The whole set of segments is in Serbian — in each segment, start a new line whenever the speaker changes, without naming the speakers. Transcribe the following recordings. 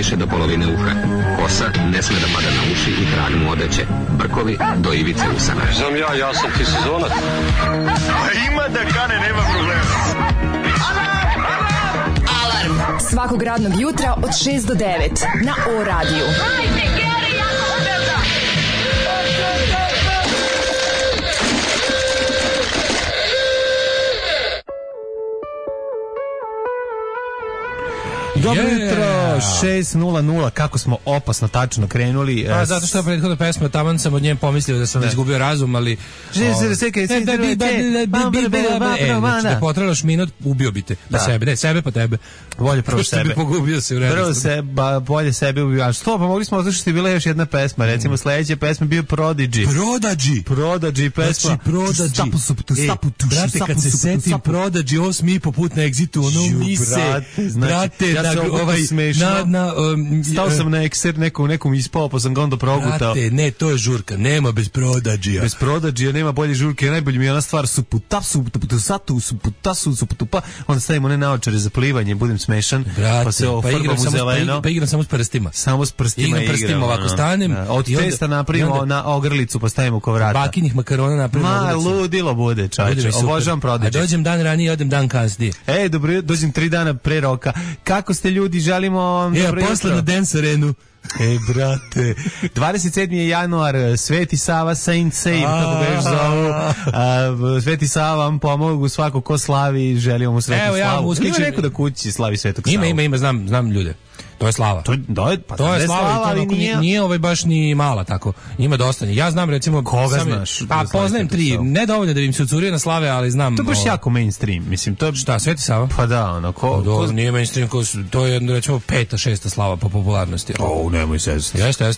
najviše do polovine uha. Kosa ne sme da pada na uši i trag mu odeće. Brkovi do ivice usana.
Znam ja sam ti sezonac.
Ima da kane, nema problema.
Alarm svakog radnog jutra od 6 do 9 na O-radiju.
Dobro jutro, 6:00, kako smo opasno tačno krenuli.
Zato što je prethodna pesma, taman sam od nje pomislio da sam izgubio razum, ali... Da potrelaš minut, ubio bi te. Da sebe, ne, sebe pa tebe.
Bolje prvo
sebe. Bi pogubio se u
rednosti. Bolje sebe ubio. A što, pa mogli smo oslušati, bila još jedna pesma. Recimo, sledeća pesma bio Prodigy. Prodigy pesma.
Brate, kad se setim Prodigy, 8,5 put na Exitu, ono mi se... Brate,
ja se ovo smešno. Stao sam na ekser, nekom ispao, pa sam ga onda progutao.
Brate, ne, to je žurka, nema bez Prodigy.
Bez Prodigy nema bolje žurke, najbolje mi je ona stvar suputupa, onda stavimo one naočare za plivanje, budem smešan,
brate,
pa se ofarbam u zeleno.
Pa igram samo s prstima.
Samo s prstima
igram. Ovako stanem.
Od testa napravimo na ogrlicu, pa stavimo ko vrata.
Bakinih makarona napravimo na ogrlicu.
Ludilo bude, čovječe, obožavam Prodigy.
A dođem dan ranije, odem dan kasnije.
Dobro, dođem 3 dana pre roka. Kako ste ljudi, želimo vam dobro jutro.
Posle na Dance Arenu.
Brate, 27. januar, Sveti Sava, Saint Save, kako ga još zovu. Sveti Sava vam pomogu, svako ko slavi, želimo mu sretnu slavu. Ima neko da kući slavi Svetog Savu?
Ima, znam ljude. To je slava.
To je
slava, ali nije baš ni mala tako. Ima dosta. Ja znam recimo
koga znaš?
Pa poznajem 3, ne dovoljno da im se ucurio na slave, ali znam.
To je baš jako mainstream, mislim, to je
šta, Sveti Sava?
Pa da, ono
nije mainstream, to je recimo 5. 6. slava po popularnosti.
Nemoj se.
Jeste,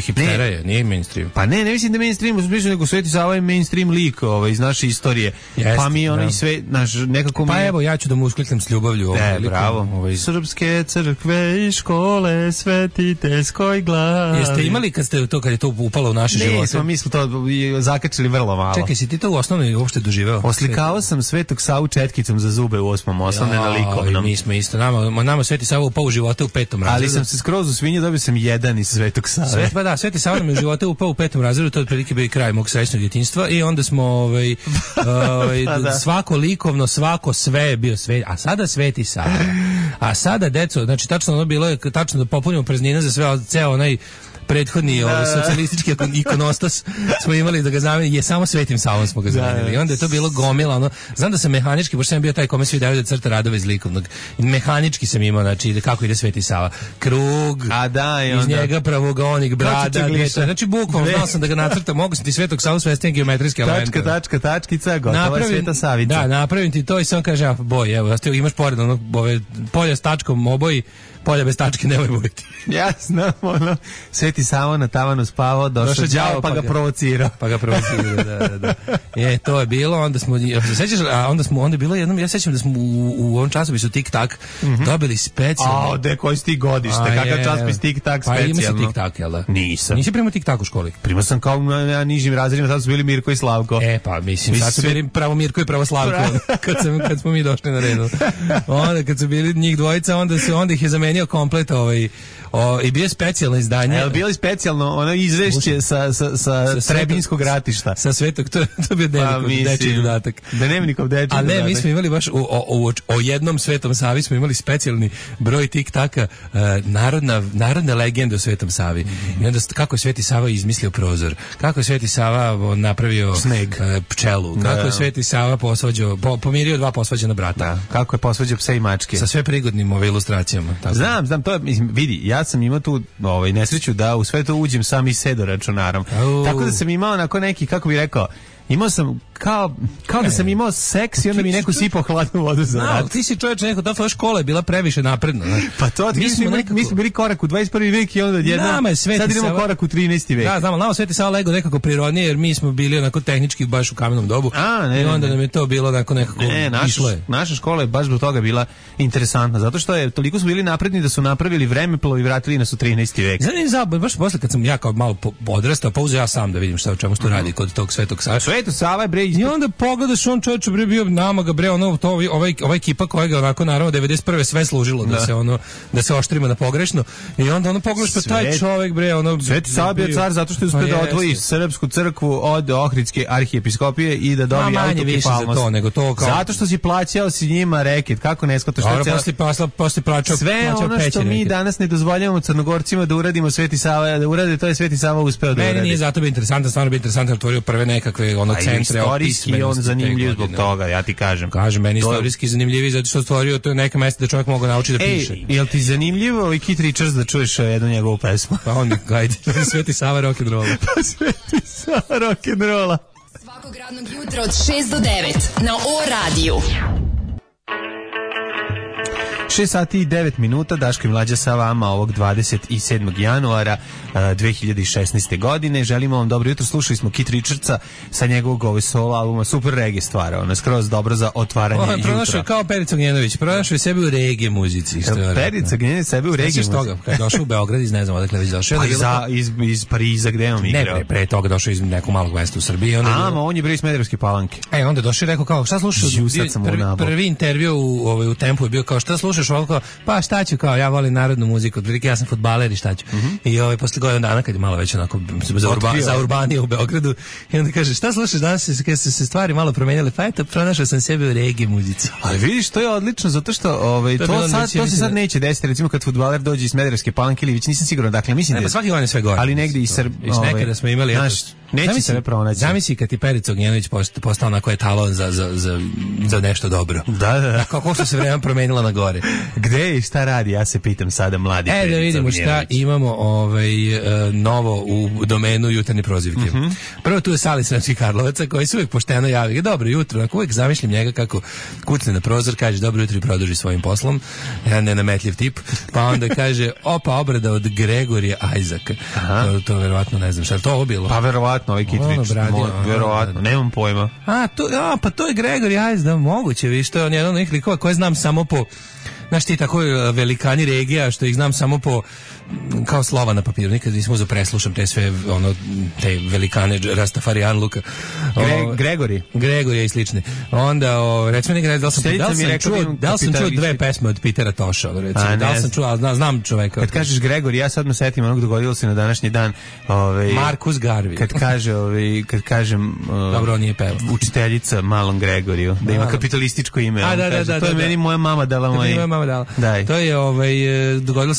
hipstera je, nije mainstream.
Pa ne mislim da mainstream, uspješno nego Sveti Sava je mainstream lik iz naše istorije. Pa mi ono i sve naš nekako.
Pa evo ja ću da mu uskliknem s ljubavlju
bravo. Srpske crkve i škole svetiteljskoj glas.
Jeste imali kad je to upalo u naše živote?
Mi smo to zakačili vrlo malo.
Čekaj, si ti to u osnovnoj uopšte doživeo?
Oslikao sam Svetog Savu četkicom za zube u 8. osnovne na likovnom.
Mi smo isto, nama Sveti Sava upao u živote u 5. razredu.
Ali sam se skroz u svinje, dobio sam 1 iz Svetog Save.
Sveti Sava nam je u živote upao u 5. razredu, to je otprilike bio i kraj mog srećnog djetinjstva i onda smo svako likovno, svako sve je bio sve, a sada Sveti Sava. A sada deco, znači tačno ono bilo je tačno da popunimo praznine za sve, ceo onaj prethodni socijalistički ikonostas smo imali da ga zamenili, je samo Svetim Savom smo ga zamenili. I onda je to bilo gomila, znam da sam mehanički, pošto sam bio taj kome svi daju da crta radove iz likovnog. I mehanički sam imao, znači kako ide Sveti Sava. Krug, iz njega pravogonik, brada, znači bukvalno znao sam da ga nacrtam, mogu sam ti Svetog Savu svesti geometrijski element.
Tačkica, gotova je Sveta Savica.
Da, napravim ti to i sam kaže, boj, evo, imaš pored ove polja s tačkom oboji, polja bez tačke nemoj bojiti.
Ja znam, Sveti Sava na tavanu spavao, došao đavo pa ga provocirao.
Da. To je bilo, onda smo, sećaš, onda je bilo jednom, ja sećam da smo u ovom časopisu Tik Tak dobili specijalno.
Koji si ti godište, kakav časopis Tik Tak specijalno?
Pa ima si Tik Tak, jel da?
Nisam.
Nisi primao Tik Tak u školi?
Primao sam kao na nižim razredima, sad su bili Mirko i Slavko.
Pa mislim, sad su bili pravo Mirko i pravo Slavko, kad smo mi došli na redu. Onda kad su bili njih dvojica, onda ih je zamenio komplet i bio je specijalno izdanje.
Bilo je specijalno ono izvešće sa Trebinskog ratišta.
Sa Svetog, to je bio dečiji dodatak.
Da nema nikog dečiji dodatak.
Ali ne, mi smo imali baš o jednom Svetom Savi smo imali specijalni broj Tik Taka, narodne legende o Svetom Savi. I onda kako je Sveti Sava izmislio prozor, kako je Sveti Sava napravio pčelu, kako je Sveti Sava pomirio 2 posvađana brata.
Kako je posvađao pse i mačke.
Sa sve prigodnim ilustracijama.
Znam, to je, vidi, ja sam imao tu nesreću da u sve to uđem sam i sedo računarom. Tako da sam imao onako neki, kako bih rekao, imao sam kao da sam imao seks i onda mi neko sipao hladnu vodu za vrat.
Ti si čovječ neko, ta škola je bila previše napredna.
Pa to, mi smo bili korak u 21. vek i onda odjednom, sad idemo korak u 13. vek.
Da, znamo, nama Sveti Sava lego nekako prirodnije, jer mi smo bili onako tehnički baš u kamenom dobu. I onda nam je to bilo nekako išlo je.
Naša škola je baš zbog toga bila interesantna, zato što je toliko su bili napredni da su napravili vremeplov i vratili nas u 13. vek.
Zanim baš posle kad sam ja kao malo odrastao, pa uzeo ja sam da vidim o čemu se tu radi kod tog Svetog Save.
Sveto Sava je bre
I onda pogledaš, on čovječe bre bio nama ga bre ono to ova ekipa koja ga onako naravno 91. sve služilo da se oštrima na pogrešno i onda ono pogledaš pa taj čovjek bre ono
Sveti Sava bio car zato što je uspeo da odvoji srpsku crkvu od Ohridske arhiepiskopije i da dobije autokefalnost. Zato što si plaćao si njima reket, kako ne shvataš što
posle plaćao
sve ono što mi danas ne dozvoljavamo Crnogorcima da uradimo, Sveti Sava da urade, to je Sveti Sava uspeo da uradi.
Meni nije zato bio interesantan, stvarno bio interesantan, otvorio prve nekakve ono centre
istorijski, on zanimljiv zbog toga, ja ti kažem.
Kažem, meni istorijski zanimljiviji zato što otvorio to neka mesta da čovjek mogu naučiti da piše.
Jel ti zanimljivo i Keith Richards da čuješ jednu njegovu pesmu?
Pa on, gajde, Sveti Sava rock'n'rolla.
Pa Sveti Sava rock'n'rolla.
Svakog radnog jutra od 6 do 9 na O-radiju.
6 sati i 9 minuta, Daško i Mlađa sa vama ovog 27. januara 2016. godine. Želimo vam dobro jutro, slušali smo Keith Richardsa sa njegovog solo albuma, super reggae stvara, ono skroz dobro za otvaranje jutra.
Pronašao je kao Perica Gnjenović, pronašao je sebe u reggae muzici.
Perica Gnjenović sebe u reggae muzici.
Toga, kad je došao u Beograd, iz ne znam odakle već došao.
Pa iz Pariza, gde on igrao?
Ne, pre toga došao iz nekog malog mesta u Srbiji.
On je bio iz Smederevske Palanke.
Onda došao i rekao kao, šta slušaš? Prvi intervju u Tempu je bio kao, šta slušaš? Pa šta ću, kao ja volim narodnu muziku, otprilike ja sam fudbaler i šta ću. I posle godinu dana kad je malo već onako za urbanije u Beogradu i onda kaže šta slušaš danas, kad su se stvari malo promenjale, pa eto pronašao sam sebe u reggae muzici.
Ali vidiš, to je odlično zato što to se sad neće desiti, recimo kad fudbaler dođe iz Smederevske Palanke ili već nisam siguran, dakle mislim
da svaki godin sve gore.
Ali negde i
nekada smo imali
neće se pronaći.
Zamisli kad ti Perica Gnjenović postao onako etalon za nešto dobro.
Da.
Kako što se vreme promenilo na gore.
Gde i šta radi, ja se pitam sada mladi Perica
da vidimo šta imamo novo u domenu jutarnje prozivke. Prvo tu je Sali Sremskih Karlovaca koji se uvijek pošteno javi. Dobro jutro, onako uvijek zamišljam njega kako kucne na prozor, kaže dobro jutro i produži svojim poslom. Jedan nenametljiv tip. Pa onda kaže obrada od Gregorija Ajzaka. To verovatno ne znam šta je to bilo.
Pa verovatno ovaj Keith Richards. Verovatno, nemam pojma.
Pa to je Gregorij Ajz, da moguće, viš, to je on jedan od onih likova koje znam samo po, znaš ti tako velikani regija što ih znam samo po kao slova na papiru, nikad nisam uzeo preslušam te sve te velikane Rastafarian Luka. Gregorija i slične. Onda recimo nekad da li sam čuo dve pesme od Petera Toša, recimo. Da li sam čuo, ali znam čoveka.
Kad kažeš Gregorij, ja sad me setim onog dogodilo se na današnji dan,
Markus Garvey.
Kad kažem
dobro, on nije pevao.
Učiteljica malom Gregoriju, da ima kapitalističko ime.
Da,
to je meni moja mama dala moje.
To je dogodilo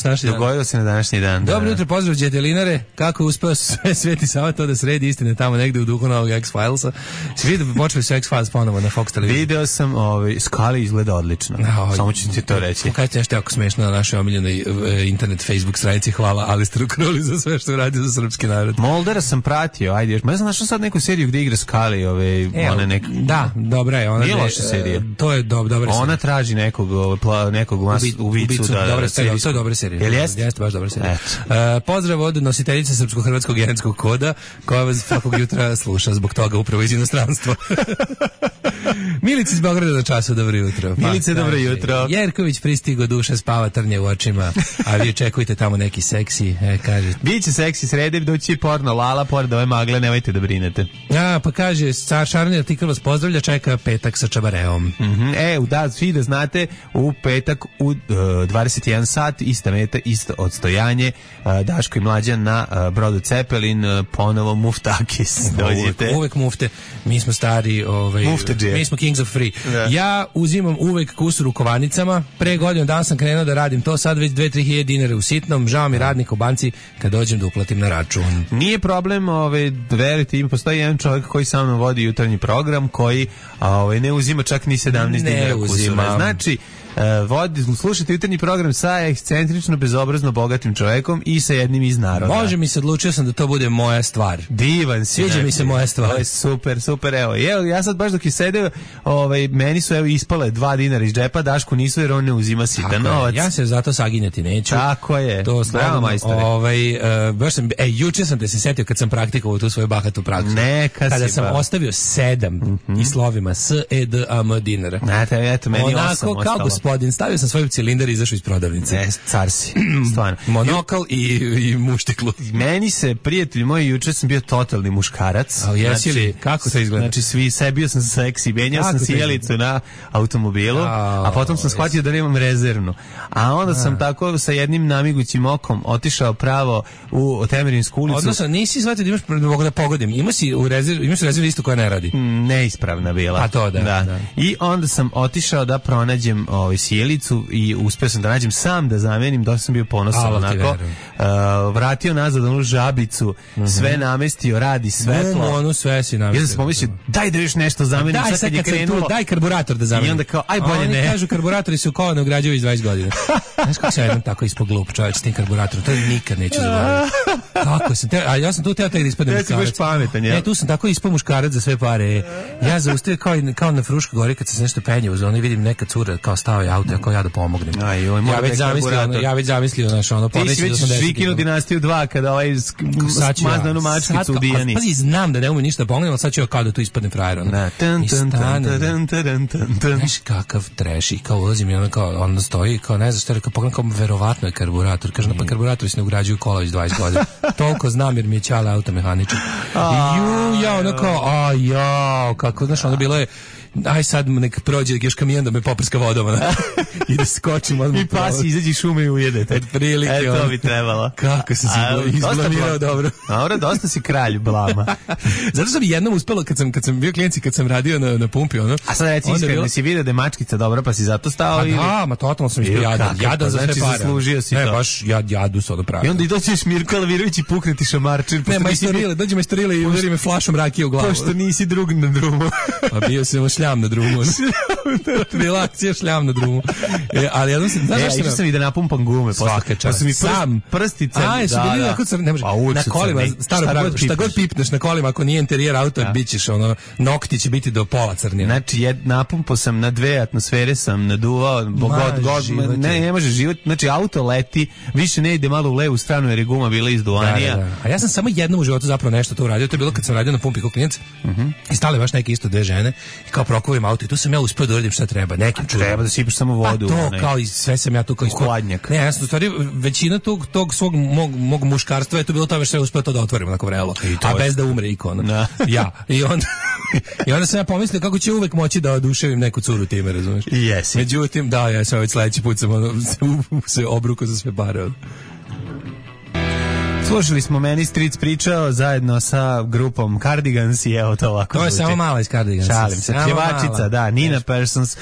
se na
današnji dan.
Dobro jutro, pozdrav Đetelinare. Kako je uspeo Sveti Sava to da sredi istine tamo negde u duhu novog X-Filesa? Si vidio, počeli su X-Files ponovo na Fox televiziji.
Video sam, Skali izgleda odlično. Samo ću ti to reći.
Kaj ti nešto jako smešno na našoj omiljenoj internet Facebook stranici. Hvala Alistaru Crowley za sve što radi za srpski narod.
Moldera sam pratio, ajde još. Ma ja sam našao sad neku seriju gde igra Skali.
Da, dobra je.
Nije loša serija.
To je dobra serija.
Ona traži nekog ubicu.
To je dobra serija.
Jel jeste?
Jeste, baš dobra serija. Pozdrav od nositeljice Srpsko-hrvatskog genetskog koda koja vas svakog jutra sluša zbog toga upravo iz inostranstva. Milica iz Beograda na času, dobro jutro.
Milice, dobro jutro.
Jerković pristigo, duša spava, trnje u očima, a vi očekujte tamo neki seksi, kaže.
Biće seksi, srede doći porno, lala, pored ove magle, nemojte da brinete.
Pa kaže, Šarni artikl vas pozdravlja, čeka petak sa čabareom.
Svi da znate, u petak u 21 sat, ista meta, isto odstojanje, Daško i Mlađa na brodu Cepelin, ponovo Muftakis.
Uvek mufte, mi smo stari, mi smo Kings of Free. Ja uzimam uvek kusur u kovanicama, pre godinu dana sam krenuo da radim to, sad već 2-3 hiljade dinara u sitnom, žao mi radnika u banci kad dođem da uplatim na račun.
Nije problem, verite, ima postoji jedan čovjek koji sa mnom vodi jutarnji program, koji ne uzima čak ni 17 dinara kusura. Znači, slušajte jutarnji program sa ekscentrično, bezobrazno bogatim čovekom i sa jednim iz naroda.
Može mi se, odlučio sam da to bude moja stvar.
Divan si.
Sviđa mi se moja stvar.
To je super, evo. Ja sad baš dok je sedeo, meni su ispale 2 dinara iz džepa, Dašku nisu jer on ne uzima sitan novac.
Ja se zato saginjati neću.
Tako je.
To bravo, majstore. Baš sam, juče sam te se setio kad sam praktikovao tu svoju bahatu praksu. Kada sam ostavio 7 i slovima S, E, D, A, M dinara.
Eto, meni 8 ostalo.
Kako gospodin, stavio sam svoj cilindar i izašao iz prodavnice.
Ne, car si, stvarno.
Monokal i muštiklu.
Meni se, prijatelji moji, juče sam bio totalni muškarac.
A jesi li? Kako to izgleda?
Znači, sebio sam seksi, menjao sam sjelicu na automobilu, a potom sam shvatio da nemam rezervnu. A onda sam tako sa jednim namigućim okom otišao pravo u Temerinsku ulicu.
Odnosno, nisi shvatio da imaš, mogu da pogodim, imaš u rezervu listu koja ne radi.
Neispravna bila.
A to da.
I onda sam otišao da pronađem sjelicu i uspeo sam da nađem sam da zamenim, dosta sam bio ponosan onako. Vratio nazad onu žabicu, sve namestio, radi svetlo.
Onu sve si namestio.
I onda sam pomislio, daj da još nešto zamenim, sad kad je krenulo.
Daj karburator da zamenim.
I onda kao, aj bolje ne.
Oni kažu karburatori su kola ne ugrađuju iz 20 godina. Znaš kako sam jednom tako ispod glup čovječ s tim karburatorom, to nikad neću zaboraviti. Kako sam te, a ja sam tu teo tek da ispadnem muškarac.
Ti si baš pametan, ja.
Ne, tu sam tako ispao muškarac za sve pare. Ja zaustavio kao na Fruškoj gori kad se nešto penje uz ono i vidim neka cura kao stao je auto, kao ja da pomognem. Ja već zamislio naš ono
ti si već Žikinu dinastiju 2 kada ovaj smazna onu mačkicu u Dijani.
Pazi, znam da ne umem ništa da pomognem, ali sad ću kao da tu ispadnem frajer. Znaš kakav treš i kao ulazim i ona kao onda stoji kao ne znam što rekao pogledam kao verovatno je karburator. Kaže pa karburatori se ne ugrađuju kola iz 20 godina. Toliko znam jer mi je ćala automehaničar. I ja ono kao kako znaš ono bilo je aj sad nek prođe još kamion da me poprska vodom i da skočim odmah.
I pas izađi šume i ujedete.
Od prilike.
To bi trebalo.
Kako se izblamirao dobro.
Dobro, dosta si kralj blama.
Zato sam jednom uspelo kad sam bio klijent i kad sam radio na pumpi ono.
A sad reci iskreno, si vidio da je mačkica dobra pa si zato stao ili?
Da, ma totalno sam ispio jadan za sve pare.
Znači zaslužio si to.
Ne, baš jadu sad opravio.
I onda i doćeš Mirko Alvirović i pukneti šamarčin.
Ne, majstorile, dođe majstorile i udari me flašom rakije u glavu.
Pošto nisi drug na drumu.
Pa bio sam šljam na drumu. Bila akcija šljam na drumu. Ali jednom se, znaš
što sam i da napumpam gume.
Svaka čast.
Sam prstice.
Jesu bili jako crni, ne može. Na kolima, staro pravilo, šta god pipneš na kolima, ako nije interijer auta, bit ćeš ono, nokti će biti do pola crnije.
Znači, napumpao sam na 2 atmosfere, sam naduvao, ne može život, znači auto leti, više ne ide malo u levu stranu jer je guma bila izduvanija.
A ja sam samo jednom u životu zapravo nešto to uradio, to je bilo kad sam radio na pumpi kao klijent i stale baš neke isto 2 žene i kao prokuvim auto i tu sam ja uspio da uradim šta treba.
Treba da sipaš samo vodu.
Pa to kao i sve sam ja tu kao
hladnjak.
Ne, ja sam u stvari većina tog svog mog muškarstva je to bilo tome što je uspio to da otvorim onako vrelo. A bez da umre ikona. Ja. I onda sam ja pomislio kako će uvek moći da oduševim neku curu time, razumeš?
Jesi.
Međutim, ja sam već sledeći put sam se obruko za sve pare.
Slušali smo Meni Stric pričao zajedno sa grupom Cardigans i evo to ovako.
To je samo mala iz Cardigansa.
Šalim se. Pjevačica, da, Nina Persons.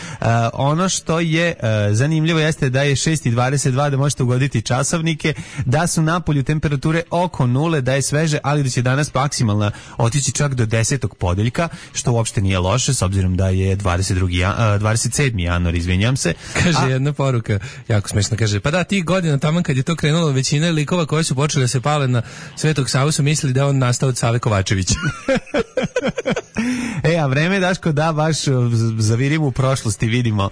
Ono što je zanimljivo jeste da je 6:22, da možete ugoditi časovnike, da su napolju temperature oko 0, da je sveže, ali da će danas maksimalna otići čak do 10. podeljka, što uopšte nije loše, s obzirom da je 27. januar, izvinjam se.
Kaže jedna poruka, jako smešna, kaže, pa da, tih godina tamo kad je to krenulo, većina likova koji su počeli da se na Svetog Savu su mislili da on nastao od Save Kovačevića.
A vreme, Daško, da baš zavirimo u prošlosti, vidimo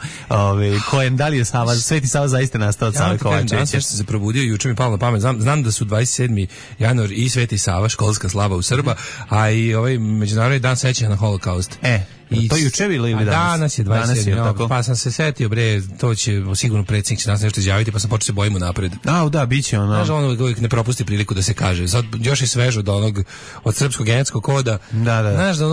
da li je Sveti Sava zaista nastao od Save Kovačevića.
Danas sam se probudio, juče mi palo na pamet, znam da su 27. januar i Sveti Sava, školska slava u Srba, a i ovaj međunarodni dan sećanja na Holokaust.
To juče bilo ili danas?
Danas je 27. Pa sam se setio, to će sigurno predsjednik će danas nešto izjaviti, pa sam počeo se bojimo napred.
Da, bit će ono.
Znaš, on uvijek ne propusti priliku da se kaže. Sad još je sveže od srpskog genetskog koda.
Da.
Znaš, da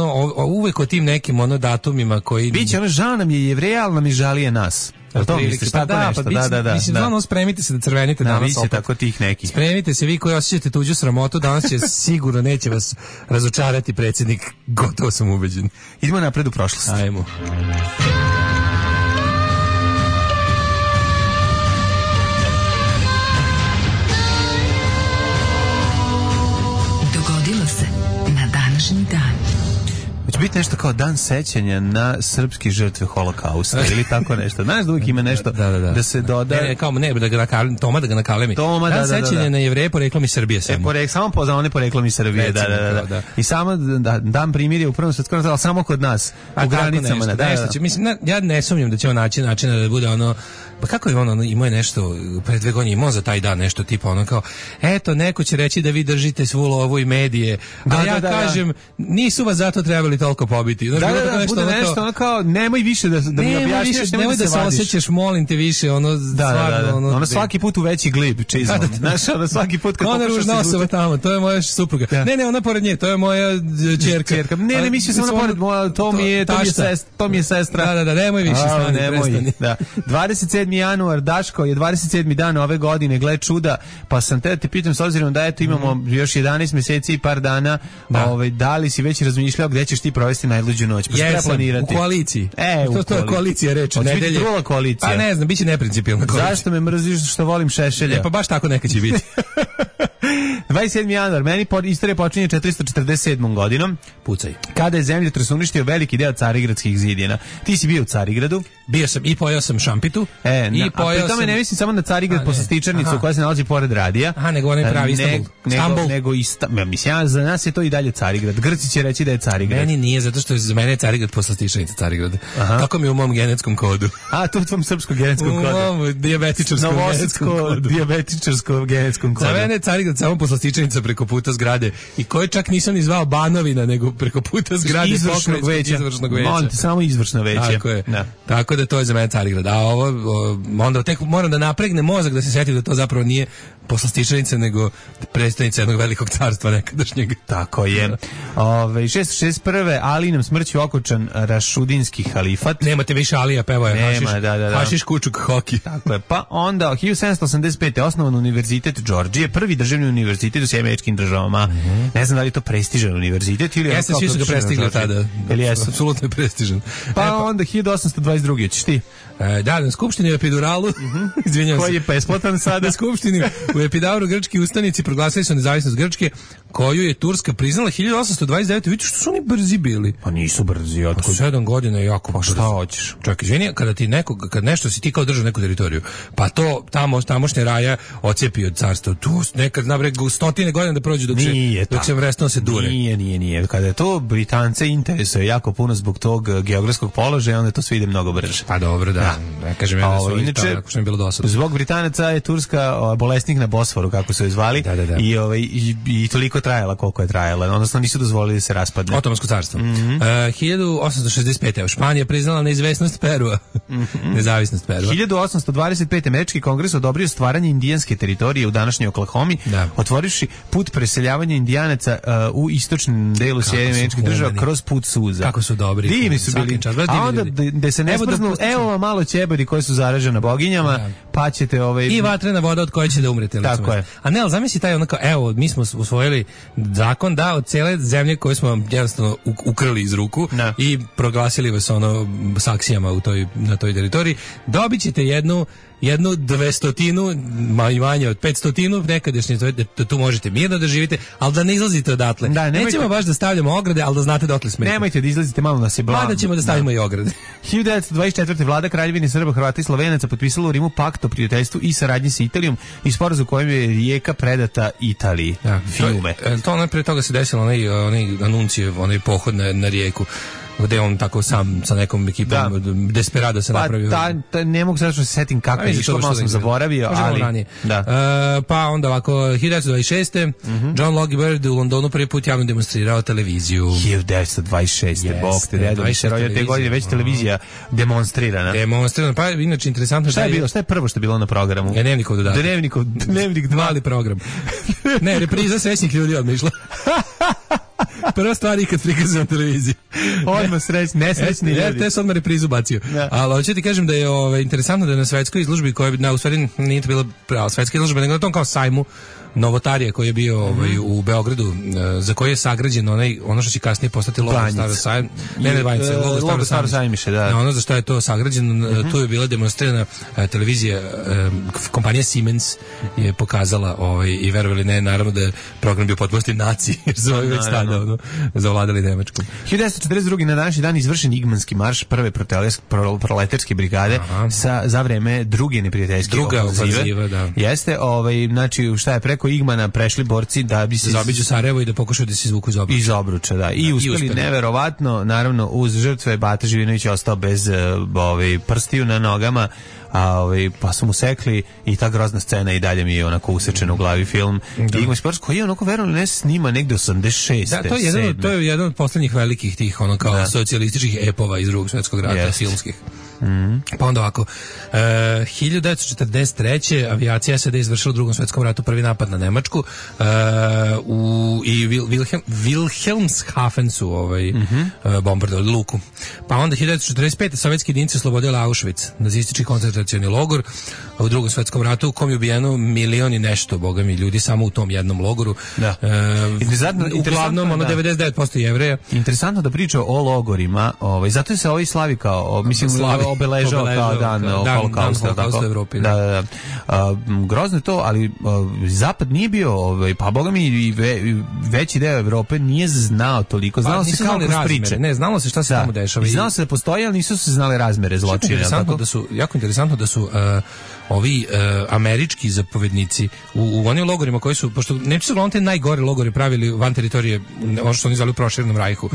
uvijek o tim nekim datumima koji...
Biće žao nam je Jevreja, ali nam i žalije nas. To misliš, tako nešto? Da.
Mislim, spremite se da crvenite danas opet.
Tako tih nekih.
Spremite se vi koji osjećate tuđu sramotu, danas će sigurno neće vas razočarati predsjednik, gotovo sam ubeđen.
Idemo napred u prošlost.
Ajmo.
Dogodilo se na današnji dan.
Hoće biti nešto kao dan sećanja na srpske žrtve Holokausta ili tako nešto. Znaš da uvijek ima nešto da se doda.
Toma da ga nakalemi. Dan sećanja na Jevreje poreklom iz Srbije.
Samo za one poreklom iz Srbije. Da. I samo dan primirje u prvom svetskom ratu, ali samo kod nas. U granicama.
Mislim, ja ne sumnjam da će on naći načina da bude Pa kako je ono, imao je nešto, pre 2 godine imao za taj dan nešto tipa ono kao, eto, neko će reći da vi držite svu lovu i medije, a ja kažem, nisu vas zato trebali toliko pobiti. Znaš,
bude nešto ono kao, nemoj više da mi objašnjaš,
nemoj da se osjećaš, molim te više, ono, stvarno,
ono svaki put u veći glib, čizmom. Znaš, ono svaki put kad
ona ružna osoba tamo, to je moja supruga. Ne, ona pored nje, to je moja ćerka.
Ne, mislio sam ona pored moja, to mi je sestra.
Da, nemoj više stani,
da. 27. januar, Daško, je 27. dan ove godine, gle čuda, pa sam te pitam, s obzirom da eto imamo još 11 meseci i par dana, da li si već razmišljao gde ćeš ti provesti najluđu noć? Pa treba planirati.
U koaliciji. To je koalicija reč, nedelje.
Biti druga koalicija.
Pa ne znam, biće neprincipijelna koalicija.
Zašto me mrziš što volim Šešelja?
Pa baš tako neka će biti.
27. januar, meni istorija počinje 447. godinom.
Pucaj.
Kada je zemljotres uništio veliki deo Carigradskih zidina. Ti si bio u Carigradu?
Bio sam i pojao sam šampitu.
A pri tome ne mislim samo na Carigrad Poslastičarnicu koja se nalazi pored radija.
Nego onaj pravi Istanbul.
Mislim, za nas je to i dalje Carigrad. Grci će reći da je Carigrad.
Meni nije, zato što je za mene je Carigrad Poslastičarnica Carigrad. Tako mi je u mom genetskom kodu.
To je u tvom srpskom genetskom kodu.
U mom
dijabetičarskom genetskom kodu.
Za mene je Carigrad samo Poslastičarnica preko puta zgrade. I koje čak nisam ni zvao Banovina, nego preko puta zgrade
izvršnog veća. Molim te, samo izvršno veće.
Tako je. Tako da to je za mene Carigrad. A ovo, onda tek moram da napregnem mozak da se setim da to zapravo nije Poslastičarnica, nego predstavnica jednog velikog carstva nekadašnjeg.
Tako je. 661. Alinom smrću okončan Rašudinski halifat.
Nemate više Alija, pevao je Hašiš Kučuk Hoki.
Tako je. Pa onda 1785. osnovan univerzitet Džordžije, prvi državni univerzitet u SAD. Ne znam da li je to prestižan univerzitet ili
jeste, svi su ga prestigli tada. Apsolutno je prestižan.
Pa onda 1822. Ćeš ti?
Na skupštini u Epiduralu, izvinjavam se.
Koji je besplatan sada?
Na skupštini u Epidauru grčki ustanici proglasili su nezavisnost Grčke, koju je Turska priznala 1829. Vidite što su oni brzi bili.
Pa nisu brzi, otkud?
7 godina je jako
brzo. Pa šta hoćeš?
Čovjek, izvini, kad nešto si ti kao držao neku teritoriju, pa to tamošnje raja ocepi od carstva. Tu nekad nabre stotine godina da prođu dok se vrestno se dure.
Nije. Kada je to Britance interesuje jako puno zbog tog geografskog položaja, onda to sve ide mnogo brže.
Pa dobro, da. Ne kažem ja da su inače, ako što mi bilo dosadno.
Zbog Britanaca je Turska bolesnik na Bosforu, kako su je zvali, i toliko trajala koliko je trajala. Odnosno nisu dozvolili da se raspadne.
Otomansko carstvo. 1865. Španija priznala neizvesnost Perua. Nezavisnost Perua.
1825. Američki kongres odobrio stvaranje indijanske teritorije u današnjoj Oklahomi, otvorivši put preseljavanja Indijanaca u istočnom delu Sjedinjenih Američkih Država kroz put suza.
Kako su dobri.
Divni su bili. A onda da se ne sprznu, evo malo ćebadi koji su zaražena boginjama, pa ćete
i vatrena voda od koje će da umrete.
Tako je.
A ne, ali zamisli taj onako, evo, mi smo usvojili zakon da od cijele zemlje koje smo jednostavno ukrili iz ruku i proglasili vas saksijama na toj teritoriji, dobit ćete jednu 200, manje od 500 nekadašnje, da tu možete mirno da živite, ali da ne izlazite odatle. Nećemo baš da stavljamo ograde, ali da znate dotle smete.
Nemojte da izlazite, malo nas je blam.
Da ćemo da stavimo i ograde.
1924. vlada Kraljevine Srba, Hrvata i Slovenaca potpisala u Rimu pakt o prijateljstvu i saradnji sa Italijom i sporazum kojim je Rijeka predata Italiji. Fiume.
To pre toga se desilo onaj Anuncijev, onaj pohod na Rijeku, gde on tako sam sa nekom ekipom Desperado se napravio.
Ne mogu sad što se setim kako je išlo, malo sam zaboravio, ali...
Pa onda ovako, 1926. John Logie Baird u Londonu prvi put javno demonstrirao televiziju.
1926. Bog te dedo, mi se rodio te godine, već televizija demonstrirana.
Pa inače interesantno
šta je bilo, šta je prvo što je bilo na programu?
Dnevnikov dodatak.
Dnevnik 2.
Mali program. Ne, repriza srećnih ljudi odmah išla. Prva stvar ikad prikazana na televiziji.
Odmah nesrećni ljudi.
RTS odmah reprizu bacio. Ali hoću ti kažem da je interesantno da je na svetskoj izložbi, koja u stvari nije to bila prava svetska izložba, nego na tom kao sajmu novotarija koji je bio u Beogradu, za koji je sagrađen ono što će kasnije postati logo Staro sajam.
Logo Staro sajmiše, da.
Ono za što je to sagrađeno, tu je bila demonstrirana televizija, kompanija Siemens je pokazala i verovali ne, naravno da je program bio potpunosti naci, jer su ovi već tada zavladali Nemačkom.
1942. na današnji dan izvršen Igmanski marš prve proletarske brigade za vreme druge neprijateljske
ofenzive.
Jeste, znači šta je preko Igmana prešli borci da bi se
zaobiđu Sarajevo i da pokušaju da se izvuku iz Obruča.
Da. I uspeli neverovatno, naravno uz žrtve Bata Živinović je ostao bez prstiju na nogama. pa su mu sekli i ta grozna scena i dalje mi je onako usečena u glavi film. Igor Spars koji je onako verovali ne snima negde 86.
Da, to je jedan od poslednjih velikih tih ono kao socijalističkih epova iz Drugog svjetskog rata, filmskih. Pa onda ovako 1943. avijacija SAD izvršila u Drugom svjetskom ratu prvi napad na Nemačku i Wilhelmshaven su bombardovali luku. Pa onda 1945. sovjetski jedinice oslobodili Auschwitz, nacistički koncentracioni logor u Drugom svjetskom ratu u kom je ubijeno milion i nešto, boga mi, ljudi samo u tom jednom logoru.
Da.
Uglavnom 99% Jevreja.
Interesantno da priča o logorima, zato se ovaj slavi kao obeležao kao dan holokausta
u Evropi.
Da. Grozno je to, ali Zapad nije bio, pa boga mi i veći deo Evrope nije znao toliko. Znalo se kao kroz priče.
Ne, znalo se šta se tamo dešava.
I znalo se da postoji, ali nisu se znale razmere zločina.
Jako interesantto da su ovi američki zapovednici u onim logorima koji su, pošto Nemci su uglavnom te najgore logore pravili van teritorije, ono što oni zvali u proširenom rajhu,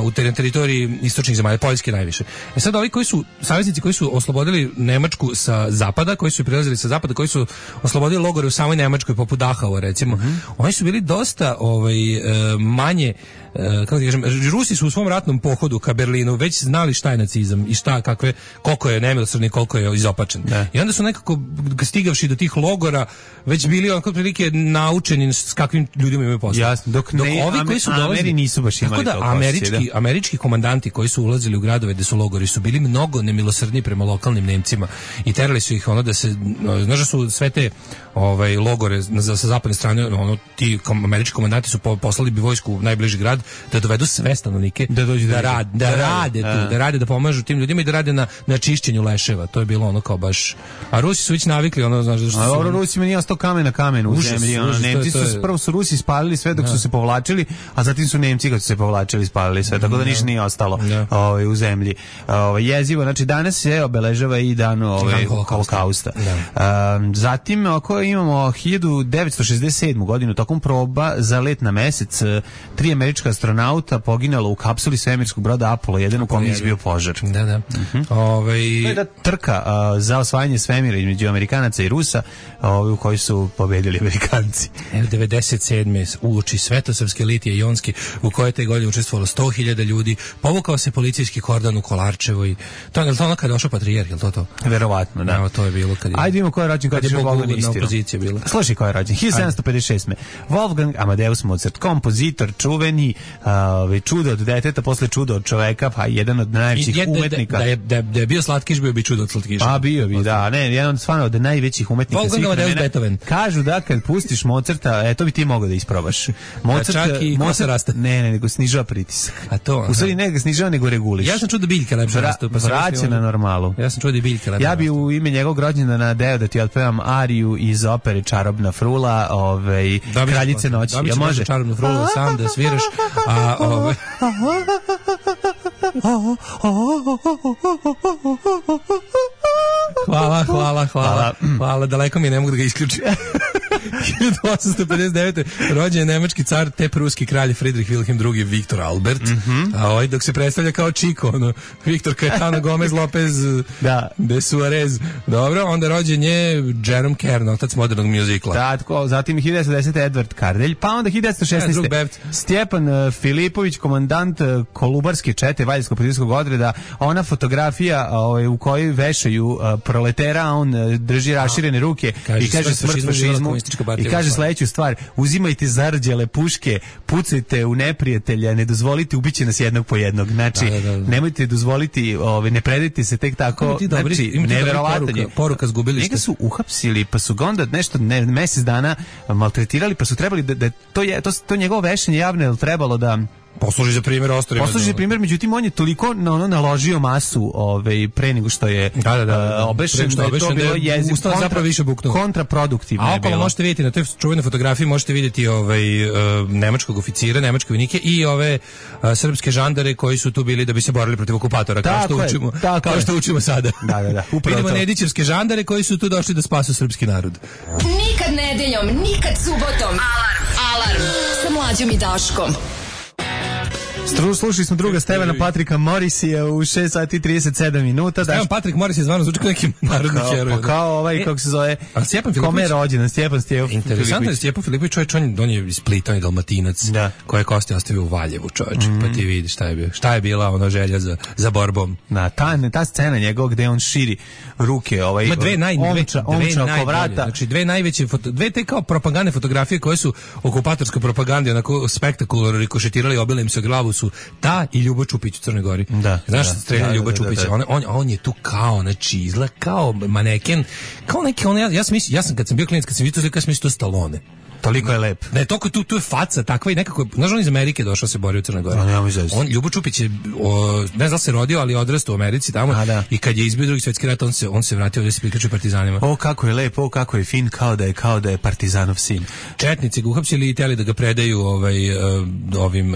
u teritoriji istočnih zemalja, Poljske najviše. Sad ovi koji su, saveznici koji su oslobodili Nemačku sa zapada, koji su prilazili sa zapada, koji su oslobodili logore u samoj Nemačkoj, poput Dachau recimo, oni su bili dosta manje, kako da kažem, Rusi su u svom ratnom pohodu ka Berlinu već znali šta je nacizam i koliko je nemilosrdni, koliko je izopačen. I onda su nekako stigavši do tih logora već bili onako prilike naučeni s kakvim ljudima imaju posao.
Jasno, dok ovi koji su dolazili nisu baš imali to
osjećaj. Američki komandanti koji su ulazili u gradove gde su logori su bili mnogo nemilosrdniji prema lokalnim Nemcima i terali su ih da se, znaš da su sve te logore sa zapadne strane, ti američki komandanti su poslali bi vojsku u najbliži grad da dovedu sve stanovnike da rade, da pomažu tim ljudima i da rade na čišćenju leševa. To je bilo ono kao baš, a Rusi su već navikli znaš da što
Rusima nije ostao kamen na kamenu u zemlji. Nemci prvo su Rusi spalili sve dok su se povlačili, a zatim su Nemci kad su se povlačili spalili sve, tako da ništa nije ostalo u zemlji. Jezivo, znači danas se obeležava i dan holokausta. Zatim ako imamo 1967. godinu tokom proba za let na mesec, 3 američka astronauta poginula u kapsuli svemirskog broda Apollo 1 u kom je izbio požar.
Da.
To je da trka za osvajanje svemira između Amerikanaca i Rusa, u kojoj su pobedili Amerikanci.
97. uoči Svetosavske litije Jonski, u kojoj te godine učestvovalo 100.000 ljudi, povukao se policijski kordon u Kolarčevo i to je ono kada došao patrijarh, je li to?
Verovatno, da.
To je bilo kad je...
Ajde vidimo ko je rođen, kad je
boguludna opozicija bila.
Slušaj ko je rođen, 1756. Wolfgang Amadeus Mozart, kompozitor, čuveni, čudo od deteta, posle čudo od čoveka, pa jedan od najvećih umetnika.
Da je bio Slatkiš, bio bi čudo od Slatkiša.
Pa bio bi, da, jedan stvarno od najvećih umetnika svih vremena. Kažu da kad pustiš Mozarta, to bi ti mogao da isprobaš.
Mozart
ne, nego snižava pritisak.
A to?
U stvari ne ga snižava, nego reguliš.
Ja sam čuo da biljke lepše rastu.
Vraća na normalu.
Ja sam čuo da biljke lepše.
Ja bi u ime njegovog rođendana deo da ti otpevam ariju iz opere Čarobna frula, Kraljice noći.
Ja može Čarobnu frulu sam da sviraš, a Hvala, daleko mi je, ne mogu da ga isključim. 1859. rođen je nemački car te pruski kralj Friedrich Wilhelm II Viktor Albert, a dok se predstavlja kao Chico, Viktor Caetano Gomez Lopez de Suarez. Dobro, onda rođen je Jerome Kern, otac modernog mjuzikla.
Da, zatim 1910. Edvard Kardelj, pa onda 1916. Stjepan Filipović, komandant Kolubarske čete Valjevsko-Policijskog odreda, ona fotografija u kojoj vešaju proletera, a on drži raširene ruke i kaže smrt fašizmu i kaže sledeću stvar: uzimajte zarđale puške, pucajte u neprijatelja, ne dozvolite, ubiće nas jednog po jednog. Znači, nemojte dozvoliti, ne predajte se tek tako. Znači, neverovatno je.
Poruka zgubili ste.
Njega su uhapsili, pa su ga onda nešto mesec dana maltretirali, pa su trebali da to njegovo vešanje javno je trebalo da
posluži za primjer ostarima.
Posluži za primjer, međutim on je toliko naložio masu pre nego što je obešen, da je to bilo jezik
zapravo više buknuo.
Kontraproduktivno je bilo.
A okolo možete vidjeti na toj čuvenoj fotografiji, možete vidjeti nemačkog oficira, nemačke vojnike i ove srpske žandare koji su tu bili da bi se borili protiv okupatora, kao što učimo sada.
Da.
Vidimo Nedićevske žandare koji su tu došli da spasu srpski narod.
Nikad nedeljom, nikad subotom. Alarm sa Mlađom i Daškom.
Slušali smo druga Stevana Patrika Morrisija u 6 sati 37 minuta.
Stevan Patrik Morris je zvano zvuči kao neki narodni heroj.
Kao ovaj, kako se zove, kome je rođen, Stjepan Filipović.
Interesantno je Stjepan Filipović, čovječ, on je iz Splita, on je Dalmatinac, koje je kosti ostavio u Valjevu, čovječ, pa ti vidi šta je bio. Šta je bila ona želja za borbom. Ta scena njegov gde on širi ruke, omča oko vrata. Znači dve najveće, dve te kao propagandne fotografije koje su okupatorske propagande onako spektakularno rikošetirali, obile im se glavu su ta i Ljubo Čupić u Crnoj Gori. Znaš šta strelja Ljubo Čupić? On je tu kao, znači izgleda kao maneken, kao neki, ja sam kad sam bio klinac, kad sam vidio to, mislim to Stallone.
Toliko je lep.
Ne, toliko tu je faca takva i nekako, znaš, on iz Amerike došao se borio u Crnoj Gori. On, Ljubo Čupić je, ne znam se rodio, ali odrastao u Americi tamo i kad je izbio Drugi svjetski rat, on se vratio ovdje se priključio partizanima.
O, kako je lep, o, kako je fin, kao da je partizanov sin.
Četnici ga uhapsili i teli da ga predaju ovim...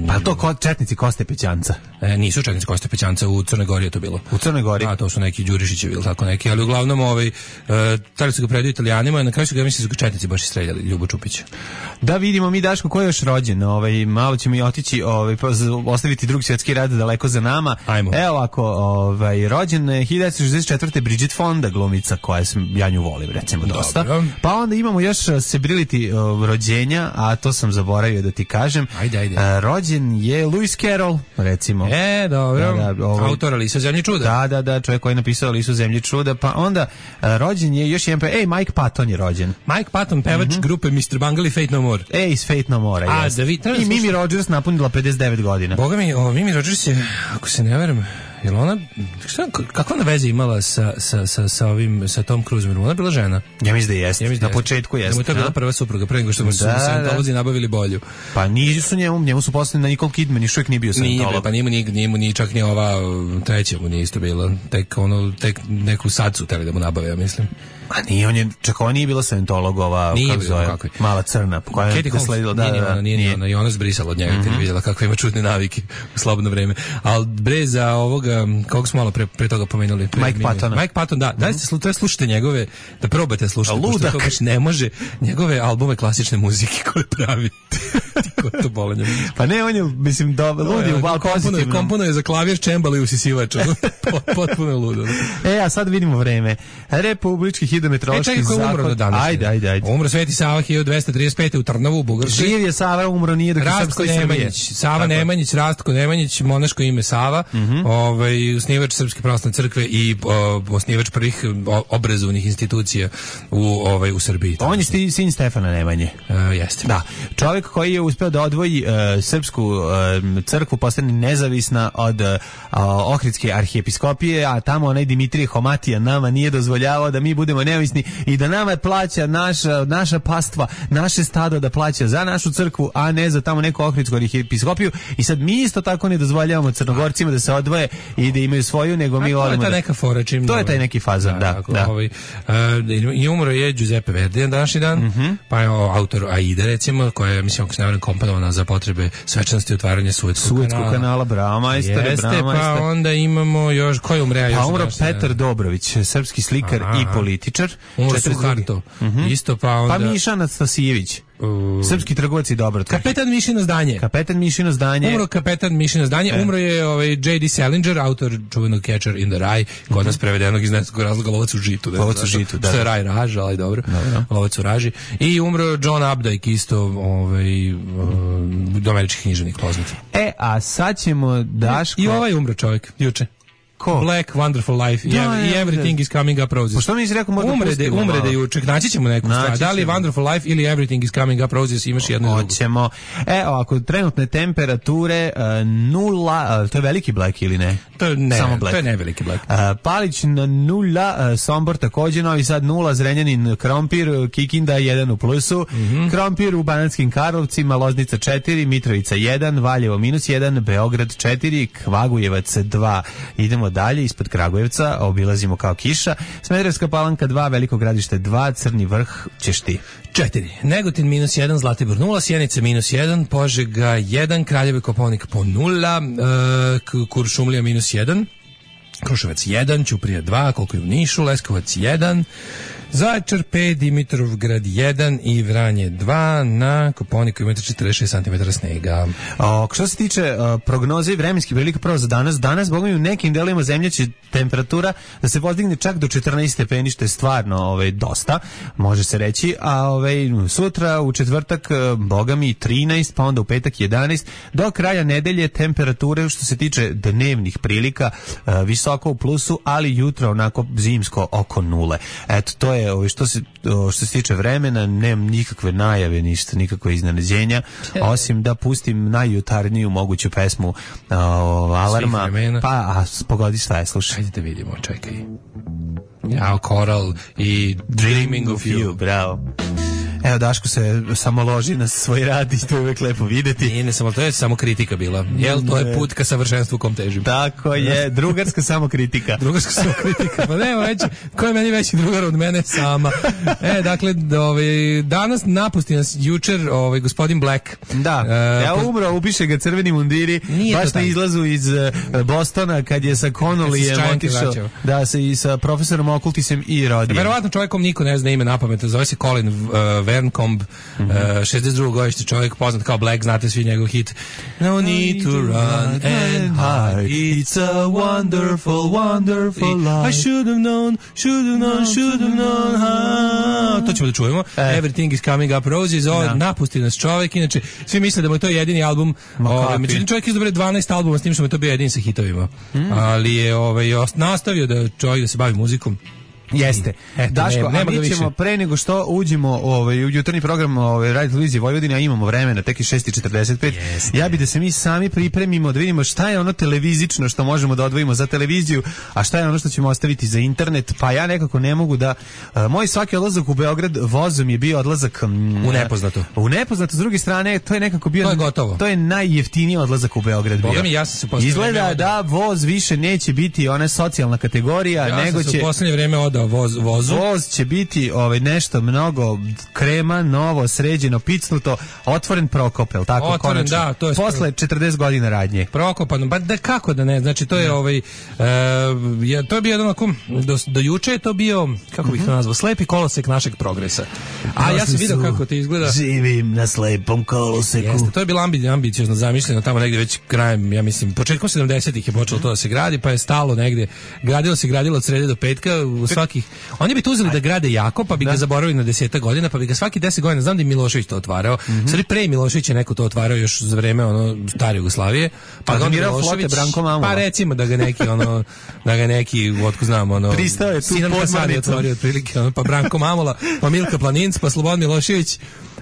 Pa to četnici Koste Pećanca.
Nisu četnici Koste Pećanca, u Crnoj Gori je to bilo.
U Crnoj Gori?
To su neki Đurišićevi ili tako neki, ali uglavnom teli su ga predaju Italijanima, na kraju su ga, mislim, su ga četnici baš streljali, Ljubo Čupić.
Da vidimo mi, Daško, ko je još rođen, malo ćemo i otići, ostaviti Drugi svjetski rat daleko za nama.
Ajmo.
Evo ako, rođen 1964. Bridget Fonda, glumica koja ja nju volim, recimo, dosta.
Dobro.
Pa onda imamo još celebrity rođenja, a to sam zaboravio da ti kažem.
Ajde.
Rođen je Lewis Carroll, recimo.
Dobro. Autor Alisa Zemlje čuda.
Da, čovjek koji je napisao Alisu Zemlje čuda. Pa onda rođen je još jedan, Mike Patton je rođen.
Mike Patton, pevač grupe Mr. Bungle i Fate No More.
Iz Fate No More, jes. I Mimi Rogers napunila 59 godina.
Boga mi, Mimi Rogers je, ako se ne verujem, jel ona, kakva ona veze imala sa Tom Cruiseom? Ona bila žena?
Ja mislim da jeste. Na početku jeste.
Da mu je to bila prva supruga, pre nego što mu su Scientology nabavili bolju.
Pa nisu njemu su poslali na Nicole Kidman i šuvijek nije bio Scientolog.
Nije, pa nije čak ni ova treća mu nije isto bila. Tek neku sad su teli da mu nabave, ja mislim.
A nije, on nije bila Scientologova, kako zove, mala crna, koja je sledila.
Nije ona, i ona zbrisala od njega kad je vidjela kakve ima čudne navike u slobodno vreme. Ali bre za ovoga, kog smo malo pre toga pomenuli?
Mike
Patton, da. Dajte slušajte njegove, da probate slušati, pošto to baš ne može, njegove albume klasične muzike koje pravi. Ko to bolenje?
Pa ne, on je, mislim, ludi u pozitivnom.
Kompono je za klavir, čembal i usisivač. Potpuno je ludo.
A sad vidimo vreme. Republički hidrometeorološki zakon. Ajde.
Umro Sveti Sava 1235. u Trnovu, u Bugarskoj.
Živ je Sava, umro nije dok je srpskoj Srbije.
Sava Nemanjić, Rastko Nemanjić, monaško ime Sava, osnivač Srpske pravoslavne crkve i osnivač prvih obrazovnih institucija u Srbiji.
On je sin Stefana Nemanje.
Jeste.
Da. Čovjek koji je uspeo da odvoji srpsku crkvu, postane nezavisna od Ohridske arhijepiskopije, a tamo onaj Dimitrije Homatija nama nije dozvoljavao da mi budemo neovisni i da nama plaća naša pastva, naše stado da plaća za našu crkvu, a ne za tamo neku Ohridsku arhijepiskopiju. I sad mi isto tako ne dozvoljavamo Crnogorcima da se odvoje i da imaju svoju, nego mi volimo.
To je ta neka fora,
to je taj neki fazan, da.
I umro je Giuseppe Verdi na današnji dan, pa je autor Aide, recimo, koja je, mislim, ako se ne varam, komponovana za potrebe svečanosti otvaranja Suetskog
kanala. Bravo, majstore.
Jeste, pa onda imamo još, ko je umre?
Pa umro Petar Dobrović, srpski slikar i političar.
Umro Suharto. Isto, pa onda...
Pa Miša Anastasijević. Srpski trgovac i dobro.
Kapetan Mišino zdanje. Umro kapetan Mišino zdanje. Umro je J.D. Salinger, autor čuvenog Catcher in the Rye, kod nas prevedenog iz nekog razloga Lovac u žitu.
Da.
Što je Raj Raž, ali dobro. Lovac u raži. I umro John Updike, isto američki književnik poznat.
A sad ćemo, Daško...
I ovaj umro čovjek, juče.
Ko?
Black Wonderful Life i Everything is Coming Up Roses.
Pošto mi nisi rekao možda pustimo?
Umre da juče, naći ćemo neku stvar. Da li je Wonderful Life ili Everything is Coming Up Roses, imaš jedno drugo.
Hoćemo. Ako trenutne temperature 0, to je veliki Black ili ne?
Samo Black. To je neveliki Black.
Palić na 0, Sombor takođe, Novi Sad 0, Zrenjanin, Krompir, Kikinda 1 u plusu, Krompir u Banatskim Karlovcima, Loznica 4, Mitrovica 1, Valjevo -1, Beograd 4, Kragujevac 2. Idemo dalje, ispod Kragujevca, obilazimo kao kiša. Smederevska Palanka 2, Veliko Gradište 2, Crni Vrh ćeš ti.
4. Negotin -1, Zlatibor 0, Sjenica -1, Požega 1, Kraljevo i Kopaonik po 0, Kuršumlija -1, Kruševac 1, Ćuprija 2, koliko je u Nišu, Leskovac 1, Zaječar 5, Dimitrovgrad 1 i Vranje 2, na Koponiku imate 46 cm snega.
Što se tiče prognoze i vremenskih prilika prvo za danas Bogom i u nekim delovima zemlje će temperatura da se podigne čak do 14 stepeni, što je stvarno dosta, može se reći, a sutra u četvrtak Boga mi 13, pa onda u petak 11, do kraja nedelje temperature što se tiče dnevnih prilika visoko u plusu, ali jutro onako zimsko oko nule. Eto, to je što se tiče vremena, nemam nikakve najave, ništa, nikakve iznenađenja, osim da pustim najjutarniju moguću pesmu Alarma, pa pogodi šta je, slušaj.
Ajde da vidimo, čekaj. Ja, Coral i Dreaming of You.
Bravo. Evo, Daško se samo loži na svoj rad i to je uvek lepo videti.
Nije, ne samo, to je samo kritika bila. Jel, to je put ka savršenstvu kom težim.
Tako je, drugarska samokritika.
Drugarska samokritika, pa nema veći, ko je meni veći drugar od mene sama. Dakle, danas napusti nas jučer gospodin Black.
Da, umro, upiše ga crveni mundiri, baš na izlazu iz Bostona, kad je sa Connollyjem otišao, da se i sa profesorom Okultisem i rodio.
Verovatno čovjekom niko ne zna ime na pamet, zove se Colin Verncombe, 62. godište čovjek, poznat kao Black, znate svi njegov hit No need to run and hide, it's a wonderful, wonderful life, I should have known, to ćemo da čujemo. Everything is coming up roses, napusti nas čovjek, inače svi misle da mu je to jedini album, međutim čovjek izdobre 12 albuma s tim što mu je to bio jedini sa hitovima, ali je nastavio da čovjek da se bavi muzikom.
Jeste. Daško, a mi ćemo pre nego što uđemo u jutarnji program Radio Televizije Vojvodine, a imamo vremena, tek je 6:45. Ja bi da se mi sami pripremimo, da vidimo šta je ono televizično što možemo da odvojimo za televiziju, a šta je ono što ćemo ostaviti za internet. Pa ja nekako ne mogu da... moj svaki odlazak u Beograd vozom je bio odlazak...
u nepoznato.
U nepoznato, s druge strane, to je nekako bio...
To je gotovo.
To je najjeftiniji odlazak u Beograd bio.
Boga mi, ja sam se postavio...
Izgleda da voz više neće biti ona socijalna kategorija, nego će...
Ja sam se u poslednje vreme odao vozu.
Voz će biti nešto mnogo krema, novo, sređeno, picnuto, otvoren Prokop, je li tako?
Otvoren, da, to je
posle 40 godina radnje.
Prokopan, pa da kako da ne, znači to je to je bio jedan onako, do juče je to bio, kako bih to nazvao, slepi kolosek našeg progresa. A ja sam vidio kako to izgleda.
Živim na slepom koloseku.
Jeste, to je bilo ambiciozno zamišljeno tamo negde već krajem, ja mislim, početkom 70-ih je počelo to da se gradi, pa je stalo negde, gradilo od srede do petka, u svakih. Oni bi to uzeli da grade jako, pa bi ga zaboravili na 10 godina, pa bi ga svaki 10 godina, znam da je Milošević to otvarao, sad pre Miloševića neko to otvarao još za vreme stare Jugoslavije, pa ga Milošević, pa recimo da ga neki, otko znam,
pristao je tu
podmornicu, otprilike, pa Branko Mamula, pa Milka Planinc, pa Slobodan Milošević,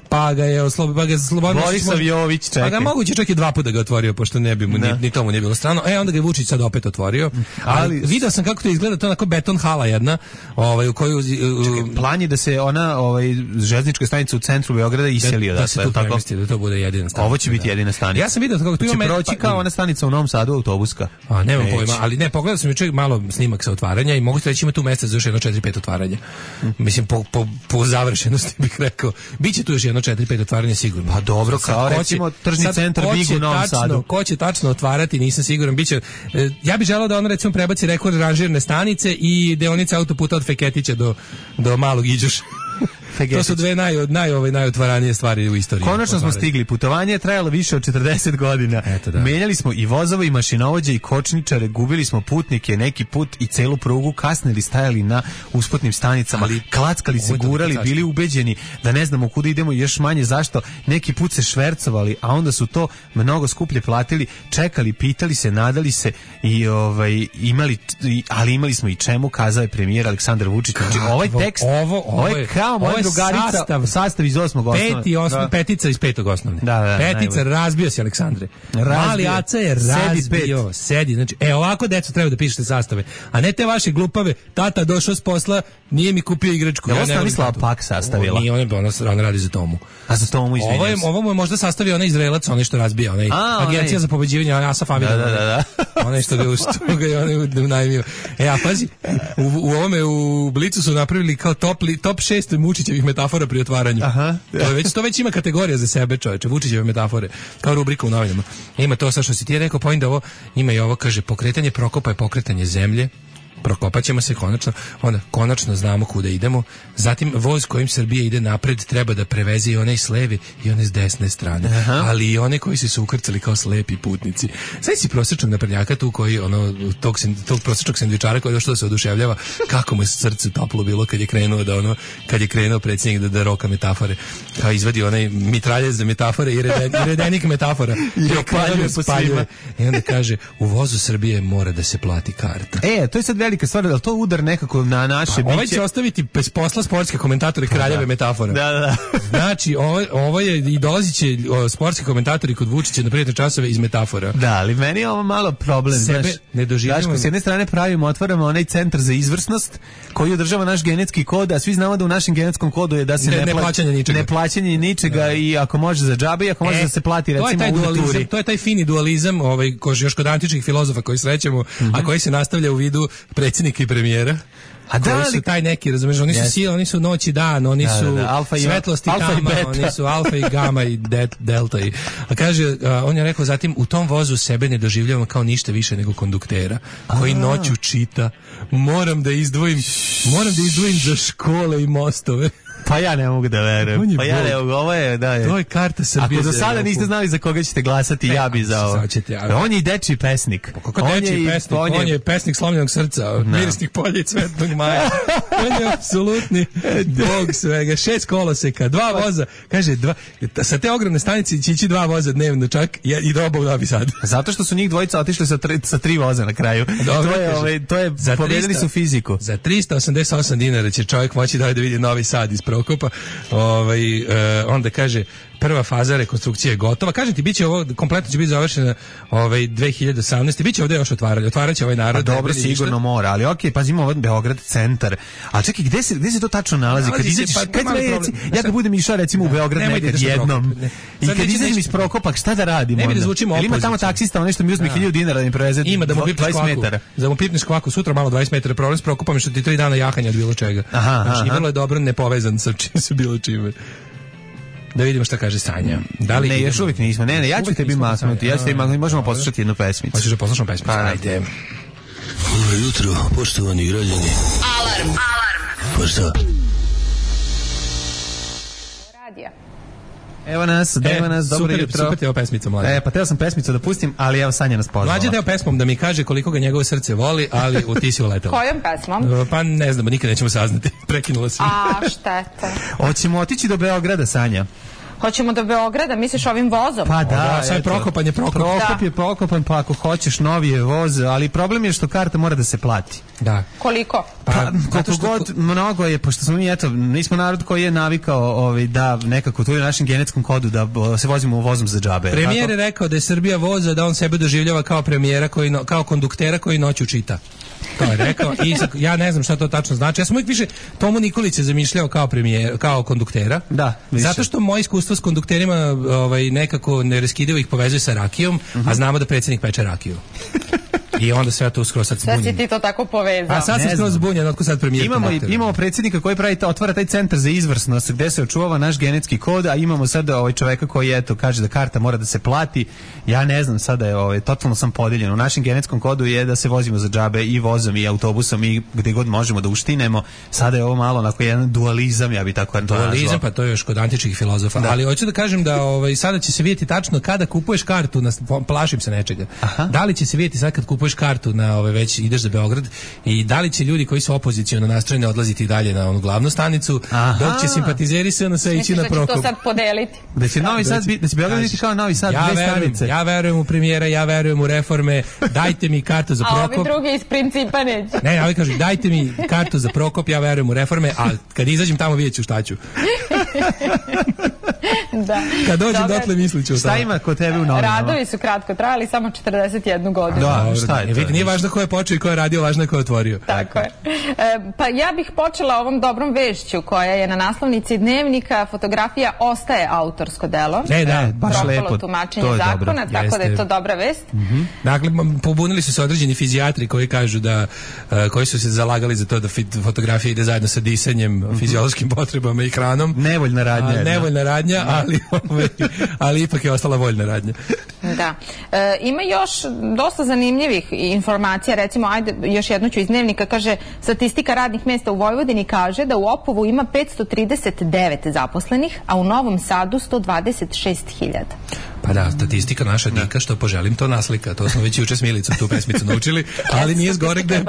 pa ga je Slobodan
Borisav Jović, čekaj.
Pa ga moguće čak i 2 puta ga otvorio, pošto ni tomu nije bilo strano. Onda ga je Vučić sad opet otvorio. Ali video sam kako to izgleda, to je onako beton hala jedna, u koju...
plan je da se ona železnička stanica u centru Beograda iseli odatle.
Da se tu premesti, da to bude jedina stanica.
Ovo će biti jedina stanica.
Ja sam video kako tu ima...
Će proći kao ona stanica u Novom Sadu, autobuska.
Nemam pojma, ali ne, pogledao sam juče malo snimak sa otvaranja i mogu ti reći ima tu mesta za još jedno 4-5 otvaranja. Mislim, po završenosti bih rekao. Biće tu još jedno 4-5 otvaranja sigurno.
Pa dobro, kao recimo tržni centar Big u Novom Sadu.
Ko će tačno otvarati, nisam siguran. Biće, ja bih želeo da on recimo prebaci rekord ranžirne stanice i deonice autoputa od Feketića do Malog Iđoša. To su dve najotvaranije stvari u istoriji.
Konačno smo stigli. Putovanje je trajalo više od 40 godina. Menjali smo i vozove i mašinovođe i kočničare, gubili smo putnike neki put i celu prugu, kasnili, stajali na usputnim stanicama, klackali se, gurali, bili ubeđeni da ne znamo kuda idemo i još manje zašto. Neki put se švercovali, a onda su to mnogo skuplje platili, čekali, pitali se, nadali se i imali smo i čemu, kazao je premijer Aleksandar Vučić. Znači, ovaj tekst, ovo je kao moja drugarica, sastav iz 8. osnovne.
Petica iz 5. osnovne. Petica, razbio si Aleksandre. Mali Aca je razbio. Sedi, znači, ovako deco treba da pišete sastave. A ne te vaše glupave, tata došao s posla, nije mi kupio igračku.
Ovo Stanislava Pak sastavila.
Nije, ona radi za Tomu.
A za Tomu, izvinjam se.
Ovo mu je možda sastavio onaj Izraelac, onaj što razbija, agencija za pobeđivanje, Asa Familja.
Da.
Onaj što ga je unajmio. A pazi, u Blicu su napravili kao top 6 Vučićevih metafora pri otvaranju. To već ima kategorija za sebe, čoveče, Vučićeve metafore, kao rubrika u novinama. Ima to sa što si ti rekao, pa onda ovo, ima i ovo, kaže, pokretanje Prokopa je pokretanje zemlje, prokopat ćemo se konačno, onda konačno znamo kuda idemo. Zatim voz kojim Srbija ide napred treba da preveze i one s leve i one s desne strane. Aha. Ali i one koji su ukrcali kao slepi putnici. Sad si prosječnog naprednjaka tu koji tog prosječnog sendvičara koji je došao da se oduševljava kako mu je srce toplo bilo kad je krenuo predsjednik da roka metafore. Kao izvadi onaj mitraljez za metafore i redenik metafora. I spaljuje. I onda kaže, u vozu Srbije mora da se plati karta.
To je sad velika stvar, da li to udar nekako na naše biće?
Ovaj će ostaviti bez posla sportske komentatore kraljeve metafora.
Da.
Znači, ovo je i dolazit će sportski komentatori kod Vučića na prijatne časove iz metafora.
Da, ali meni je ovo malo problem.
Sebe ne doživljamo.
S jedne strane otvaramo onaj centar za izvrsnost koji održava naš genetski kod, a svi znamo da u našem genetskom kodu je da se ne plaćanje ničega i ako može za džabe i ako može da se plati recimo u naturi.
To je taj fini dualizam, još kod antičkih filozofa koji srećemo, a koji se nastavlja u vidu predsjednika i premijera. A koji su taj neki, razumiješ, oni su sila, oni su noć i dan, oni su svetlost i tama, oni su alfa i gama i delta. A kaže, on je rekao, zatim u tom vozu sebe ne doživljavamo kao ništa više nego konduktera, koji noću čita, moram da izdvojim za škole i mostove.
Pa ja ne mogu da verujem. Pa ja ne mogu, ovo je, da je.
To je karta Srbije.
Ako do sada niste znali za koga ćete glasati, ja bi za ovo. On je i dečiji pesnik.
Kako dečiji pesnik? On je pesnik slomljenog srca, mirisnih polja i cvetnog maja. On je apsolutni bog svega. 6 koloseka, 2 voza. Kaže, sa te ogromne stanice će ići 2 voza dnevno čak i do oba u Novi Sad.
Zato što su njih dvojica otišli sa 3 voza na kraju. To je pobedili su fiziku.
Za 388 dinara će čovjek moći da vidi Novi Sad iz Prokopa. Onda kaže, prva faza rekonstrukcije je gotova. Kažem ti, biće ovo, kompletno će biti završeno 2018. Biće ovdje još otvaraće ovaj narod.
Pa dobro, sigurno mora, ali okej, pazimo ovaj Beograd centar. A čekaj, gde se to tačno nalazi? Kad izađeš, ja kad budem išao recimo u Beograd nekad jednom. I kad izađem iz Prokopa, šta da radim onda?
Ne bi da zvučimo opozicija.
Ima tamo taksista, on nešto mi uzme 1000 dinara da mi preveze 20 metara.
Da mu pipneš kvaku, sutra malo 20 metara. Problem s Prokopom je što ti 3 dana jahanja od bilo čega. Znači, vrlo je dobro nepovezan sa čim se bilo čime. Da vidimo šta kaže Sanja.
Ne, još uvijek nismo. Ne, ja ću tebi maknuti. Možemo poslušati jednu pesmicu.
Hoćeš da poslušamo pesmicu? Ajde.
Dobro jutro, poštovani građani.
Alarm.
Pa šta?
Radija.
Evo nas, dobro jutro.
Super ti je ova pesmica, Mlađe.
Pa teo sam pesmicu da pustim, ali evo Sanja nas pozvala.
Mlađe teo pesmom da mi kaže koliko ga njegovo srce voli, ali ti si uletela.
Kojom pesmom?
Pa ne znamo, nikad nećemo saznati. Prekinula si.
Šteta.
Hoćemo otići do Beograda, Sanja.
Hoćemo do Beograda, misliš ovim vozom?
Pa da,
sad Prokopan je Prokop.
Prokop je Prokopan, pa ako hoćeš novi je voz, ali problem je što karta mora da se plati.
Da.
Koliko?
Pa koliko god mnogo je, pošto smo mi, nismo narod koji je navikao da nekako tu je u našem genetskom kodu da se vozimo vozom za džabe.
Premijer je rekao da je Srbija voza, da on sebe doživljava kao premijera, kao konduktera koji noću čita. To je rekao i ja ne znam šta to tačno znači. Ja sam uvijek više Tomu Nikolića zamišljao kao konduktera.
Da, više.
Zato što moje iskustvo s kondukterima nekako neraskidivo ih povezuje sa rakijom, a znamo da predsjednik peče rakiju. I onda sve to skroz sad zbunjen.
Šta si ti to tako povezao?
A sad sam skroz zbunjen, otko sad premijer.
Imamo predsjednika koji otvara taj centar za izvrsnost gde se očuvava naš genetski kod, a imamo sada čoveka koji kaže da karta mora da se plati. Ja ne znam, sada je totalno sam podeljen. U našem genetskom kodu je da se vozimo za džabe i vozom i autobusom i gde god možemo da uštinemo. Sada je ovo malo onako jedan dualizam, ja bih tako nazvao.
Dualizam, pa to je još kod antičkih filozofa. Da. Ali hoću da kažem da sada će se vidjeti tačno kada kupuješ kartu, plašim se nečega. Aha. Da li će se vidjeti sad kad kupuješ kartu na već ideš za Beograd i da li će ljudi koji su opoziciono nastrojeni odlaziti dalje na onu glavnu stanicu, dok će simpatizeri SNS ići na Prokop.
Da će to sad podeliti.
Da će Novi Sad da će Beograd biti kao Novi Sad, dve stanice.
Ja verujem u premijera, ja verujem u reforme. Dajte mi kartu za Prokop.
A ovi drugi iz principa neće.
Ne, ovi kažu dajte mi kartu za Prokop, ja verujem u reforme, a kad izađem tamo vidjet ću šta ću.
Da.
Kad dođem dotle mislit ću
šta ima kod tebe u novinama.
Radovi su kratko trajali, samo 41 godinu.
Da, šta je to?
Nije važno ko je počeo i ko je radio, važno je ko je otvorio.
Tako je. Pa ja bih počela ovom dobrom vešću koja je na naslovnici Dnevnika. Fotografija ostaje autorsko delo.
Baš lepo.
Propalo tumačenje zakona, tako da je to dobra vest.
Dakle, pobunili su se određeni fizijatri koji kažu da, koji su se zalagali za to da fotografija ide zajedno sa disanjem, fiziološkim potrebama i hranom.
Nevoljna radnja.
Nevoljna radnja, ali ipak je ostala voljna radnja.
Da. Ima još dosta zanimljivih informacija, recimo, ajde, još jednu ću iz Dnevnika, kaže, statistika radnih mjesta u Vojvodini kaže da u Opovu ima 539 zaposlenih, a u Novom Sadu 126.000.
Pa da, statistika naša dika, što poželim, to naslika. To smo već juče s Milicom tu pesmicu naučili, ali nije zgore gde...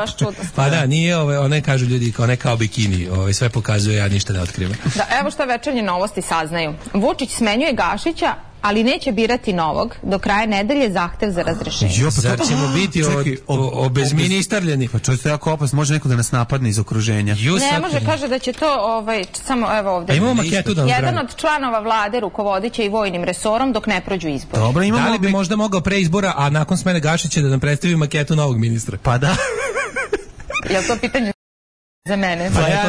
Pa da, nije, one kažu ljudi, one kao bikini, sve pokazuje, ja ništa ne otkrivam.
Da, evo šta Večernje novosti saznaju. Vučić smenjuje Gašića, ali neće birati novog. Do kraja nedelje zahtev za razrešenje.
Zar ćemo biti obezministarljeni?
Pa čovječ, to je jako opasno. Može neko da nas napadne iz okruženja.
Ne može, kaže da će to, samo evo ovdje.
Imamo maketu da nam
jedan od članova vlade rukovodit će i vojnim resorom dok ne prođu izbori.
Dobro,
da li bi možda mogao pre izbora, a nakon smene Gašića da nam predstavi maketu novog ministra?
Pa da.
Je li to pitanje za mene?
Pa ja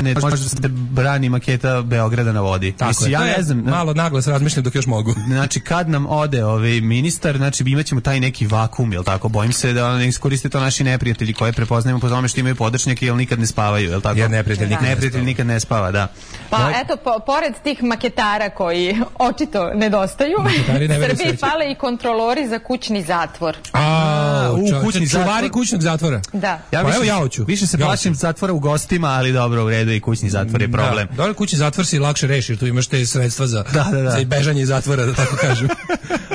ne može da brani maketa Beograda na vodi.
Tako je,
ja ne znam.
Malo naglas razmišljam dok još mogu.
Znači, kad nam ode ministar, znači imaćemo taj neki vakum, jel tako? Bojim se da ne iskoriste to naši neprijatelji koje prepoznajemo po tome što imaju podršnjake, jel nikad ne spavaju, jel tako?
Jer neprijatelj
nikad ne spava, da.
Pa eto, pored tih maketara koji očito nedostaju, Srbiji fale i kontrolori za kućni zatvor.
Čuvari kućnog zatvora.
Da.
Više se plašim zatvora u gostima, ali dobro, u redu, i kućni zatvor je problem.
Dobro, kućni zatvor si lakše reši, jer tu imaš te sredstva za bežanje iz zatvora, da tako kažem.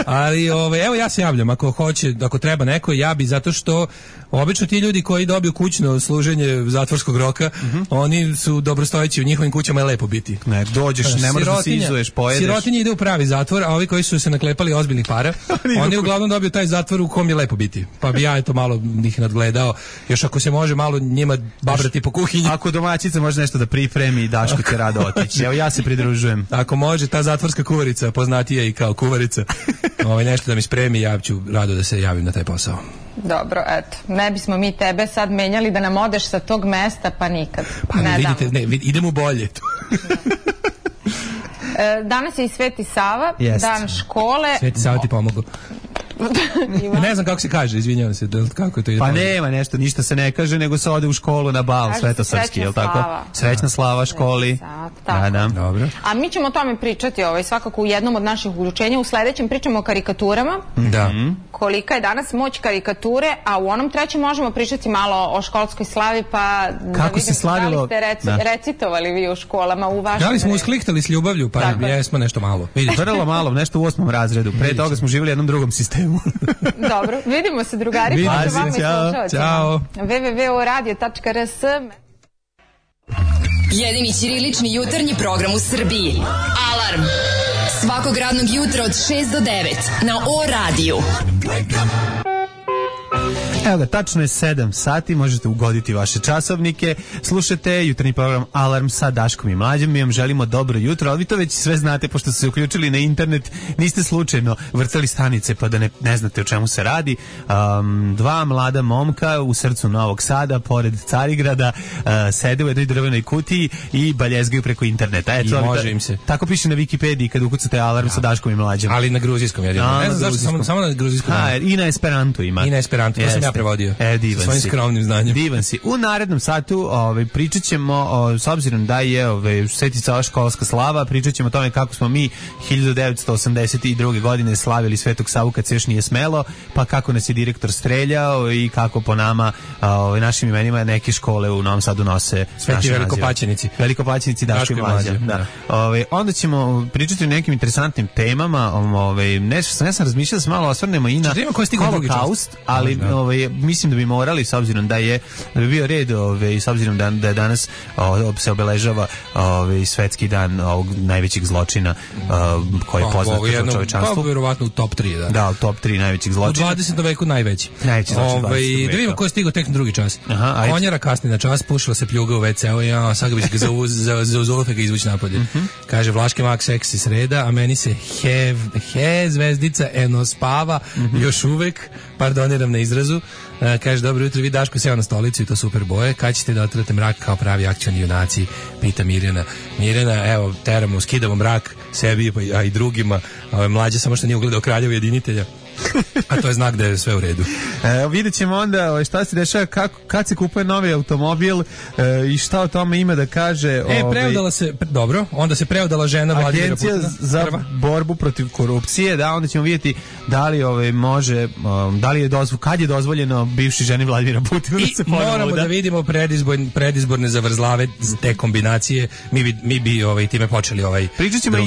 Ali evo ja se javljam, ako treba neko, ja bi, zato što obično ti ljudi koji dobiju kućno služenje zatvorskog roka, oni su dobrostojeći, u njihovim kućama je lepo biti.
Ne, dođeš, ne možeš da se izuješ, pojedeš.
Sirotinje ide u pravi zatvor, a ovi koji su se naklepali ozbiljnih para, oni uglavnom dobiju taj zatvor u kom je lepo biti. Pa bi ja eto malo ih nadgledao, još ako se može malo njima babrati po kuhinji.
Ako domaćica može nešto da pripremi, Daško će rado otići. Evo ja se pridružujem.
Ako može, ta zatvorska kuvarica, poznatija i kao kuvarica, nešto da mi spremi, ja ću rado da se javim na taj posao.
Dobro, eto. Ne bismo mi tebe sad menjali da nam odeš sa tog mesta, pa nikad.
Pa ne vidite, idemo bolje.
Danas je i Sveti Sava, dan škole.
Sveti Sava ti pomogao. Ne znam kako se kaže, izvinjavam se, kako to ide.
Pa nema nešto, ništa se ne kaže, nego se ode u školu na bal svetosrpski, je li tako? Srećna slava školi.
Da.
Dobro.
A mi ćemo o tome pričati svakako u jednom od naših uključenja. U sledećem pričamo o karikaturama.
Da.
Kolika je danas moć karikature, a u onom trećem možemo pričati malo o školskoj slavi, pa
kako da vidim,
slavilo... da li ste recitovali vi u školama u vašem...
Da li smo usklihtali s ljubavlju, pa jesmo nešto malo.
Vrlo malo, nešto u 8. razredu. Pre toga smo živjeli u jednom drugom sistemu.
Dobro, vidimo se drugari.
Ćao.
www.radio.rs.
Jedini ćirilični jutarnji program u Srbiji. Alarm. Svakog radnog jutra od 6 do 9 na O radiju.
Evo ga, tačno je 7 sati, možete ugoditi vaše časovnike, slušate jutarnji program Alarm sa Daškom i Mlađom, mi vam želimo dobro jutro, ali vi to već sve znate, pošto ste se uključili na internet, niste slučajno vrtali stanice pa da ne znate o čemu se radi. Dva mlada momka u srcu Novog Sada, pored Carigrada, sede u jednoj drvenoj kutiji i baljezgaju preko interneta.
I može im se.
Tako piše na Wikipediji kad ukucate Alarm sa Daškom i Mlađom.
Ali na gruzijskom jedino. Ne znam zašto, samo na gruzijskom.
I na Esperantu ima.
I na Esperantu, to sam ja prevodio.
Divan
svojim skromnim znanjem.
Divan si. U narednom satu pričat ćemo, s obzirom da je Sveti Sava školska slava, pričat ćemo o tome kako smo mi 1982. godine slavili Svetog Savu kad se još nije smelo, pa kako nas je direktor streljao i kako po nama, našim imenima, neke škole u Novom Sadu nose
Sveti Velikopaćenici.
Velikopaćenici Daško i Mlađa. Da. Onda ćemo pričati o nekim interesantnim temama. Ja sam razmišljao da se malo osvrnemo i na Holokaust, ali mislim da bi morali, s obzirom da bi bio red, s obzirom da je danas se obeležava svetski dan ovog najvećih zločina koji je poznat kao čovečanstvu.
Pa verovatno u top 3,
da, u top 3 najvećih zločina.
U 20. veku najveći.
Najveći zločin 20. veka.
Da vidimo ko je stigao tek na drugi čas. Konjara kasni na čas, pušila se pljuga u WC-u, sad ga bi se za uzolofe ga izvući napolje. Kaže, Vlaški mak seksi sreda, a meni se he zvezdica eno spava, još uvek, pardoniram na izrazu. Kaže, dobro jutro, vi Daško seo na stolicu i to super boje. Kad ćete da otvorite mrak kao pravi akcioni junaci? Pita Mirjana. Mirjana, skidamo mrak sebi, a i drugima. Mlađa samo što nije ugledao Kralja ujedinitelja. A to je znak da je sve u redu.
Vidjet ćemo onda šta se dešava, kad se kupuje novi automobil i šta o tome ima da kaže.
Preudala se, dobro, onda se preudala žena Vladimira Putina.
Agencija za borbu protiv korupcije, da, onda ćemo vidjeti da li može, da li je kad je dozvoljeno bivši ženi Vladimira Putina da se ponovo
moramo da vidimo predizborne zavrzlave te kombinacije. Mi bi time počeli
pričat ćemo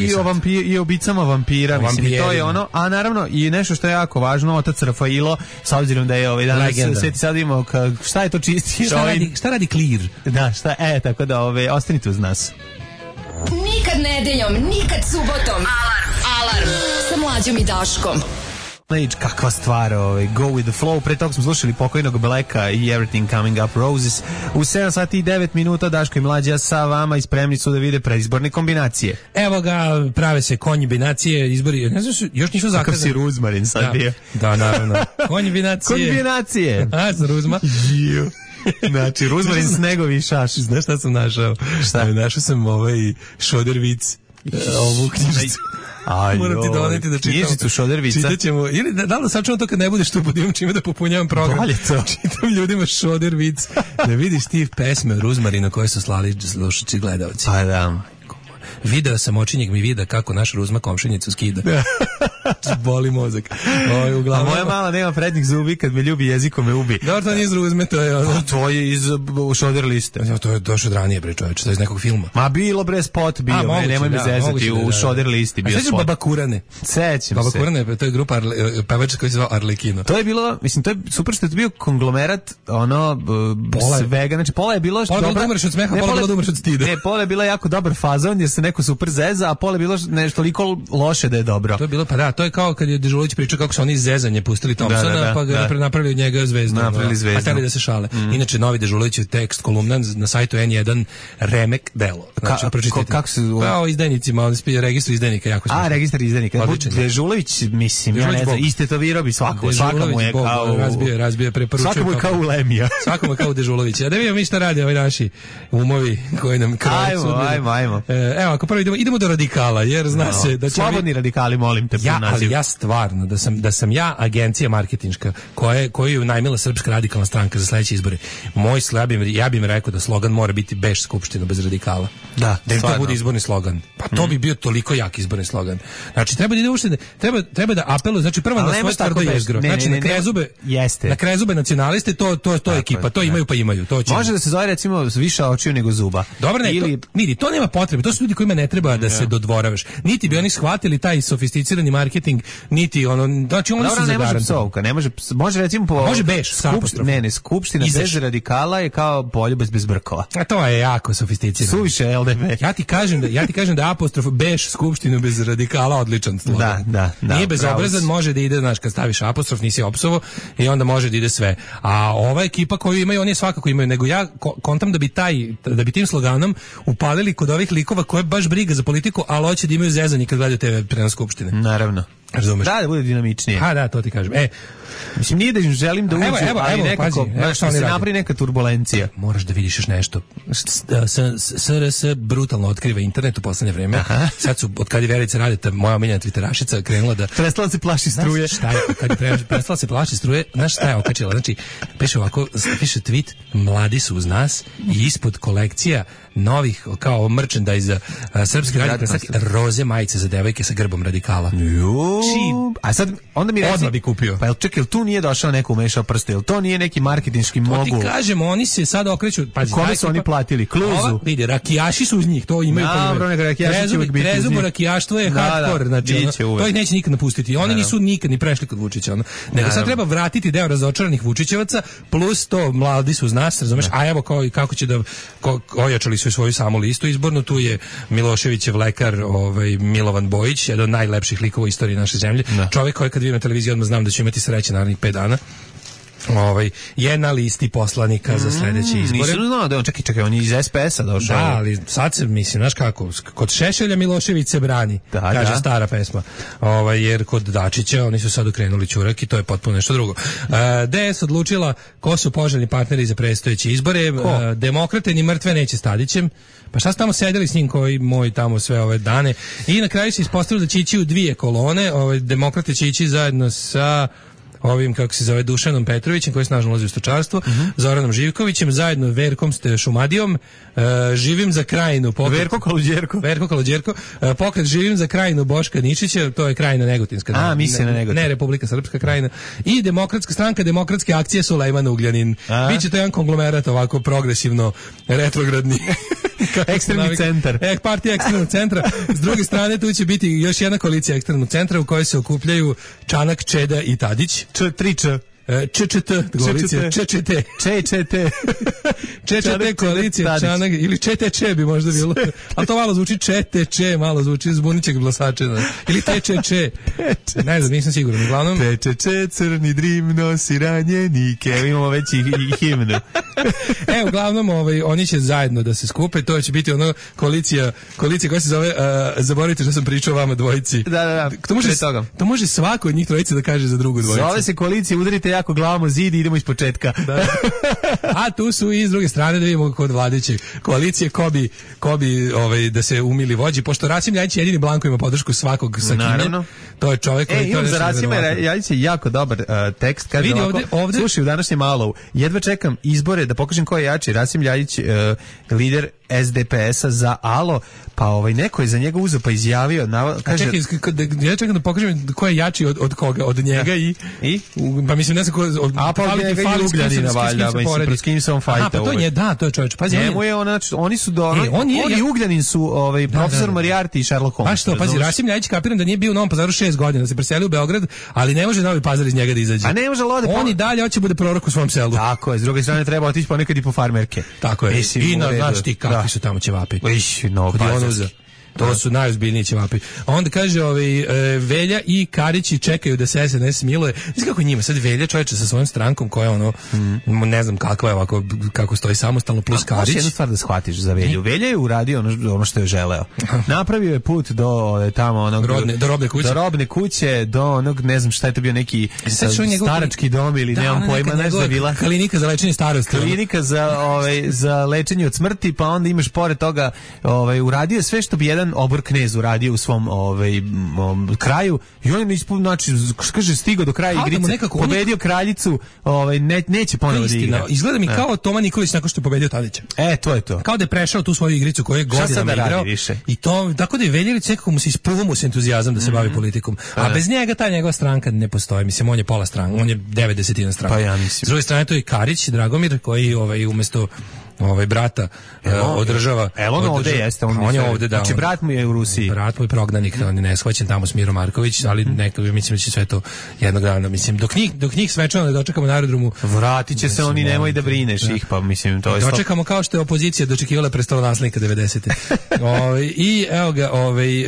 i o ubicama vampira, mislim, i to je ono, a naravno i nešto što je jako važno, otac Rafailo, s obzirom da je danas sveti sad imamo šta je to čisti heroin.
Šta radi Clear?
Da, tako da ostanite uz nas.
Nikad nedeljom, nikad subotom. Alarm sa Mlađom i Daškom.
Kakva stvar, Go with the flow. Pre toga smo slušali pokojnog Blacka i Everything Coming Up Roses. U 7 sati i 9 minuta Daško i Mlađa sa vama i spremni su da vide predizborne kombinacije.
Evo ga, prave se konjibinacije, izbori, ne znam, još nisu zakazani.
Kakav si Ruzmarin sad bio.
Da, naravno. Konjibinacije. A, sam Ruzma.
Znači, Ruzmarin Snegovi šaš.
Znaš šta sam našao?
Šta?
Našao sam Šodervic. Ovu knjižicu. Moram ti doneti da čitam.
Knjižicu Šodervica.
Čitat ćemo, ili da li sačuvam to kad ne budeš tu, pa imam čime da popunjavam program.
Bolje to.
Čitam ljudima Šodervic. Da vidiš ti pesme Ruzmarina koje su slali slušači gledalci.
Pa da.
Video sam očinjeg mi vida kako naš Ruzma komšinicu skida. Boli mozak.
A moja mala nema prednjih zubi, kad me ljubi jezikom me ubi.
Dobro, to nije iz Ruzme, to je ono.
To je iz Šoder liste.
To je došlo od ranije, bre čoveče, to je iz nekog filma.
Ma bilo bre spot bio, nemoj me zezati, u Šoder listi bio spot.
A sećaš Baba Kurane?
Sećam se.
Baba Kurane, to je grupa pevača koji se zvao Arlekino.
To je bilo, mislim, to je super što je bio konglomerat, svega, znači pola je bilo
pola da umreš od smeha, pola da umreš od stida.
Ne, pola je bila jako dobar fazon, jer se neko super zeza, a pola je bilo nešto toliko loše da je dobro.
To je bilo, pa da, to je kao kad je Dežulović pričao kako su oni iz zezanje pustili Thompsona, pa ga napravili od njega zvezdu. A hteli da se šale. Inače, novi Dežulovićev tekst, kolumna na sajtu N1, remek delo. Znači, pročitajte.
Kako se...
Pa o izdajnicima, on spije registru izdajnika, jako smiješno.
A, registar izdajnika. Dežulović, mislim, ja ne znam, istetovirao bi svakamu je kao...
Razbio, preporučujem.
Svakamu je kao u Lemija.
Svakamu je kao u Dežulović. A da vidimo mi šta radi ovi naši umovi koji nam kroje sudbine.
Ajmo.
Evo, ako prvo idemo do radikala, jer zna se da će...
Slobodni radikali, molim te,
ali ja stvarno, da sam ja agencija marketinška koju je najmila Srpska radikalna stranka za sledeće izbore, ja bih rekao da slogan mora biti beš Skupština bez radikala. Da im to bude izborni slogan. Pa to bi bio toliko jak izborni slogan. Znači, treba da ide uopšte, treba da apeluje, znači prvo na svoje tvrdo jezgro. Znači, na krezube nacionaliste, to je ekipa, to imaju pa imaju.
Može da se zove, recimo, više očiju nego zuba.
Dobro, ne, to nema potrebe, to su ljudi kojima ne treba da se dodvoravaš. Niti bi oni shvatili taj sofisticirani marketing, niti ono, znači oni su zagarantovani.
Može recimo
može beš sa apostrofom.
Ne, Skupština bez radikala je kao Poljub bez Brkova.
A to je jako sofisticirano.
Suviše LDB.
Ja ti kažem da apostrof beš Skupštinu bez radikala odličan slogan.
Da.
Nije bezobrazan, može da ide, znaš, kad staviš apostrof nisi opsovo i onda može da ide sve. A ova ekipa koju imaju, oni svakako imaju, nego ja kontam da bi tim sloganom upalili kod ovih likova koje baš briga za politiku, ali hoće da imaju zezanje kad gledaju TV prenos Skupštine.
Naravno.
Razumeš?
Da bude dinamičnije.
Da, to ti kažem.
Mislim, nije da im želim da uđu, ali nekako se napravi neka turbulencija.
Moraš da vidiš još nešto. SRS brutalno otkriva internet u poslednje vreme. Sad su, od kad je Verica Radeta, moja omiljena twitterašica, krenula da...
Prestala se plaši struje.
Znaš šta je, kad je prestala se plaši struje, znaš šta je okačila? Znači, piše ovako, piše tweet, mladi su uz nas i ispod kolekcija novih, kao merchandise srpske radikalne roze majice za devojke sa grbom radikala.
A sad, onda mi reci...
Odmah bi kupio.
Pa čekaj, tu nije došao neko umešao prste, jel to nije neki marketinški mogul?
To ti kažem, oni se sad okreću... Pazi,
kome su oni platili? Kluzu?
Vidi, rakijaši su uz njih, to imaju... Krezubo rakijaštvo je hardcore, znači, to ih neće nikad napustiti. Oni nisu nikad ni prešli kod Vučića. Nego sad treba vratiti deo razočaranih Vučićevaca, plus to mladi su uz nas, razumeš? A evo kako će da... Ojačali su svoju samu listu izbornu, tu je Miloševićev lekar Milovan Bojić, jedan od najlepših likova u istoriji naše zemlje. Čovjek koji kad vidim na televiziji odmah znam da će imati sreće narednih 5 dana. je na listi poslanika za sledeće izbore.
Nisam znao da on, čekaj, on je iz SPS-a došao.
Da, ali sad se, mislim, znaš kako, kod Šešelja Milošević se brani, kaže stara pesma. Jer kod Dačića oni su sad okrenuli ćurak i to je potpuno nešto drugo. DS odlučila ko su poželjni partneri za predstojeće izbore. Demokrate ni mrtve neće s Tadićem. Pa šta su tamo sedeli s njim koji moj tamo sve ove dane. I na kraju se ispostavilo da će ići u dvije kolone. Demokrate će ići zajedno sa ovim, kako se zove, Dušanom Petrovićem, koji snažno ulazi u stočarstvo, Zoranom Živkovićem, zajedno Verkom Šumadijom, Živim za Krajinu,
Verko
Kaludjerko, pokret Živim za Krajinu Boška Ničića, to je Krajina Negotinska.
Misli na Negotin.
Ne, Republika Srpska Krajina. I Demokratska stranka, Demokratske akcije Sulejman Ugljanin. Biće to jedan konglomerat ovako progresivno retrogradni.
Ekstremni centar.
Partija ekstremnog centra. S druge strane, tu će biti još jedna koalicija ekstremnog centra u kojoj se okupljaju Čanak, Čeda i Tadić.
Č3Č.
ČČT koalicija, ČČT koalicija, Čanak, ili ČTČ bi možda bilo, ali to malo zvuči ČTČ, malo zvuči zbunićeg glasača, ili TČČ, ne znam, nisam siguran, uglavnom
TČČ, crni drim nosi ranjenike, imamo već i himnu.
Uglavnom, oni će zajedno da se skupe, to će biti ono koalicija koja se zove, zaboravite što sam pričao vama dvojici.
Da,
to može svako od njih trojice da kaže za drugu dvojicu.
Zove se koalicija, udarite jako glavamo zid i idemo iz početka.
Da. A tu su i s druge strane da vidimo kod vladajuće koalicije ko bi da se umili vođi, pošto Rasim Ljajić jedini blanko ima podršku svakog sa kime. To je čovjek koji to
za Rasima Ljajića jako dobar tekst, kaže ovdje, slušaj, u današnjem Alovu, jedva čekam izbore da pokažem ko je jači, Rasim Ljajić, lider SDP-a za Alo, pa neko je za njega uzeo pa izjavio, kaže,
ja čekam da pokažem ko je jači od koga, od njega i? Pa mislim, ne znam ko,
pa njega i Ugljanina valjda, mislim, s kim se on fajta.
Pa to je, to je čovječ, pazi,
njemu je oni su on i Ugljanin su profesor Moriarty i Sherlock Holmes.
Pa što, pazi, Rasim Ljajić, kapiram da nije bio u Novom Pazaru 6 godina, da se preselio u Beograd, ali ne može Novi Pazar iz njega da izađe.
A ne može lode.
On i dalje hoće bude prorok u svom selu.
Tako je, s druge strane treba otići ponekad i po farmerke.
Tako je. I znaš ti kakvi su tamo ćevapi. To su najozbiljniji ćevapi. A onda kaže Velja i Karići čekaju da se SNS smiluje. Znači kako njima sad Velja čovječe sa svojom strankom koja ne znam kakva je ovako, kako stoji samostalno plus Karić.
Možeš jednu stvar da shvatiš za Velju. Velja je uradio ono što je želeo. Napravio je put do tamo onog
do robne kuće,
do onog, ne znam šta je to bio, neki starački dom ili nemam pojma, nešto je bila.
Klinika za lečenje starosti.
Klinika za lečenje od smrti, pa onda imaš pored toga uradio sve što bi jedan obor knez uradio u svom kraju i on je znači kaže stigao do kraja igrice, pobedio kraljicu, neće ponovo da igra.
Izgleda mi kao Toma Nikolić nakon što je pobedio Tadića.
To je to.
Kao da je prešao tu svoju igricu koju je godinama igrao. I to tako da je Veljelić nekako mu se isprvo mu se entuzijazam da se bavi politikom. A bez njega ta njegova stranka ne postoji. Mislim, on je pola stranka, on je 9/10 stranka.
Pa ja mislim.
S druge strane to je Karić, Dragomir, koji umesto brata održava.
On ovdje jeste.
On je ovdje, da.
Znači, brat mu je u Rusiji.
Brat mu je prognanik, on je neshvaćen tamo s Miro Marković, ali nekako mislim da će sve to jednog dana, mislim, dok njih svečano ne dočekamo na aerodromu.
Vratit će se oni, nemoj da brineš ih, pa mislim, to je stop.
Dočekamo kao što je opozicija dočekivala prestolonaslednika 90. I evo ga,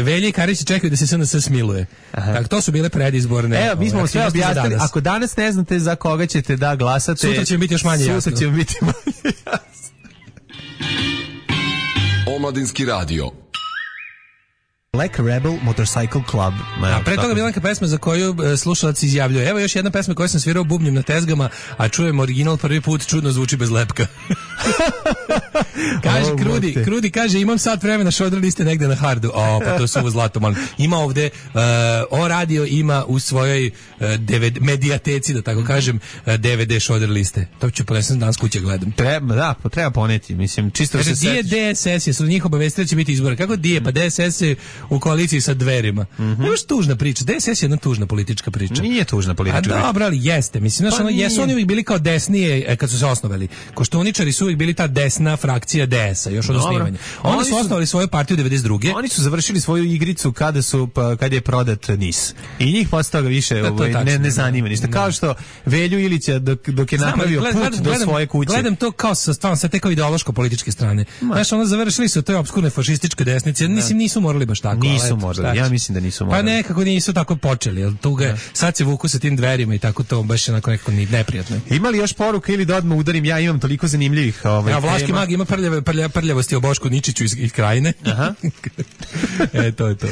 Velja i Karić čekaju da se SNS smiluje. Tako, to su bile predizborne.
Evo, mi smo sve objasnili. Ako danas ne znate za koga ćete da glasate,
sutra će biti još manje jasno.
Sutra će biti manje jasno.
Omladinski radio.
Black Rebel Motorcycle Club.
A pre toga bila neka pesma za koju slušalac izjavljuje. Evo još jedna pesma koju sam svirao bubnjem na tezgama, a čujem original prvi put, čudno zvuči bez lepka. Kaže Krudi kaže imam sat vremena, šodr liste negde na hardu. Pa to su ovo zlato, molim. Ima ovde O radio ima u svojoj medijateci, da tako kažem, DVD šodr liste. To ću ponesem danas kuće gledam.
Treba poneti, mislim, čisto
kaže,
se setiš.
DSS je, su njih obavestili da će biti izbora. Kako dije? Pa DSS je u koaliciji sa Dverima. Nemaš tužna priča. DSS je jedna tužna politička priča.
Nije tužna politička priča.
Dobro, ali jeste. Mislim, jesu oni uvijek bili kao desnije kad su se osnovali. Koštuničari su uvijek bili ta desna frakcija DS-a, još od osnivanja. Onda su osnovali svoju partiju 92.
Oni su završili svoju igricu kad je prodat NIS. I njih posle toga više ne zanima ništa. Kao što Velju Ilića dok je napravio put do svoje kuće.
Gledam to kao sa te kao ideološko-političke strane. Znaš, ono završili su toj obskurne fašističke desnice. Mislim, nisu morali baš tako.
Nisu morali, ja mislim da nisu morali.
Pa nekako nisu tako počeli, jel tuga, sad se vuku sa tim dverima i tako to baš onako nekako neprijatno.
Ima li još poruka ili da odmah udarim? Ja imam toliko zanimljivih
Vlaški mag ima prljavosti o Bošku Ničiću iz Krajine.
Aha.
To je to.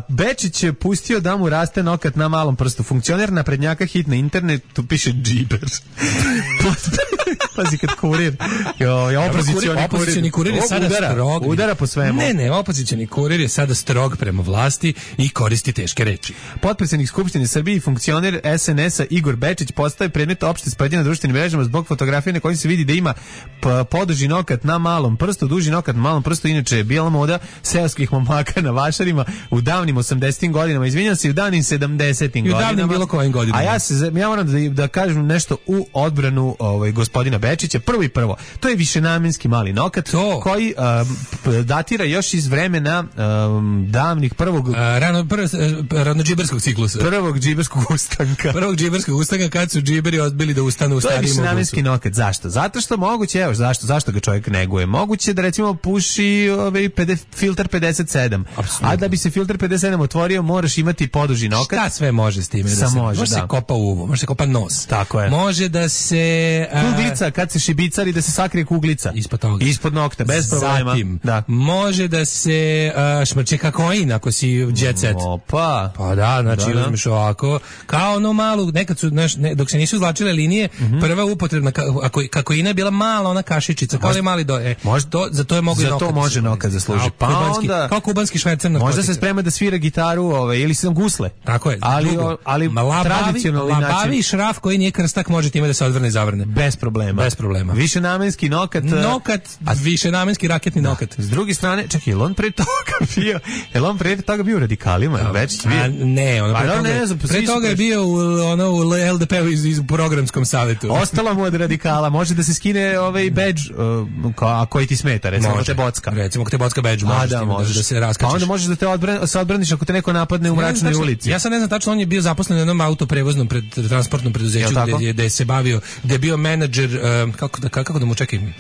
Bečić je pustio da mu raste nokat na malom prstu. Funkcioner naprednjaka hit na internetu piše džiber. Pazi kad kurir.
Opozicioni kurir je sada strog.
Udara po svemu.
Ne, opozicioni kurir je sada strog prema vlasti i koristi teške reči.
Potpredsjednik Skupštine Srbije i funkcioner SNS-a Igor Bečić postaje predmet opšte sprdnje na društvenim mrežama zbog fotografije na kojoj se vidi da ima poduži nokat na malom prstu, duži nokat na malom prstu, inače je bijela moda seoskih momaka na vašarima u davnim 80-im godinama, izvinjam se, u davnim 70-im godinama.
I u davnim bilo kojim godinama.
A ja moram da kažem nešto u odbranu gospodina Bečića. Prvo, to je višenamenski mali nokat koji datira još iz vremena davnih prvog
ranodžiberskog ciklusa.
Prvog džiberskog ustanka.
Kad su džiberi odbili da ustanu u starijem obusu.
To je višenamenski nokat. Zašto? Zato što moguće, evo, zašto ga čovjek neguje? Moguće da recimo puši filter 57. Absolutno. A da bi se filter 57 otvorio, moraš imati poduži nokat.
Šta sve može s time? Može se kopa uvo, može se kopa nos.
Tako je.
Može da se...
kuglica, kad se šibicari, da se sakrije kuglica.
Ispod toga.
Ispod nokta, bez problema.
Zatim, može da se šmrče kakoin ako si jet set.
Opa.
Pa da, znači uzmeš ovako. Kao ono malu, nekad su, dok se nisu izvlačile linije, prva upotrebna kakoina je bila mala ona kašičica, kao je mali za to je mogu
nokat. Za to može nokat zasluži.
Pa onda kao kubanski švercer narkotika.
Možda se sprema da svira gitaru, ili sam gusle.
Tako je.
Ali tradicionalni način.
Labavi šraf koji nije krstak može time da se odvrne i zavrne.
Bez problema. Višenamenski nokat.
Višenamenski raketni nokat.
S druge strane, čekaj, on pre toga bio u Radikalima, već bio.
Ne, pre toga je bio u LDP-u iz programskom savetu.
Ostala mu od Radikala, može da se skine badge, a koji ti smeta, recimo te bocka.
Recimo ako te bocka badge, možeš da se raskačeš.
Pa onda možeš da se odbraniš ako te neko napadne u mračnoj ulici.
Ja sad ne znam tačno, on je bio zaposlen u jednom autoprevoznom transportnom preduzeću gde se bavio, gde je bio menadžer, kako da mu čekam?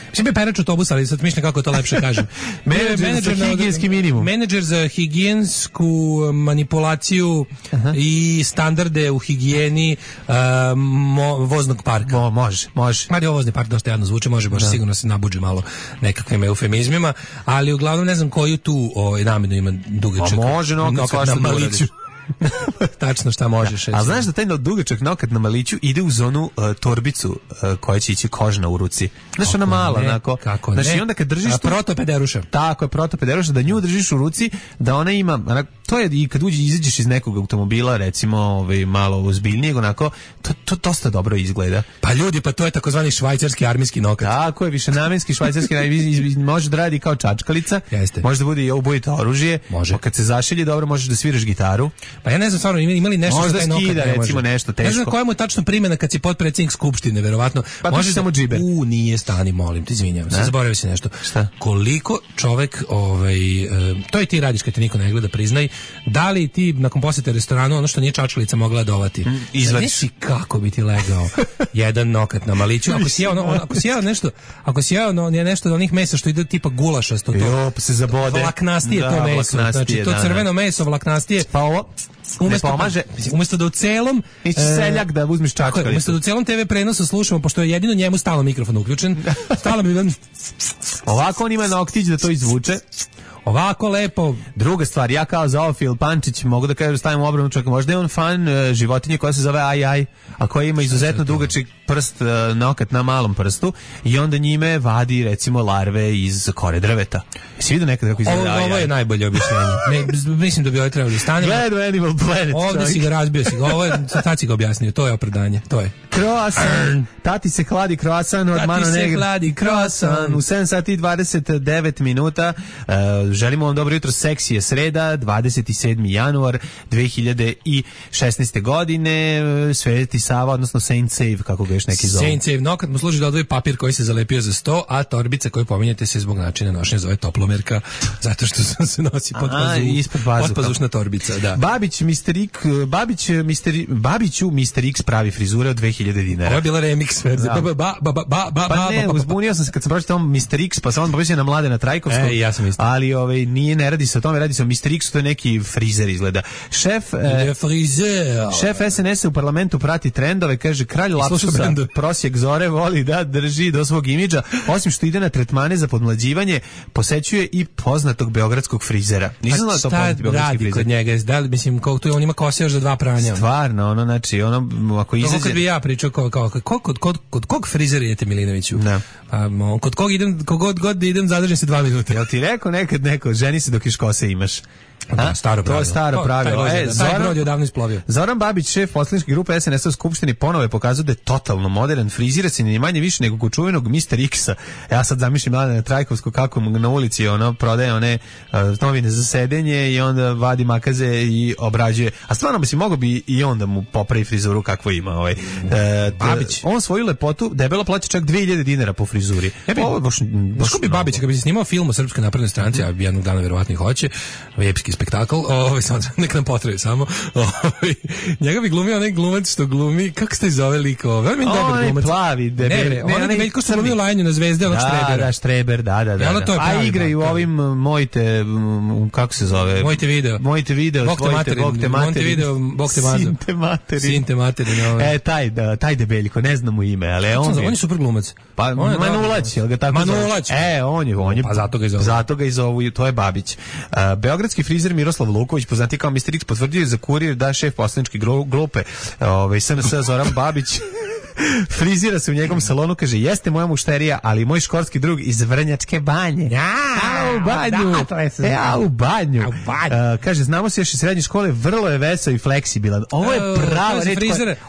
Mislim je perač autobusa, ali sad mišljam kako to lepše kažem.
Menadžer za higijenski minimum.
Menadžer za higijensku manipulaciju i standarde u higijeni voznog parka.
Može.
Mada je ovo vozni park dosta jadno zvuče, može baš sigurno se nabuđe malo nekakvim eufemizmima, ali uglavnom ne znam koju tu namenu ima dugačak.
Može nokat na maliću.
Tačno šta možeš.
A znaš da taj dugačak nokat na maliću ide uz onu torbicu koja će ići kožna u ruci. Znaš, ona mala, onako.
Kako
znači, i onda kad držiš
protopederuša.
Tako je, protopederuša, da nju držiš u ruci, da ona ima, to je i kad izađeš iz nekog automobila, recimo malo ozbiljnijeg, onako, to dosta dobro izgleda.
Pa ljudi, pa to je takozvani švajcarski armijski nokat.
Tako je, višenamenski švajcarski, može da radi kao čačkalica, može da bude i ubojito oružje, kad se zašilje dobro, možeš da sviraš gitaru.
Pa ja ne znam stvarno, imali nešto
možda skida, recimo nešto teško.
Ne znam koja mu je tačno primjena kad si potpredsjednik Skupštine, verovatno.
Pa može samo džiber.
Nije, stani, molim, ti izvinjavam se, zaboravio si nešto.
Šta?
Koliko čovek, to i ti radiš kad te niko ne gleda, priznaj, da li ti nakon posjete restoranu ono što nije čačkalica mogla dovati?
Izvadiš.
Znaš kako bi ti legao jedan nokat na maliću, ako si jeo nešto od onih mesa što ide tipa gulašasto,
to pa se zabode.
Vlaknastije to meso, znači to crveno meso vlaknastije.
Pa ovo ne pomaže.
Umesto da u celom
seljak da uzmeš čačkalicu.
Umesto da u celom TV prenosu slušamo, pošto je jedino njemu stalno mikrofon uključen, stalno bi...
Ovako on ima noktić da to izvuče.
Ovako lepo.
Druga stvar, ja kao zoofil Pančić mogu da kažem, stavim u obranu, čak možda je on fan životinje koja se zove Aj, a koja ima izuzetno dugačak prst, nokat na malom prstu i onda njime vadi recimo larve iz kore drveta. Jesi vidio nekad kako izgleda Aj?
Ovo je najbolje objašnjenje. Mislim da bi ovo trebali staniti.
Gledaj Animal Planet.
Ovdje si ga razbio, sad si ga objasnio, to je opravdanje, to je.
Croissant, tati se hladi croissant od Mano Negra.
Tati se hladi croissant.
U 7 sati 29 minuta Želimo vam dobro jutro, seksi je sreda, 27. januar 2016. godine, Sveti Sava, odnosno Saint Save, kako ga još neki zovu.
Saint Save, no, kad mu služi da odvoji papir koji se zalepio za 100, a torbica koju pominjete se zbog načina nošenja zove toplomerka, zato što se nosi podpazušna torbica, da. Babiću Mr. X pravi frizure od 2000 dinara. Ovo je bila remix verzija.
Pa ne, uzbunio sam se kad sam pročitao Mr. X, pa sam on pomislio na Mladena Trajkovskog.
Ja sam isto.
Ali ne radi se o tome, radi se o Mr. X, to je neki frizer izgleda. Šef SNS u parlamentu prati trendove, kaže kralj lapsusa, prosjek zore voli da drži do svog imidža, osim što ide na tretmane za podmlađivanje, posećuje i poznatog beogradskog frizera. Nisam znao da to poznati beogradski frizer.
Kod njega, da li, mislim, kako on ima kose još za 2 pranja.
Stvarno, znači, ako izađe...
To kad bi ja pričao, kod kog frizera idete, Milinoviću?
Da.
Kod kog idem, kogod god idem, zadržim se 2 minuta.
Jel ti rekao nekad neko, ženi se dok još kose imaš?
Staro pravilo.
To je staro pravilo.
Taj brod je odavno isplovio.
Zoran Babić, šef poslaničke grupe SNS u Skupštini, ponovo je pokazao da je totalno modern, frizira se ni manje više nego kod čuvenog Mr. X-a. Ja sad zamišljam Mladena Trajkovskog kako mu na ulici prodaje one novine za sedenje i onda vadi makaze i obrađuje. A stvarno mogao bi i onda mu popravi frizuru kakvo ima.
Babić.
On svoju lepotu debelo plaća čak 2000 dinara po frizuri.
Što bi Babić, kad bi se snimao film o Srpskoj naprednoj stranci, a jednog dana verovatno i hoće, epski spektakl, nek nam potraje samo. Njega bi glumio onaj glumac što glumi, kako se zove lik? Veoma dobar glumac.
Plavi, debeli.
Onaj Veljko što glumio Lajanju na Zvezde, onog Štrebera.
Da, Štreber, da. A igraju ovim Mojte, kako se zove?
Mojte video. Bog te materin. Sinte materin.
Taj debeljko, ne znam mu ime, ali
on je super glumac.
Pa Manulać, jel ga tako zove?
Manulać.
On je.
Pa zato ga i zovu.
To je Babić. Beogradski frizer Miroslav Luković, poznati kao Mr. X, potvrdio je za Kurir da šef poslaničke grupe SNS Zoran Babić frizira se u njegovom salonu, kaže, jeste moja mušterija, ali moj školski drug iz Vrnjačke banje. U banju. Kaže, znamo se još iz srednje škole, vrlo je vesel i fleksibilan. Ovo je prava reč.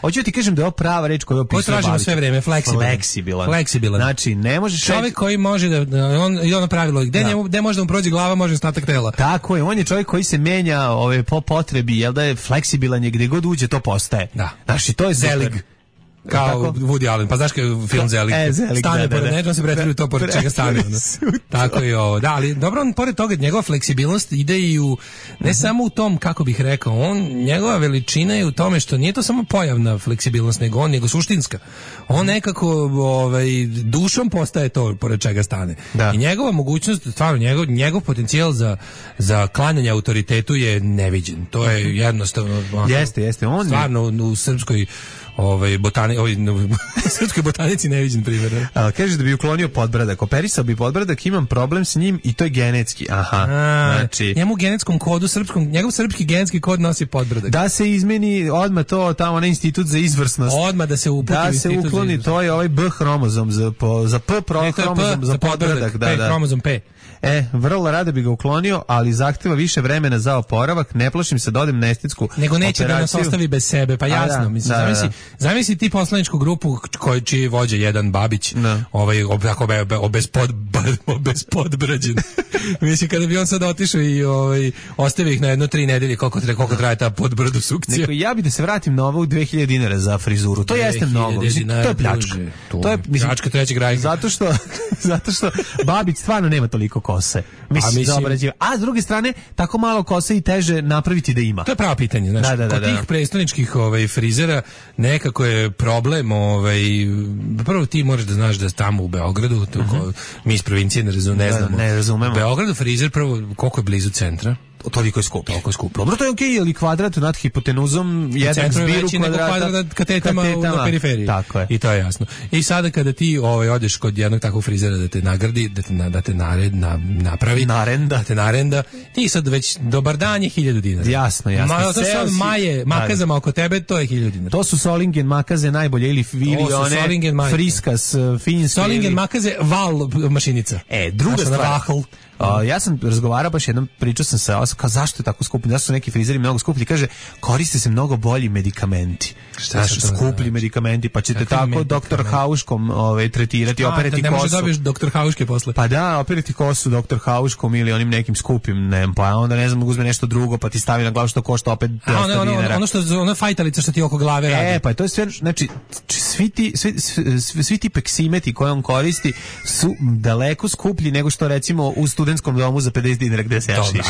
Hoću ti kažem da je ovo prava reč koju opisuje Babić.
Tražimo sve vreme, fleksibilan.
Znači, ne možeš...
Čovjek koji može da... ono pravilo, gde može da mu prođe glava, može ostatak tela.
Tako je, on je čovjek koji se menja po potrebi, jel da je fleksibilan, je gde god uđe, to postaje.
Da.
Znači, to je
Zelig. Kao Woody Allen, pa znaš kao film Zelig? Stane pored nečega, se pretvori to pored čega stane. Tako je ovo. Da, ali dobro, on pored toga, njegova fleksibilnost ide i u, ne samo u tom, kako bih rekao, njegova veličina je u tome što nije to samo pojavna fleksibilnost, nego suštinska. On nekako dušom postaje to pored čega stane.
Da.
I njegova mogućnost, stvarno, njegov potencijal za klanjanje autoritetu je neviđen. To je jednostavno...
Jeste. On
stvarno u srpskoj srpskoj botanici neviđen primjer.
Kaže da bi uklonio podbradak. Operisao bi podbradak, imam problem s njim i to je genetski. Znači...
Njemu u genetskom kodu, njegov srpski genetski kod nosi podbradak.
Da se izmeni odmah to, tamo onaj institut za izvrsnost.
Odmah da se uputi
da se ukloni, to je ovaj B hromozom za P hromozom za podbradak.
P hromozom P.
Vrlo rado bi ga uklonio, ali zahteva više vremena za oporavak. Ne plašim se da odem na estetsku
nego neće
operaciju.
Da nas ostavi bez sebe, pa jasno. Mislim, zamisli ti poslaničku grupu čiji vođe jedan Babić, obezpodbrađen. Mislim, kada bi on sad otišao i ostavi ih na 1-3 nedelje, koliko traje ta podbradu sukcija.
Neko, ja bi da se vratim na ovo u 2000 dinara za frizuru. To jeste mnogo. To je pljačka.
To je pljačka trećeg rajka.
Zato što Babić stvarno nema toliko kose. Mislim, a s druge strane, tako malo kose i teže napraviti da ima.
To je pravo pitanje, znaš. Kod tih prestoničkih frizera nekako je problem, prvo ti moraš da znaš da tamo u Beogradu, mi iz provincije ne razumemo. Beogradu frizer prvo koliko je blizu centra.
Toliko je skup. Dobro, to je okej, ali kvadrat nad hipotenuzom jedan zbiru kvadrata
katetama na periferiji.
Tako je.
I to je jasno. I sada kada ti odeš kod jednog takvog frizera da te nagradi, da te napravi, da te narenda, ti sad već dobar dan je 1000 dinara.
Jasno.
To su makazama oko tebe, to je 1000 dinara.
To su Solingen makaze najbolje ili one Friskas, finske.
Solingen makaze, val mašinica.
Druga stvar. Ja sam razgovarao baš jednom, pričao sam sa sam kao zašto je tako skuplji, zašto su neki frizeri mnogo skuplji, kaže koriste se mnogo bolji medikamenti. Šta su skuplji medikamenti, pa ćete tako doktor Hauškom tretirati, operati kosu.
Ne može dobiješ doktor Hauške posle.
Pa da, operati kosu doktor Hauškom ili onim nekim skupim, pa onda ne znam, uzme nešto drugo, pa ti stavi na glavu što košta opet 200 dinara.
Ono što ona fajtalica što ti oko glave radi.
Pa to je sve, znači svi ti peksimeti koje on koristi su daleko skuplji nego što recimo u studentskom domu za 50 dinara gde se jašiš.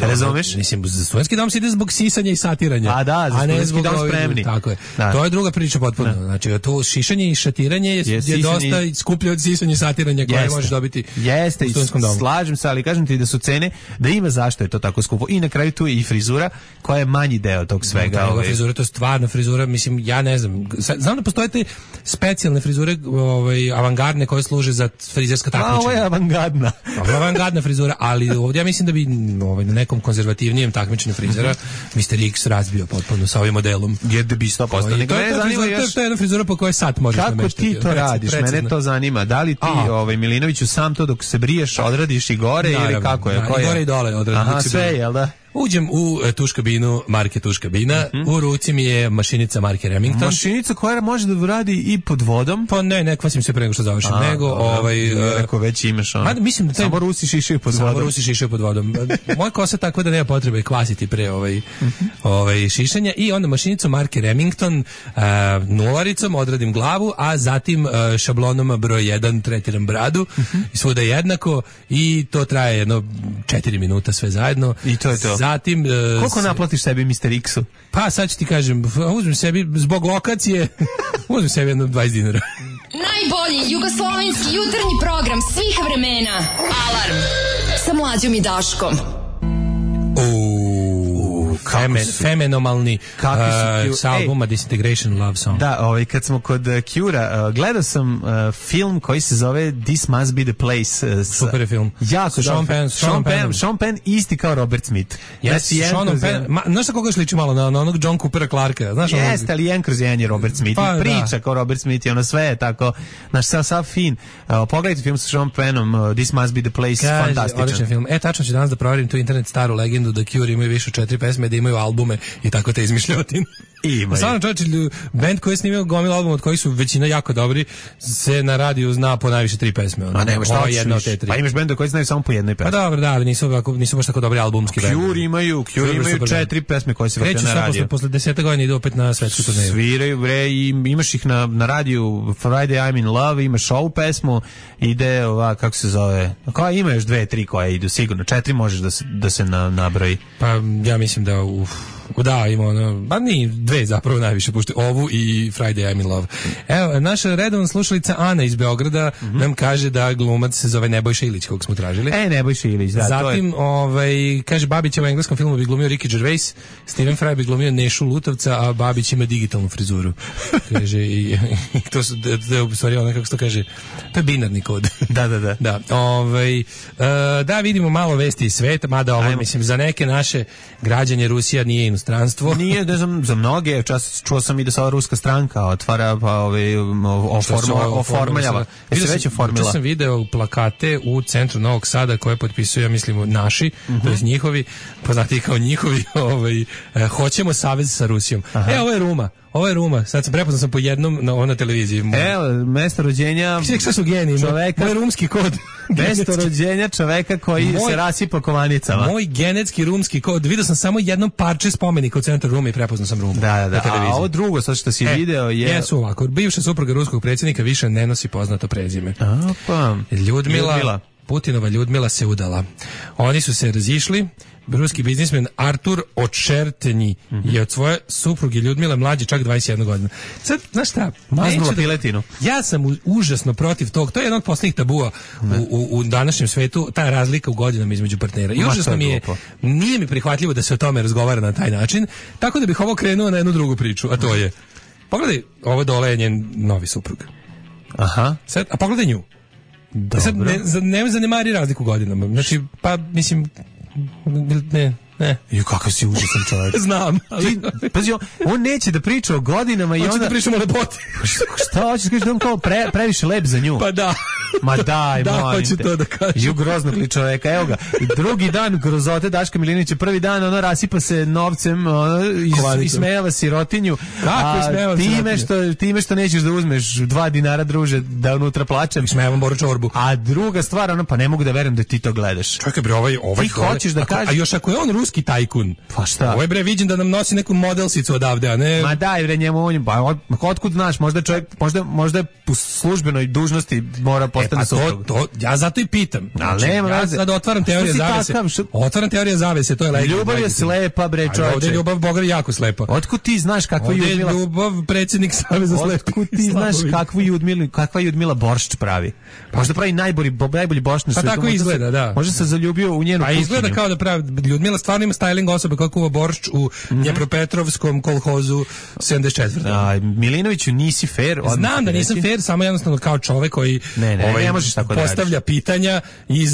Razumeš?
Mislim, za studentski dom se ide zbog sisanja i satiranja.
A da, za studentski dom spremni.
Tako je. Da. To je druga priča potpuno. Da. Znači, to šišanje i šatiranje je dosta skuplje od sisanja i satiranja koje možeš dobiti u studentskom domu.
Slažem se, ali kažem ti da su cene, da ima zašto je to tako skupo. I na kraju tu je i frizura koja je manji deo tog svega.
Frizura, to je stvarno frizura, mislim, ja ne znam. Znam da postoje te specijalne frizure, avangardne koje služe za frizerska takmičenja.
Ovo je avangardna.
Avangardna frizura, ali ovdje ja mislim da bi na nekom konzervativnijem takmičenju frizera Mr. X razbio potpuno sa ovim modelom.
Jer da bi 100%.
To je jedna frizura po kojoj sat možeš nameštati.
Kako ti to radiš? Mene to zanima. Da li ti, Milinoviću, sam to dok se briješ odradiš i gore ili kako je?
I gore i dole odradim.
Aha, sve, jel da?
Uđem u tuš kabinu marke Tuš kabina, u ruci mi je mašinica marke Remington.
Mašinica koja može da radi i pod vodom?
Pa ne kvasim se pre nego što završim.
Ako već imaš ono.
Mislim da
samo Rusi šišaju pod vodom.
Samo Rusi šišaju pod vodom. Moja kosa tako da nema potrebe kvasiti pre šišanja i onda mašinicu marke Remington nularicom odradim glavu, a zatim šablonom broj 1 tretiram bradu i svuda jednako i to traje jedno 4 minuta sve zajedno.
I to je to.
Zatim,
koliko naplatiš sebi Mr. X-u?
Pa sad ću ti kažem, uzmem sebi zbog lokacije, uzmem sebi jedno 20 dinara.
Najbolji jugoslovenski jutarnji program svih vremena. Alarm sa Mlađom i Daškom.
Fenomenalni sa albuma Disintegration Love Song.
Da, kad smo kod Cure-a, gledao sam film koji se zove This Must Be the Place.
Super je film.
Jako Sean Penn isti kao Robert Smith.
Sean Penn. Znaš na koga sliči malo? Na onog John Coopera Clarka.
Jeste, ali jedan kroz jedan je Robert Smith. Priča kao Robert Smith i ono sve je tako. Znaš, sav fin. Pogledajte film sa Sean Pennom, This Must Be the Place. Fantastičan.
Odličan film. Tačno ću danas da proverim tu internet staru legendu da Cure imaju više od 4 pesme, da imaju albume i tako te izmišljotine. Stvarno čovječe, band koji je snimio gomil album od kojih su većina jako dobri, se na radiju zna po najviše 3 pesme.
A nema šta jedna od te 3. Pa imaš benda koji znaju samo po jednoj pesmi.
Pa dobro, da, ali nisu baš tako dobri albumski band.
Cure imaju 4 pesme koje se vrte na radiju.
Posle 10 godina ide opet na svetsku turneju.
Sviraju, bre, i imaš ih na radiju Friday I'm in Love, imaš ovu pesmu, ide ova, kako se zove, koja ima još 2-3 koje idu, sigurno, 4 možeš da se nabroji.
Pa ja mislim da da, ima ono, pa ni 2 zapravo najviše pušte, ovu i Friday I'm in Love. Evo, naša redovna slušalica Ana iz Beograda nam kaže da glumac se zove Nebojša Ilić, kog smo tražili.
Nebojša Ilić, da.
Zatim, kaže, Babić u engleskom filmu bi glumio Ricky Gervais, Stephen Fry bi glumio Nešu Lutovca, a Babić ima digitalnu frizuru. Kaže, i to su, u stvari, ono, kako se to kaže, to je binarni kod.
Da.
Da, vidimo malo vesti iz sveta, mada ovo, mislim, za neke naše građanje Rusija nije inostranstvo.
Nije, ne znam, za mnoge, čuo sam i da se ova ruska stranka otvara, pa oformljava. Se već oformila.
Čuo sam video plakate u centru Novog Sada koje potpisuju, ja mislim, naši, to je njihovi, poznati kao njihovi, hoćemo savez sa Rusijom. Ovo je Ruma. Sad prepoznao sam po jednom na televiziji.
Evo, mesto rođenja
šta su geniji,
čoveka.
Moj rumski kod.
Mesto rođenja čoveka koji se rasipa kovanicama.
Moj genetski rumski kod. Vidio sam samo jedno parče spomenika u centru Rume i prepoznao sam Rumu.
Da. A ovo drugo, sad što si video je...
Jesu ovako. Bivša supruga ruskog predsjednika više ne nosi poznato prezime. Ljudmila. Putinova Ljudmila se udala. Oni su se razišli. Ruski biznismen Artur Očertenji je od svoje supruge Ljudmile mlađe čak 21 godina. Sad, znaš šta?
Maznula piletinu.
Ja sam užasno protiv tog. To je jedan od posljednjih tabua u današnjem svetu, ta razlika u godinama između partnera. I užasno mi je, nije mi prihvatljivo da se o tome razgovara na taj način, tako da bih ovo krenuo na jednu drugu priču, a to je, pogledaj, ovo dole je njen novi suprug.
Aha.
Sad, a pogledaj nju. Sad, ne zanemari razliku u godinama. Znači, pa, mislim, ne.
Jo, kakav si užasan čovjek.
Znam.
Pazi, on neće da priča o godinama i onda...
Hoće da pričamo o lepoti.
Šta hoćeš, kažeš da on kao previše lep za nju?
Pa da.
Ma daj,
da,
molim
hoću
te.
to da kažem.
Ju groznog li čoveka, evo ga. Drugi dan grozote Daška Milinovića, prvi dan ono rasipa se novcem, ismejava sirotinju.
Kako ismejava
time što nećeš da uzmeš 2 dinara, druže, da unutra plačem.
Ismejavam Boru Čorbu.
A druga stvar, ono, pa ne mogu da verujem da ti to gledaš.
Čekaj bre, ovaj
ti hoćeš da kažeš.
A još ako je on ruski tajkun.
Pa šta?
Ovaj bre viđen da nam nosi neku modelsicu odavde, a ne.
Ma daj bre njemu on, pa otkud znaš, možda čovjek, možda u službenoj dužnosti mora postati suprug.
To ja zato i pitam.
Znači, ja
sad otvaram teoriju zavese. Otvaram teoriju zavese, to je legitimno.
Ljubav je slepa bre, čovječe.
Ovdje ljubav Boga je jako slepa.
Otkud ti znaš kakva je Ljudmila?
Ljubav predsjednik Saveza slepih.
Otkud ti znaš kakva Ljudmila boršč pravi? Možda pravi najbolji boršč na
svijetu. Pa tako izgleda, da.
Možda se zaljubio u njenu kuhinju.
A izgleda kao da pravi. Ljudmila stvarno ima styling osobe kako kuva boršč u Dnjepropetrovskom kolhozu 74.
Milinoviću nisi fair.
Znam da nisam fair, samo jednostavno kao čovek koji
ne možeš tako
postavlja pitanja i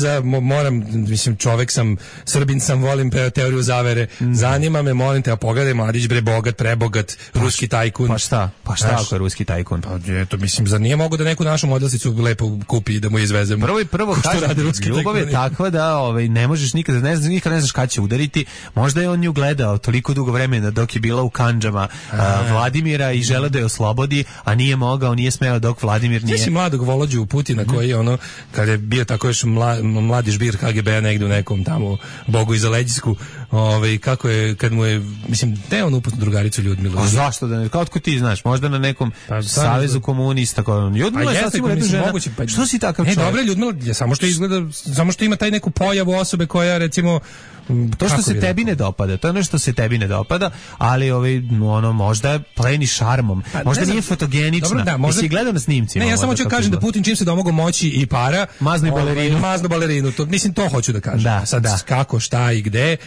čovek sam, Srbin sam, volim teoriju zavere. Zanima me, molim te, a pogledaj, mladić bre, bogat, prebogat, ruski tajkun.
Pa šta ako je ruski tajkun?
Pa eto, mislim, zar nije mogu da neku našu modelsicu lepo kupi i da mu izvezemo?
Prvo kaže, ljubav je takva da ne možeš nikada, ne znaš kada će udariti. Možda je on nju gledao toliko dugo vremena dok je bila u kandžama Vladimira i žele da je oslobodi, a nije mogao, nije smeo dok Vladimir nije.
Ti mladog Volođu Putina koji je kada je bio tako još mladi žbir KGB-a negdje u nekom tamo Bogu iza leđisku, kako je, kad mu je, mislim, da je on upoznao drugaricu Ljudmilu.
A zašto da ne? Kao otko ti znaš, možda na nekom savezu komunista. Ljudmila je sasvim redu žena. Što si takav čovjek?
Dobro, Ljudmila, samo što ima taj neku pojavu osobe koja, recimo,
to što se tebi ne dopada, to je ono što se tebi ne dopada, ali možda je pleni šarmom, možda nije fotogenična. Jesi gledao na snimcima?
Ne, ja samo ću kažem da Putin čim se domogao moći i para,
maznu
balerinu. Mislim, to hoću da kažem. Sad kako, šta i gde,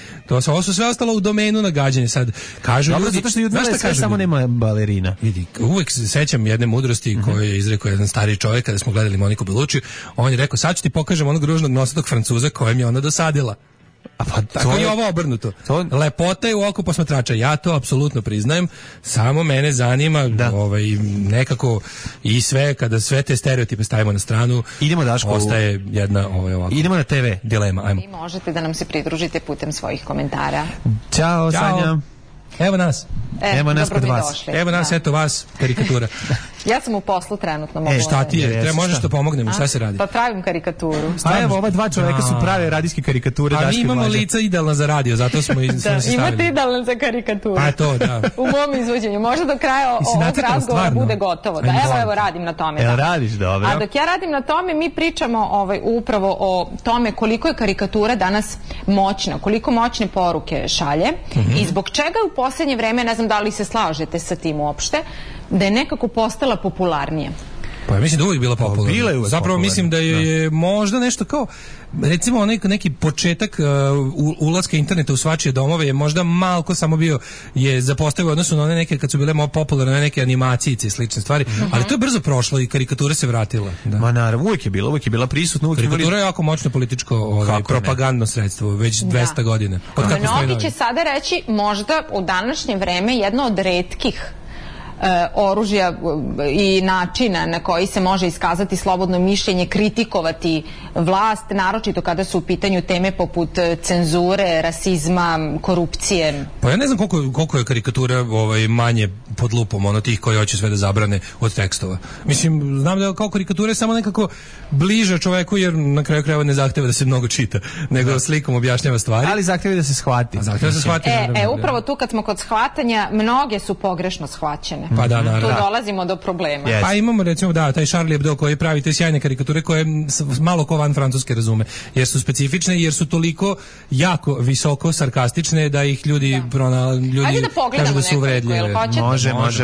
ovo su sve ostalo u domenu nagađanja. Sad kažu ljudi,
zato što Ljudmila sve samo nema balerina.
Vidi, uvek se sećam jedne mudrosti koju je izrekao jedan stariji čovjek kada smo gledali Moniku Belucci. On je rekao, sad ću ti pokažem onog ružnog nosatog Francuza kojem je ona dosadila. Pa tako je ovo obrnuto. Lepota je u oku posmatrača. Ja to apsolutno priznajem. Samo mene zanima nekako i sve, kada sve te stereotipe stavimo na stranu,
idemo, Daško,
ostaje jedna ovako.
Idemo na TV
dilema. Ajmo.
Vi možete da nam se pridružite putem svojih komentara.
Ćao, Sanja.
Evo nas.
Evo nas kod vas.
Evo nas, eto vas, karikatura.
Ja sam u poslu trenutno.
Šta ti je? Možeš da pomognemo, šta se radi?
Pa pravim karikaturu.
A evo, ova dva čoveka su prave radijske karikature.
A mi imamo lica idealna za radio, zato smo se stavili.
Imate idealna za karikaturu.
Pa to, da.
U mom izvođenju. Možda do kraja ovog razgovora bude gotovo. Evo, radim na tome.
Evo, radiš, dobro.
A dok ja radim na tome, mi pričamo upravo o tome koliko je karikatura danas moćna, koliko moćne poruke šalje i zbog čega u posljednje vreme, ne znam da li se slažete sa tim uopšte, da je nekako postala popularnija.
Pa ja mislim da uvijek bila popularna. Zapravo mislim da je možda nešto kao, recimo neki početak ulaska interneta u svačije domove je možda malko samo bio je zapostavio odnosno na one neke kad su bile popularne neke animacijice i slične stvari, ali to je brzo prošlo i karikatura se vratila. Da.
Ma naravno, uvijek je bila prisutna.
Karikatura je jako moćno političko propagandno sredstvo, već 200 godina.
Mnogi će sada reći možda u današnje vreme jedno od retkih oružja i načina na koji se može iskazati slobodno mišljenje, kritikovati vlast, naročito kada su u pitanju teme poput cenzure, rasizma, korupcije.
Pa ja ne znam koliko je karikatura manje pod lupom tih koji hoće sve da zabrane od tekstova. Mislim, znam da kao karikatura je samo nekako bliža čoveku jer na kraju krajeva ne zahteva da se mnogo čita, nego slikom objašnjava stvari.
Ali zahteva da se shvati.
Upravo tu kad smo kod shvatanja, mnoge su pogrešno shvaćene.
Pa da, naravno.
Tu dolazimo do problema.
Yes. Pa imamo recimo taj Charlie Hebdo koji pravi te sjajne karikature koje malo ko van francuske razume, jer su specifične, jer su toliko jako visoko sarkastične da ih ljudi kažu da su uvredljive.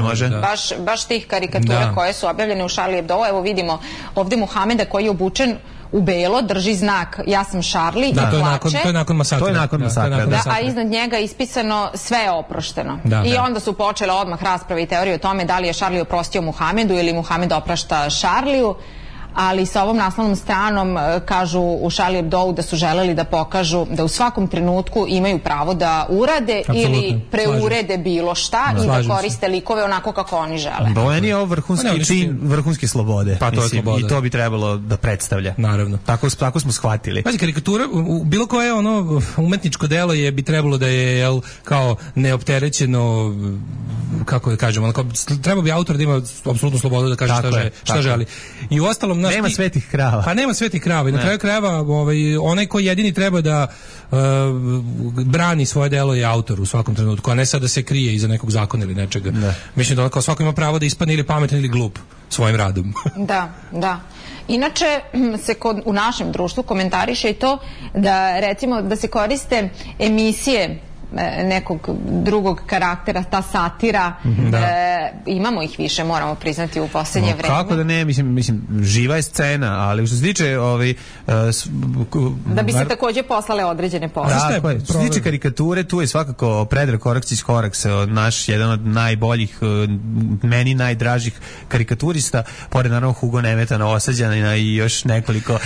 Može.
Baš tih karikatura koje su objavljene u Charlie Hebdo. Evo vidimo ovdje Muhameda koji je obučen u belo, drži znak ja sam Charlie i plače.
To je nakon masakra.
A iznad njega ispisano sve je oprošteno. I onda su počele odmah rasprave i teorije o tome da li je Charlie oprostio Muhamedu ili Muhamed oprašta Charliju. ali sa ovom naslovnom stranom kažu u Charlie Hebdou da su želeli da pokažu da u svakom trenutku imaju pravo da urade ili preurede bilo šta i da koriste likove onako kako oni žele.
Meni je ovo vrhunski čin vrhunske slobode.
Pa to je sloboda.
I to bi trebalo da predstavlja.
Naravno.
Tako smo shvatili.
Pazi, karikatura, bilo koje ono umetničko delo bi trebalo da je kao neopterećeno, kako da kažemo, onako, treba bi autor da ima apsolutnu slobodu da kaže šta želi. I uostalom,
nema svetih krava.
Pa nema svetih krava. I na kraju krajeva onaj ko jedini treba da brani svoje delo je autor u svakom trenutku, a ne sad da se krije iza nekog zakona ili nečega. Mislim da kao svako ima pravo da ispadne ili pametan ili glup svojim radom.
Da. Inače se u našem društvu komentariše i to da recimo da se koriste emisije nekog drugog karaktera, ta satira, imamo ih više, moramo priznati u posljednje vreme.
Kako da ne, mislim, živa je scena, ali što se tiče
da bi se takođe poslale određene poruke.
Tako je, što se tiče karikature, tu je svakako Predrag Koraks, naš jedan od najboljih, meni najdražih karikaturista, pored naravno Hugo Nemeta, Novosađanina i još nekoliko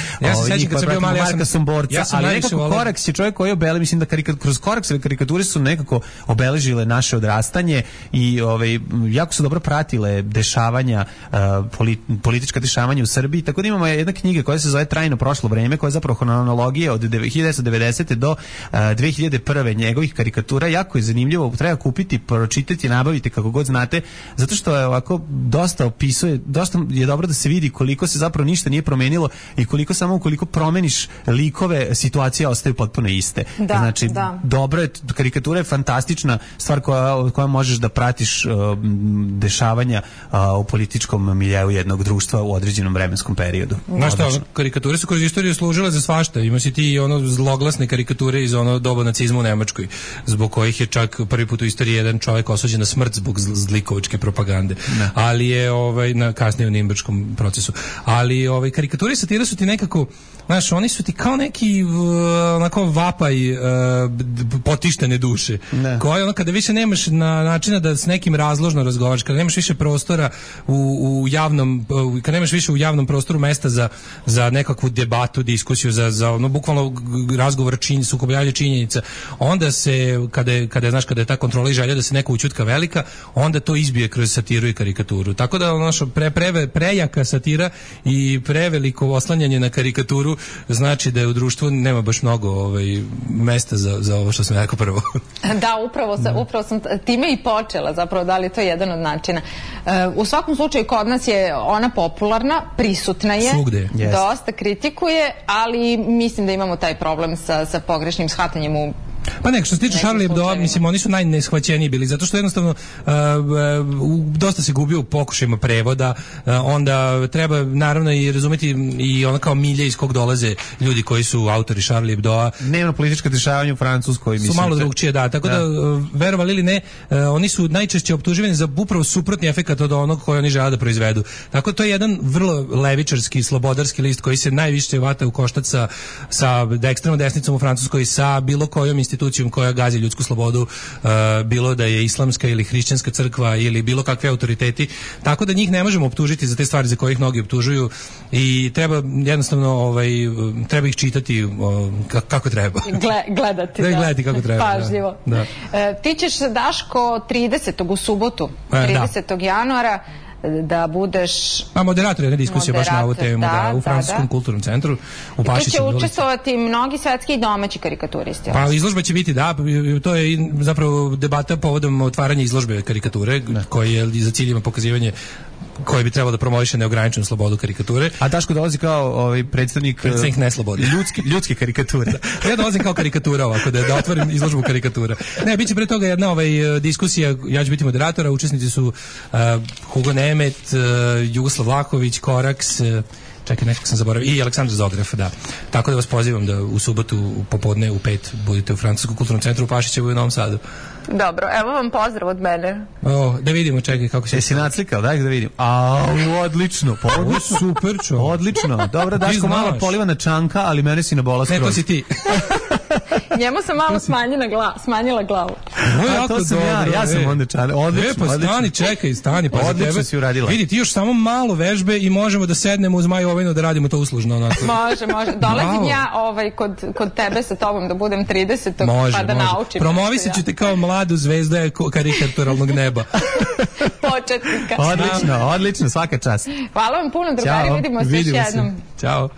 njih,
Marka Somborca, ali nekako Koraks je čovjek koji obele, mislim da kroz Koraksove karikature su nekako obeležile naše odrastanje i jako su dobro pratile dešavanja, politička dešavanja u Srbiji, tako da imamo jedna knjiga koja se zove Trajno prošlo vreme, koja je zapravo hronologija od 1990. do 2001. njegovih karikatura. Jako je zanimljivo, treba kupiti, pročitati, nabaviti kako god znate, zato što je ovako dosta opisuje, dosta je dobro da se vidi koliko se zapravo ništa nije promenilo i koliko samo ukoliko promeniš likove, situacije ostaju potpuno iste. Znači, dobro je, karikatura je fantastična stvar koja možeš da pratiš dešavanja u političkom miljeu jednog društva u određenom vremenskom periodu.
Znaš šta, karikature su kroz istoriju služile za svašta. Ima si ti zloglasne karikature iz doba nacizma u Nemačkoj, zbog kojih je čak prvi put u istoriji jedan čovjek osuđen na smrt zbog zlikovačke propagande. Ali je na kasnije u Nimberškom procesu. Ali karikature i satire su ti nekako, znaš, oni su ti kao neki onako vapaj potištene duše. Koje kada više nemaš načina da s nekim razložno razgovaraš, kada nemaš više prostora u javnom, kada nemaš više u javnom prostoru mesta za nekakvu debatu, diskusiju, za bukvalno razgovor, sukobljavanje činjenica, onda se kada je ta kontrola i želja da se neko ućutka velika, onda to izbije kroz satiru i karikaturu. Tako da prejaka satira i preveliko oslanjanje na karikaturu znači da je u društvu nema baš mnogo mesta za ovo što sam rekao prvo.
Da, upravo sam time i počela, zapravo, da li je to jedan od načina. U svakom slučaju kod nas je ona popularna, prisutna je, dosta kritikuje, ali mislim da imamo taj problem sa pogrešnim shvatanjem u
Pa nek, što se tiče Charlie Hebdo, mislim, oni su najneshvaćeniji bili, zato što jednostavno dosta se gubio u pokušajima prevoda, onda treba naravno i razumeti i ono kao milje iz kog dolaze ljudi koji su autori Charlie Hebdoa.
Dnevno politička dešavanja u Francuskoj, mislim.
Su malo drugčije, tako da, verovali ili ne, oni su najčešće optuživani za upravo suprotni efekat od onog koji oni žele da proizvedu. Tako to je jedan vrlo levičarski, slobodarski list koji se najviše vata u koštac sa ekstremnom desnicom u Francuskoj, sa bilo kojom institucijom koja gazi ljudsku slobodu, bilo da je islamska ili hrišćanska crkva ili bilo kakve autoriteti, tako da njih ne možemo optužiti za te stvari za koje ih mnogi optužuju i treba jednostavno treba ih čitati kako treba.
Gledati,
gledati kako treba.
Pažljivo.
Da.
Ti ćeš, Daško, 30. u subotu, 30. januara, da budeš
moderator jedne diskusije baš na ovu temu u Francuskom kulturnom centru u Pašiću.
I tu će učestvovati mnogi svetski i domaći karikaturisti.
Pa izložba će biti, to je zapravo debata povodom otvaranja izložbe karikature, koja je za ciljima pokazivanje koji bi trebalo da promoviše neograničenu slobodu karikature.
A Daško dolazi kao predstavnik
neslobode.
Ljudske karikature.
Ja dolazim kao karikatura ovako, da otvorim izložbu karikatura. Ne, bit će pre toga jedna diskusija, ja ću biti moderatora, učesnici su Hugo Nemet, Jugoslav Vlahović, Koraks, čekaj, nekako sam zaboravio, i Aleksandar Zograf, da. Tako da vas pozivam da u subotu popodne u 5 budete u Francuskom kulturnom centru u Pašićevu i u Novom Sadu.
Dobro, evo vam pozdrav od mene.
Da vidimo, čekaj kako se...
Jesi naclikao, daj da vidim. Odlično,
super čo.
Odlično. Dobro, Daško, malo polivana čanka, ali mene si nabola skroz.
Ne, to si ti.
Njemu sam malo smanjila glavu.
To sam
ja sam onda čale. Odlično.
Stani, čekaj, stani. Pa
odlično si uradila.
Vidi, ti još samo malo vežbe i možemo da sednemo uz Maju Ovinu da radimo to uslužno.
Može. Dolazim ja kod tebe sa tobom da budem 30. pa da naučim.
Promovisat ću te kao mladu zvezdu karikaturalnog neba.
Početnika.
Odlično, svaka čast.
Hvala vam puno, drugari, vidimo se još jednom.
Ćao.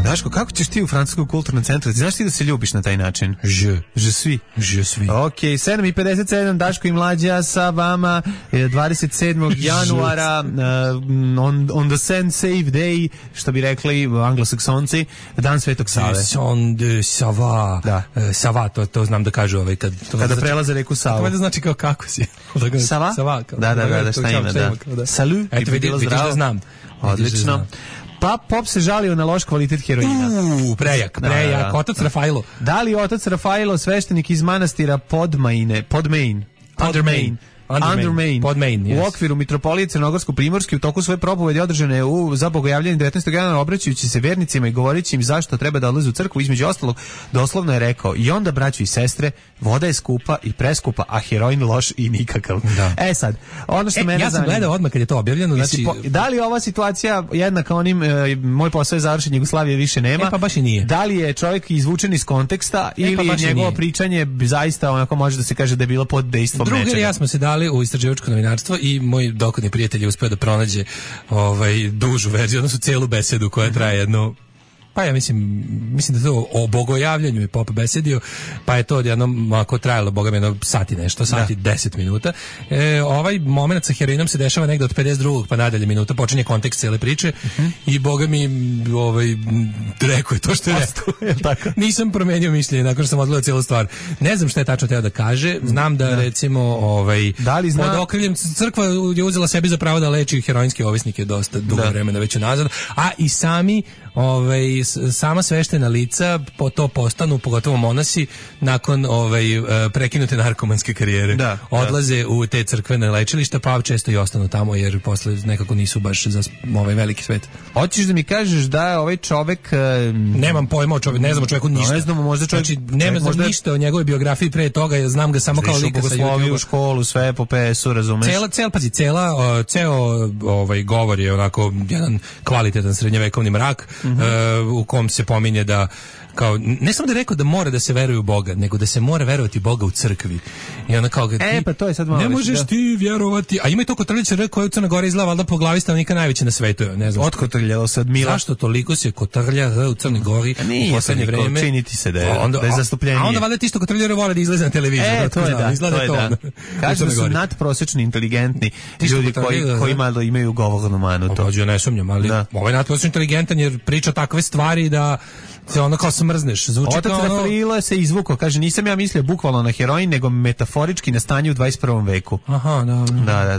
Daško, kako ćeš ti u Francuskom kulturnom centru? Znaš ti da se ljubiš na taj način? Je svi. Ok, 7:57, Daško i Mlađa sa vama 27. januara on the Saint Save Day, što bi rekli anglosaksonci, Dan Svetog Save.
On de Sava.
Da.
Sava, to znam da kažu
kada prelaze reku Savu.
To znači kao kako si.
Sava? Da, šta ima, da. Salut,
eto vidiš da znam.
Odlično. Pa Pop se žalio na loš kvalitet heroina.
Prejak. Otac Rafailo.
Da li otac Rafailo, sveštenik iz manastira Podmain,
Podmain,
u okviru mitropolije Crnogorsko-Primorske u toku svoje propovedi održane za bogojavljanje 19. januara, obraćajući se vernicima i govoreći im zašto treba da odlaze u crkvu, između ostalog doslovno je rekao: i onda, braćo i sestre, voda je skupa i preskupa, a heroin loš i nikakav.
Da.
Sad, ono što mene
ja sam gledao odmah kad je to objavljeno, znači
da li je ova situacija jednaka onim moj posao je završen, Jugoslavije više nema?
Pa baš i nije.
Da li je čovjek izvučen iz konteksta ili njegovo pričanje zaista onako može da se kaže da je bilo pod dejstvom nečega?
Drugar i ja smo se dali u istraživačko novinarstvo i moj dokodni prijatelj je uspeo da pronađe dužu verziju, odnosno celu besedu koja traje jedno, pa ja mislim da to o bogojavljanju je Pop besedio, pa je to jednom ako trajalo, boga mi, jedno sati 10 minuta. Ovaj moment sa heroinom se dešava negde od 52. pa nadalje minuta, počinje kontekst cele priče i boga mi rekao je to što je rekao. Nisam promenio mišljenje nakon što sam odgledao cijelu stvar. Ne znam šta je tačno teo da kaže, znam da recimo
da li zna...
pod okriljem crkva je uzela sebi za pravo da leči heroinske ovisnike dosta dugo vremena već unazad, a i sama sveštena lica to postanu, pogotovo monasi, nakon prekinute narkomanske karijere. Odlaze u te crkvene lečilišta, pa često i ostanu tamo jer posle nekako nisu baš za ovaj veliki svet.
Hoćeš da mi kažeš da je ovaj čovek...
Nemam pojma o čoveku, ne znam o čoveku ništa.
Ne znamo, možda čovjek...
Znači, ne znam ništa o njegovoj biografiji pre toga, ja znam ga samo kao lika sa YouTube.
U školu, sve po PS-u, razumeš?
Ceo govor je onako jedan kvalitetan srednjevekovni mrak, u kom se pominje da kao, ne samo da je rekao da mora da se veruje u Boga, nego da se mora verovati Boga u crkvi. I ona kao
pa to je sad malo
ne možeš ti vjerovati. A ima i to kotrljače koja u Crnoj Gori izgleda valjda po glavi stanovnika najveće na svetu. Ne znam.
Otkotrljalo se od Mila.
Zašto toliko se kotrlja u Crnoj Gori u poslednje vreme?
Činiti se da je zastupljenje.
A onda valjda ti što kotrljare vole da izlaze na televiziju.
To je da. Kažu da su nadprosečno inteligentni ljudi koji malo imaju govornu manu.
To ja ne sumnjam, ali ovaj nadprosečno inteligentan jer priča takve stvari da se ono kao smrzneš. Zvuči
otac Rafailo se izvukao, kaže, nisam ja mislio bukvalno na heroin, nego metaforički na stanje u 21. veku.
Aha,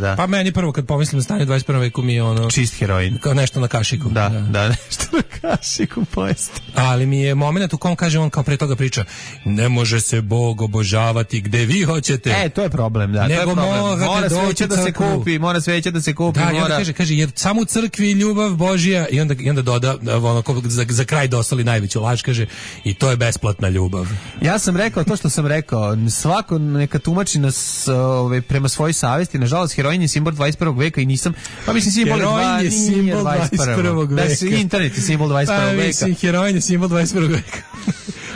da. Pa meni prvo kad pomislim na stanje u 21. veku mi je ono...
čist heroin.
Kao nešto na kašiku.
Da, nešto na kašiku pojesti.
Ali mi je moment u kom kaže on kao pre toga priča, ne može se Bog obožavati gde vi hoćete.
To je problem, da.
Nego
mora sveća da se kupi, mora sveća da se kupi.
Da, i onda kaže, jer samo u crkvi ljubav Božja i onda doda, ono, za kraj dostali najveću laž, kaže, i to je besplatna ljubav.
Ja sam rekao to što sam rekao, svako neka tumači nas prema svojoj savesti, nažalost heroin je simbol 21. veka i nisam, pa mislim simbol
je simbol 21. veka.
Da, internet je simbol 21. veka.
Mislim, heroin je simbol 21. veka.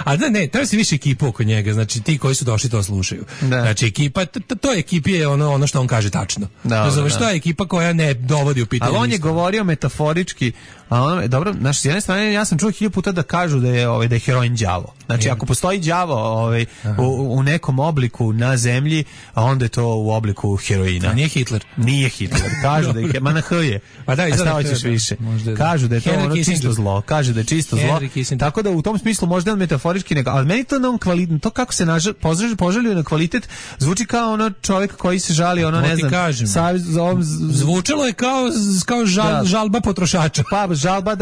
A da ne, treba se više ekipa oko njega, znači ti koji su došli to slušaju. Znači ekipa, to ekipi je ono što on kaže tačno. Razumeš, to je ekipa koja ne dovodi u pitanje.
Ali on je govorio metaforički, a ono, dobro, znači s jedne strane ja sam čuo 1000 puta da kažu da je heroin đavo. Znači ako postoji đavo u nekom obliku na zemlji, a onda je to u obliku heroina.
A nije Hitler.
Nije Hitler. Kažu da je, ma na H je.
Pa da,
ćeš više. Kažu da je to ono čisto zlo. Kaže da je čisto zlo. Tako da u tom smislu možda je metaforički nego, ali meni to na to kako se požalio na kvalitet zvuči kao ono čovjek koji se žali, ono ne znam.
Zvučalo je kao žalba potrošača.
Pa žalba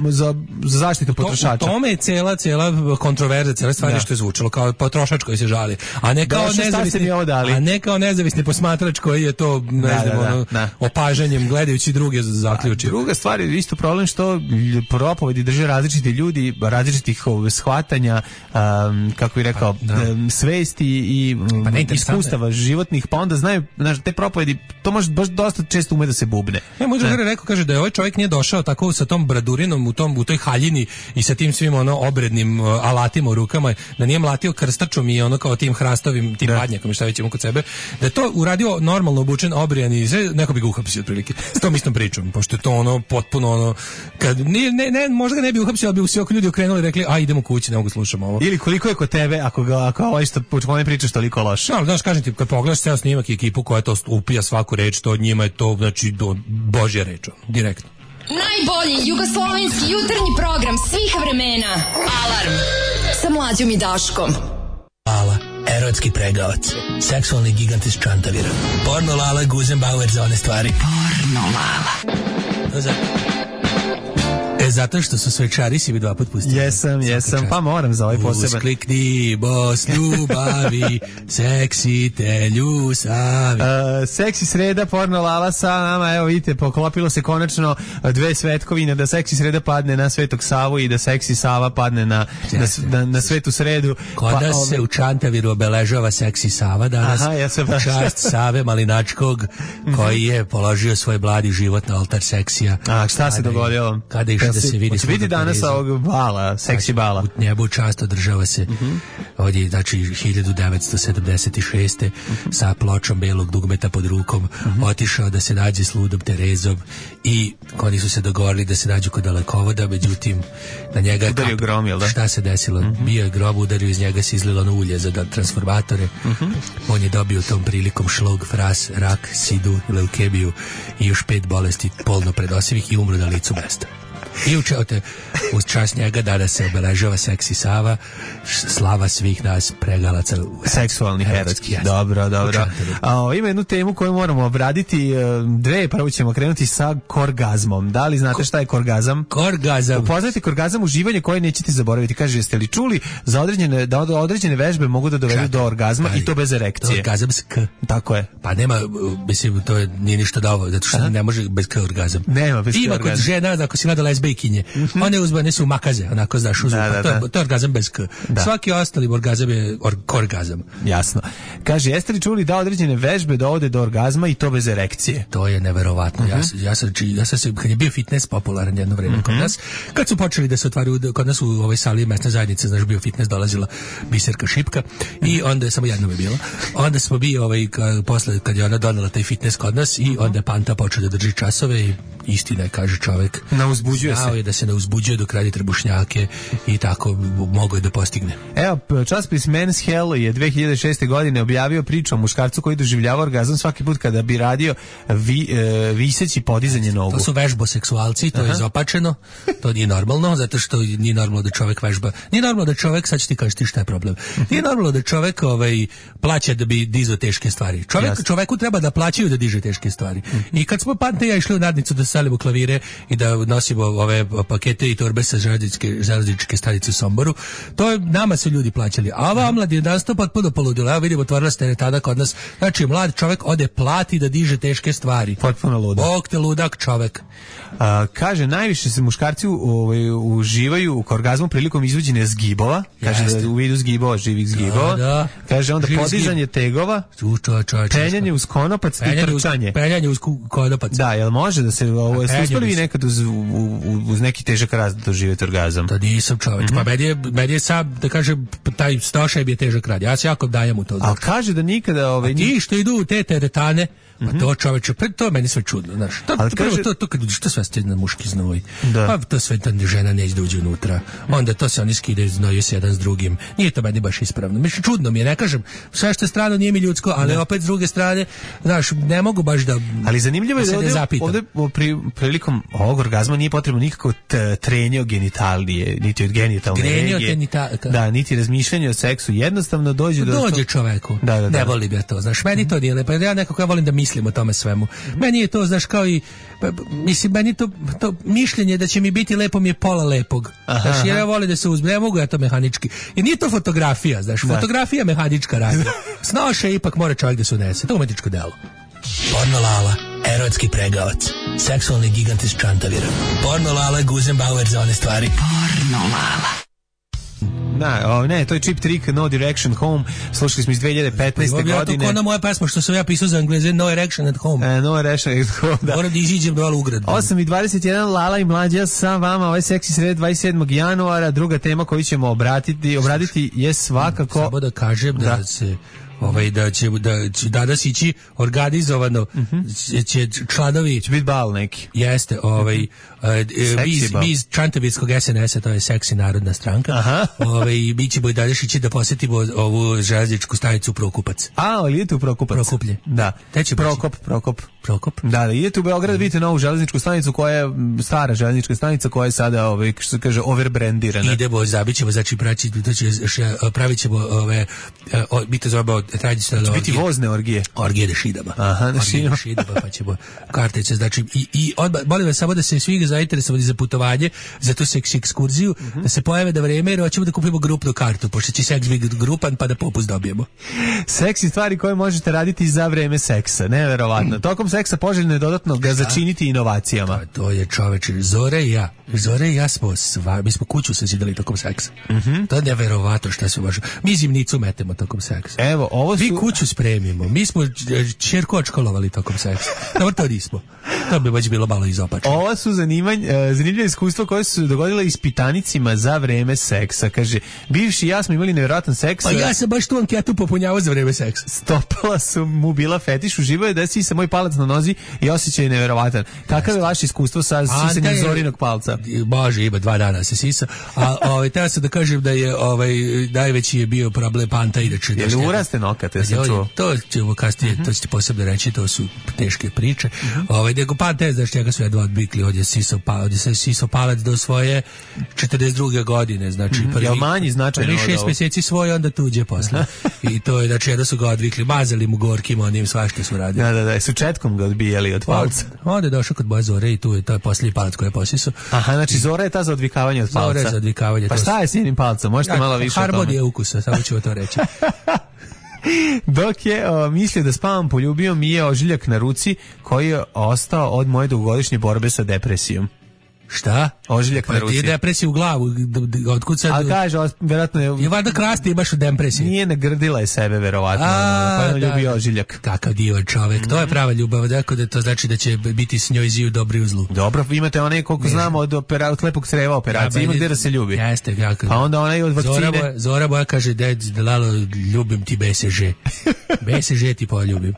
za zaštitu potrošača.
U tome je cela kontroverza, cela stvar što je zvučalo kao potrošač koji se žali, a ne kao nezavisni posmatrač koji je to opažanjem gledajući druge zaključio.
Druga stvar je isto problem što propovedi drže različiti ljudi različitih shvatanja, kako bih rekao, svesti i iskustava životnih, pa onda znaju, znaš, te propovedi, to može baš dosta često ume da se bubne.
Moj drugar je rekao, kaže da je ovaj čovjek nije došao tako sa tom bradurinom u toj haljini i sa tim svim obrednim alatima u rukama, da nije mlatio krstačom i kao tim hrastovim, tim badnjakom i šta već ima kod sebe, da je to uradio normalno obučen, obrijan i sve, neko bi ga uhapsio otprilike. S tom istom pričom, pošto je to potpuno kad možda ga ne bi uhapsio, ali bi svi oko ljudi okrenuli i rekli, a idemo kući, ne mogu slušam ovo.
Ili koliko je kod tebe, ako ovaj što ne pričaš toliko loše.
No, znaš, kažem ti, kad pogledaš ceo snimak i ekipu koja to upija svaku reč, to od njima je to, znači, božja reč, direktno.
Najbolji jugoslovenski jutarnji program svih vremena. Alarm sa Mlađom i Daškom.
Lala, erotski pregavac, seksualni gigant iz Čantavira. Porno Lala, Guzenbauer za one stvari.
Porno Lala.
Zato što su svečari si bi 2 put pustili.
Jesam, pa moram za ovaj poseban.
Usklikni, bos ljubavi, seksi te ljusavi.
Seksi sreda, Porno Lala sa nama, evo vidite, poklopilo se konačno 2 svetkovine, da seksi sreda padne na Svetog Savu i da seksi Sava padne na Svetu sredu.
Kod nas se u Čantaviru obeležava seksi Sava danas.
Aha,
čast Save Malinačkog, koji je položio svoj bladi život na oltar seksija.
A šta se dogodilo?
Kada išao da se vidi
danas ovog bala, seksi bala.
U nebu čast održava se ovdje, znači 1976. sa pločom belog dugmeta pod rukom otišao da se nađe s ludom Terezom i oni su se dogovorili da se nađu kod dalekovoda, međutim na njega je
udario grom, jel da?
Šta se desilo? Bio je grob, udario, iz njega se izlilo na ulje za transformatore. On je dobio tom prilikom šlog, fras, rak, sidu, leukemiju i još 5 bolesti polno predosivih i umro na licu mesta. I uz čast njega danas se obeležava seksi Sava, slava svih nas pregalaca
seksualnih erotskih. Dobro. Ima jednu temu koju moramo obraditi, 2, prvo ćemo krenuti sa korgazmom. Da li znate šta je korgazam?
Korgazam.
Upoznajte korgazam, uživanje koje nećete zaboraviti. Kaže, jeste li čuli da određene vežbe mogu da dovedu do orgazma i to bez erekcije?
Orgazamsk.
Tako je.
Pa nema, mislim, to nije ništa dovoljno, zato što ne može bez orgazam.
Nema bez
orgazam. Ima kod žena, ako si gleda lezbejkinje, one uzbane su makaze, onako znaš, to je orgazam bez k. Svaki ostali orgazam je korgazam.
Jasno. Kaže, jeste li čuli da određene vežbe dovode do orgazma i to bez erekcije?
To je neverovatno. Ja sam kad je bio fitness popularan jedno vreme kod nas, kad su počeli da se otvaraju kod nas u ovoj sali mesne zajednice, znaš, bio fitness, dolazila Biserka Šipka i onda je samo jednom je bilo. Onda smo bili posle kad je ona donela taj fitness kod nas i onda Panta počeo da drži časove i istina je, kaže čovek,
uzbuđuje se.
Da se ne uzbuđuje dok radi trbušnjake i tako mogo je da postigne.
Evo, časopis Men's Health je 2006. godine objavio priču o muškarcu koji doživljava orgazam svaki put kada bi radio viseći podizanje nogu.
To su vežboseksualci, to je izopačeno, to nije normalno, zato što nije normalno da čovek vežba. Nije normalno da čovek, sad ću ti kažeš ti šta je problem. Nije normalno da čovek plaća da bi dizao teške stvari. Čoveku treba da plaćaju da diže teške stvari. I kad smo Pante i ja išli u nadnicu da salimo klavire i da nosimo ove pakete i torbe sa železničke stanice u Somboru, to je, nama su ljudi plaćali. A ova omlad je danas to potpuno poludila. Evo vidimo, otvorila se teretana kod nas. Znači, mlad čovek ode plati da diže teške stvari.
Potpuno ludak.
Bog te ludak čovek.
Kaže, najviše se muškarci uživaju u orgazmu prilikom izvođenja zgibova. Kaže da u vidu zgibova, živih zgibova.
Da.
Kaže onda podizanje tegova, penjanje uz konopac i trčanje.
Penjanje uz konopac.
Da, jel može da se ste uspeli vi nekad uz neki težak rad da doživjeti orgazam?
Da nisam čoveč. Pa meni je sam, da kažem, taj stošaj bi je težak rad. Ja se jako dajem u to.
Ali kaže da nikada...
A ti što idu u te teretane, pa to čoveče, to je meni sve čudno, znaš. To kad uđeš, to sve ste na muški znoj. Pa to sve ta žena neće da uđe unutra. Onda to se oni skidaju, znoju se jedan s drugim. Nije to meni baš ispravno. Mislim, čudno mi je, ne kažem, sve što je strano nije mi ljudsko, ali opet s druge strane, znaš, ne mogu baš da...
Ali zanimljivo je da ovdje prilikom ovog orgazma nije potrebno nikako trenje o genitalije, niti od genitalne regije. Da, niti razmišljanje o seksu. Jednostavno dođe
čoveku. Ne voli ga to, znaš, meni to nije lepo. Ja nekako volim da mislim o tome svemu. Meni je to, znaš, kao i mislim, meni to mišljenje da će mi biti lepo mi je pola lepog. Znaš, jer ja volim da se uzme, ne mogu ja to mehanički. I nije to fotografija, znaš, fotografija mehanička radi. Snoše ipak mora čovjek da se unese. To je umetničko delo.
Porno Lala, erotski pregavac, seksualni gigant iz Čantavira. Porno Lala, Guzenbauer za one stvari.
Porno Lala.
Ne, to je Cheap Trick, No Direction Home. Slušali smo iz 2015. godine.
Ja to kao na moja pesma što sam ja pisao za Engleze, No Erection at Home.
No Erection at Home, da.
Moram da iziđem dole u grad.
8:21, Lala i Mlađa sa vama, ovaj seksi sred 27. januara. Druga tema koju ćemo obraditi je svakako...
Samo da kažem da se... da će danas ići organizovano će članovi
će biti bal neki.
Jeste, mi iz Čantavirskog SNS-a, to je Seksi narodna stranka. Mi ćemo i danas ići da posjetimo ovu železničku stanicu Prokupac.
Ali idete u Prokupac?
Prokuplje.
Da. Prokop. Da, idete u Beograd, vidite novu železničku stanicu koja je stara železnička stanica koja je sada, što se kaže, overbrandirana.
Idemo, zabićemo, znači pravit ćemo mi to zovemo tradicionalne
orgije. Biti vozne orgije.
Orgije na šidama.
Na šidama,
pa ćemo kartice, znači i molim vas samo da se svi zainteresovani za putovanje, za tu seksi ekskurziju, da se pojave da vreme, jer hoćemo da kupimo grupnu kartu, pošto će seks biti grupan, pa da popust dobijemo.
Seksi stvari koje možete raditi za vreme seksa, neverovatno. Tokom seksa poželjno je dodatno ga začiniti inovacijama.
To je čoveče, Zore i ja mi smo kuću sazidali tokom seksa. To je neverovatno šta se baš. Mi zimnicu metemo tokom seksa.
Evo,
mi kuću spremimo. Mi smo ćerku odškolovali tokom seksa. Dobro, to nismo. To bi baš bilo malo izopačno.
Ovo su zanimljive iskustva koje su se dogodile ispitanicima za vreme seksa. Kaže, bivši i ja smo imali nevjerojatan seks.
Pa ja sam baš tu anketu popunjavao za vreme seksa.
Stopala su mu bila fetiš, uživo je da sisa moj palac na nozi i osjećaj je nevjerovatan. Kakav je vaše iskustvo sa sisanjem Zorinog palca?
Bože, ima 2 dana se sisa. A teo sam da kažem da je najveći je bio problem panta inače.
Je li uraste nokat?
To ćemo kasnije, to ćete posebno reći, to su teške priče. Nego panta, znaš njega su jedva odbikli, ovdje se sisao palac do svoje 42. godine, znači
manji značajno
prvi 6 mjeseci svoje, onda tuđe posle. I to je, znači jedno su ga odvikli, mazali mu gorkim, onim svašta su radili.
Da, su četkom ga odbijali od palca.
Onda je došao kod moje Zore i to je posljednji palac koji je posisao.
Aha, znači Zora je ta za odvikavanje od palca.
Zora je za odvikavanje.
Pa šta je s njenim palcom? Možete malo više o tome.
Harmonija ukusa, samo ću to reći.
Dok je mislio da spavam, poljubio mi je ožiljak na ruci koji je ostao od moje dugogodišnje borbe sa depresijom.
Šta?
Ožiljak na ruci.
Ti je depresija u glavu, otkud sad...
A kaže, vjerojatno je...
Je valjda krasti, imaš u depresiji.
Nije, nagrdila je sebe, verovatno. Pa je ljubio ožiljak.
Kakav divan čovek, to je prava ljubav, dakle da to znači da će biti s njoj ziju dobri u zlu.
Dobro, imate onaj, koliko znamo, od lepog creva operacije, ima gdje da se ljubi.
Jeste, kako.
Pa onda onaj od vakcine...
Zora moja kaže, Lalo, ljubim ti BSŽ. BSŽ ti poljubim.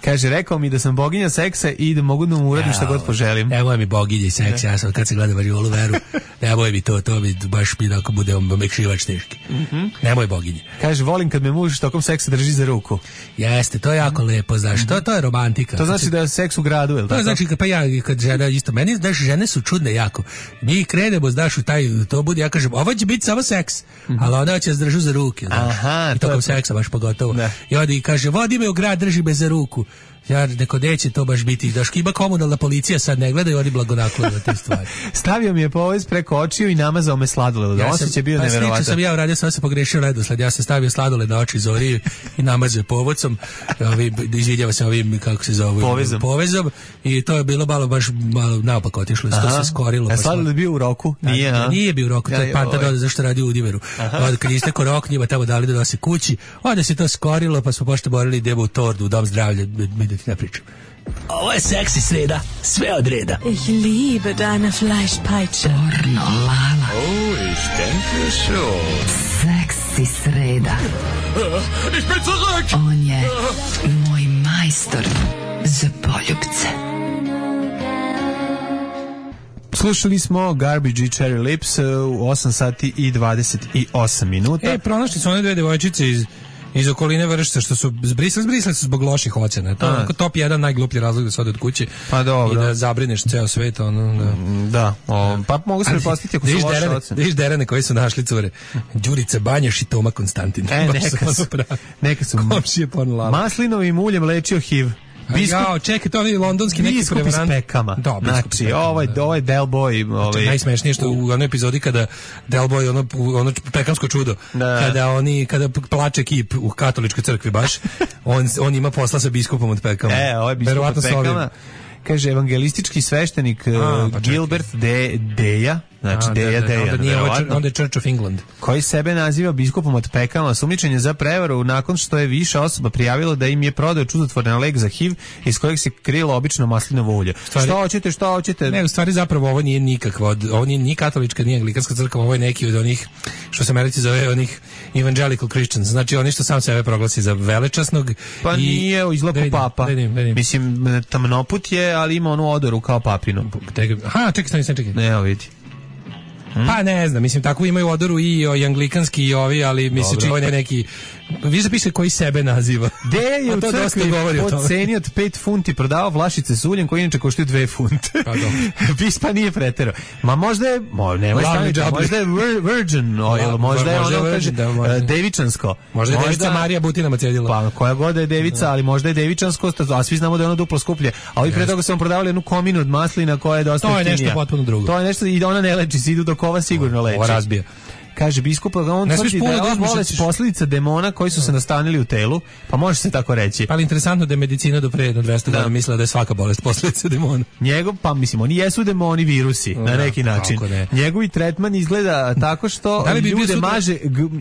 Kaže, rekao mi da sam boginja seksa i da mogu da mu uradim šta god poželim.
Evo mi boginja i seksa, ja sam kad se gleda Variolu Veru, nemoj mi to mi baš mi ako bude omekšivač teški. Nemoj boginje.
Kaže, volim kad me muž tokom seksa drži za ruku.
Jeste, to je jako lepo, znaš, to je romantika.
To znači da je seks u gradu, je li tako?
To znači, pa ja, kad žena isto, meni, znaš, žene su čudne jako. Mi krenemo, znaš, u taj, to bude, ja kažem, ovo će biti samo seks, ali ona će se držu za ruke, znaš.
Aha,
i tokom seksa baš pogotovo. Ne. I onda i kaže, vodi me u grad, drži me za ruku. Ja neko neće to baš biti. Daš, ima komunalna policija, sad ne gledaju, oni blagonaklone na te stvari.
Stavio mi je povez preko očiju i namazao me sladoled. Ja osjećaj bio neverovatan.
Slično sam ja uradio, sam se pogrešio redosled. Ja sam stavio sladoled na oči Zori i namazao povodcom. Izvidjava se ovim, kako se zove, povezom. I to je bilo malo naopak otišlo. To se skorilo.
A sladoled bio u roku?
Nije bio u roku. To je panta zašto radi u Udiveru. Kad istekao rok, njima tamo dali da se kući. Onda se to skorilo, pa smo pošto morali idemo u Tordu, u dom zdravlja, da ti ne pričam.
Ovo je seksi sreda, sve od reda.
Ich liebe deine Fleischpeitsche.
Pornolala.
Oh, ich denke schon.
Seksi sreda.
Ich bin zurück!
On je moj majstor za poljubce.
Slušali smo Garbage i Cherry Lips u 8 sati i 28 minuta.
Pronašli su one dve devojčice iz okoline Vršca što su zbrisali su zbog loših ocena. To je top 1 najgluplji razlog da se ode od kuće.
Pa dobro.
I da zabrineš ceo svet.
Pa mogu se prepostiti ako su loše ocene.
Viš derane koji su našli cure. Đurica Banjaš i Toma Konstantin.
Neka su.
Komšije Pornolala.
Maslinovim uljem lečio HIV.
Čekaj, to je londonski neki prevarant.
Biskup iz Pekama. Znači, ovo je Del Boy.
Najsmešnije što u onoj epizodi kada Del Boy, ono pekamsko čudo, kada plače kip u katoličkoj crkvi baš, on ima posla sa biskupom od Pekama.
Ovo je biskup od Pekama. Kaže, evangelistički sveštenik Gilbert Deja Znači, Dejan,
onda je Church of England.
Koji sebe naziva biskupom od Pekama, sumnjičen je za prevaru nakon što je više osoba prijavilo da im je prodao čudotvoran lek za HIV iz kojeg se krilo obično maslinovo ulje. Šta hoćete?
Ne, u stvari zapravo ovo nije nikakva, ovo nije ni katolička, ni anglikanska crkva, ovo je neki od onih, što se Americi zove, onih evangelical Christians, znači oni što sam sebe proglasi za velečasnog.
Pa nije izgleda papa. Mislim, tamnoput je, ali ima onu odoru kao papinu.
Aha, čekaj.
Ne, vidi.
Pa ne znam, mislim, tako imaju odoru i anglikanski i ovi, ali mislim, ovo je neki... Vi zapišete koji sebe naziva.
Dejan je u crkvi po ceni od 5 funti prodavao flašice s uljem koji inače koštaju 2 funte. Bispa nije preterao. Ma možda je, možda je virgin oil, možda je ono, kaže, devičansko.
Možda je devica Marija Butinama cedila.
Pa koja god je devica, ali možda je devičansko, a svi znamo da je ono duplo skuplje. A ovi pre toga su vam prodavali jednu kominu od maslina koja je dosta jeftinija.
To je nešto potpuno drugo.
To je nešto i da ona ne leči, se idu dok ova sigurno leči.
Ova razbija.
Kaže biskup, on tvrdi da je ova bolest posljedica demona koji su se nastanili u telu, pa može se tako reći.
Ali interesantno da je medicina do pre jedno 200 godina mislila da je svaka bolest posljedica demona.
Njegov, pa mislim, oni jesu demoni virusi, na neki način. Njegovi tretman izgleda tako što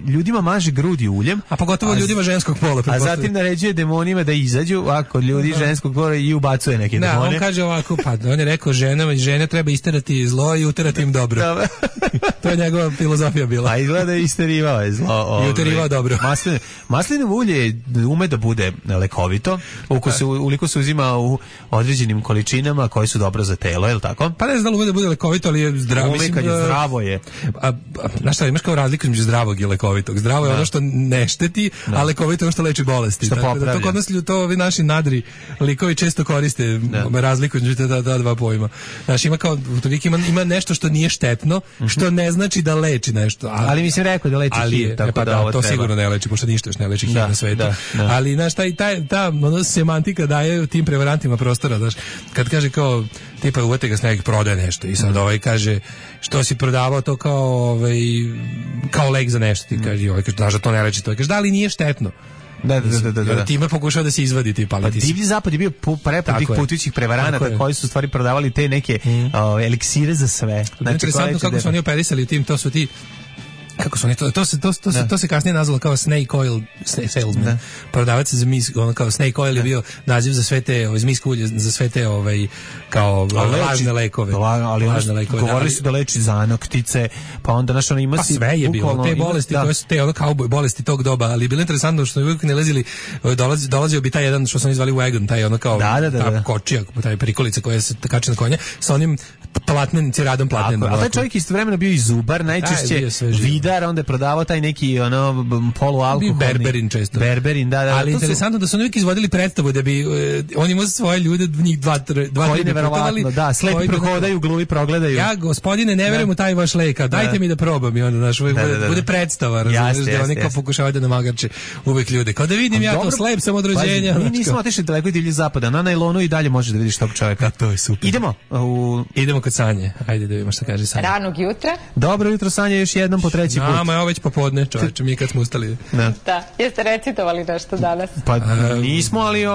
ljudima maže grudi uljem.
A pogotovo ljudima ženskog pola.
A zatim naređuje demonima da izađu, a kod ljudi ženskog pola i ubacuje neke demone.
On kaže ovako, pa on je rekao žene treba isterati zlo i uterati im dobro. To je njegova filozofija bila.
A izgleda isterivao je zlo.
I uterivao dobro.
Maslinovo ulje ume da bude lekovito, ukoliko se uzima u određenim količinama koje su dobro za telo, je li tako?
Pa ne znam da ume da bude lekovito, ali je zdravo.
Ume kad je zdravo je.
Znaš šta, imaš kao razliku između zdravog i lekovitog. Zdravo je ono što ne šteti, a lekovito je ono što leči bolesti.
Što popravlja.
To kod nas to ovi naši nadri likovi često koriste razliku između ta dva pojma. Znaš, ima nešto što nije štetno, što ne znači da leči nešto.
Ali mi se rekao da leči HIV, tako da ovo
to
treba.
Sigurno ne leči, pošto ništa još ne leči HIV na svetu. Ali, znaš, ta semantika daje tim prevarantima prostora, znaš, kad kaže kao, tipa, uvete ga s nekih prodaje nešto i sad kaže, što si prodavao to kao lek za nešto, ti kaže, znaš da to ne leči, to kaže, da li nije štetno? Da. Time pokušao da se izvadi ti paliti.
Divlji zapad je bio prepun tih putujućih prevaranata koji su stvari prodavali te neke eliksire za sve.
Znači, interesantno kako su oni operisali tim, to su ti kako su oni to se kasnije nazvalo kao snake oil salesman. Prodavac za kao snake oil je bio naziv za sve te zmijsko ulje, za sve te kao lažne lekove.
Ali govorili su da leči zanoktice, pa onda naš ono ima
pa sve je bilo te bolesti koje su te kauboj bolesti tog doba, ali bilo interesantno što uvijek ne lezili, dolazio bi taj jedan što su oni zvali wagon, taj ono kao ta kočija, taj prikolica koja se kači na konja sa onim platnenim ciradom platnenim.
A taj čovjek istovremeno bio i zubar, najčešće vidar, onda je prodavao taj neki polualkoholni.
Berberin često.
Berberin, da.
Ali interesantno da su uvijek izvodili predstavu da bi oni imali svoje ljude, njih dva
koji neverovatno, da, slepi prohodaju, gluvi progledaju.
Ja, gospodine, ne verujem u taj vaš lek, dajte mi da probam i onda, znaš, bude predstava, razumiješ, da oni kao pokušavaju da namagarče uvijek ljude. Kao da vidim ja to slep sam od rođenja.
Mi nismo otišli daleko i divlji zapada, na najlonu i dalje možeš da vidiš tog čovjeka.
To je super. Idemo kod Sanje. Ajde da vidimo šta kaže Sanja.
Ranog jutra.
Dobro jutro, Sanja, još jednom po treći put.
Nama je ovo već popodne, čovječe, mi kad smo ustali.
Da. Jeste recitovali nešto danas?
Pa nismo, ali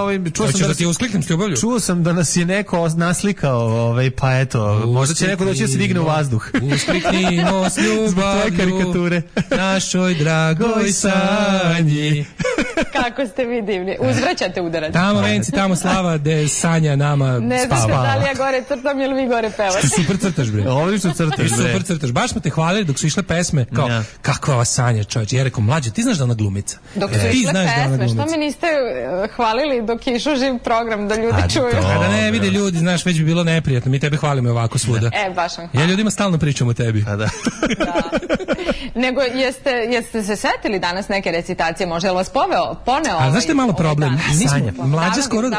čuo sam da nas je neko naslikao, pa eto, možda će neko doći da se digne u vazduh.
Uskliknimo s ljubavlju našoj dragoj Sanji.
Kako ste vi divni. Uzvraćate udarac.
Tamo venci, tamo slava, gde Sanja nama spava.
Ne znate da li ja gore crtam ili vi gore pevate.
Super crtaš, bre.
Odlično crtaš, bre.
Super crtaš. Baš smo te hvalili dok su išle pesme. Kao, kakva ova Sanja, čovječe. Ja rekao, mlađe, ti znaš da ona glumica.
Dok su išle pesme, što me niste hvalili dok je išao živ program da ljudi čuju?
A da ne vide ljudi, znaš, već bi bilo neprijatno. Mi tebe hvalimo ovako svuda.
Baš vam hvala.
Ja ljudima stalno pričam o tebi.
Da.
Nego, jeste se setili danas neke recitacije? Može li vas poneo?
A znaš što je malo problem? Mlađa skoro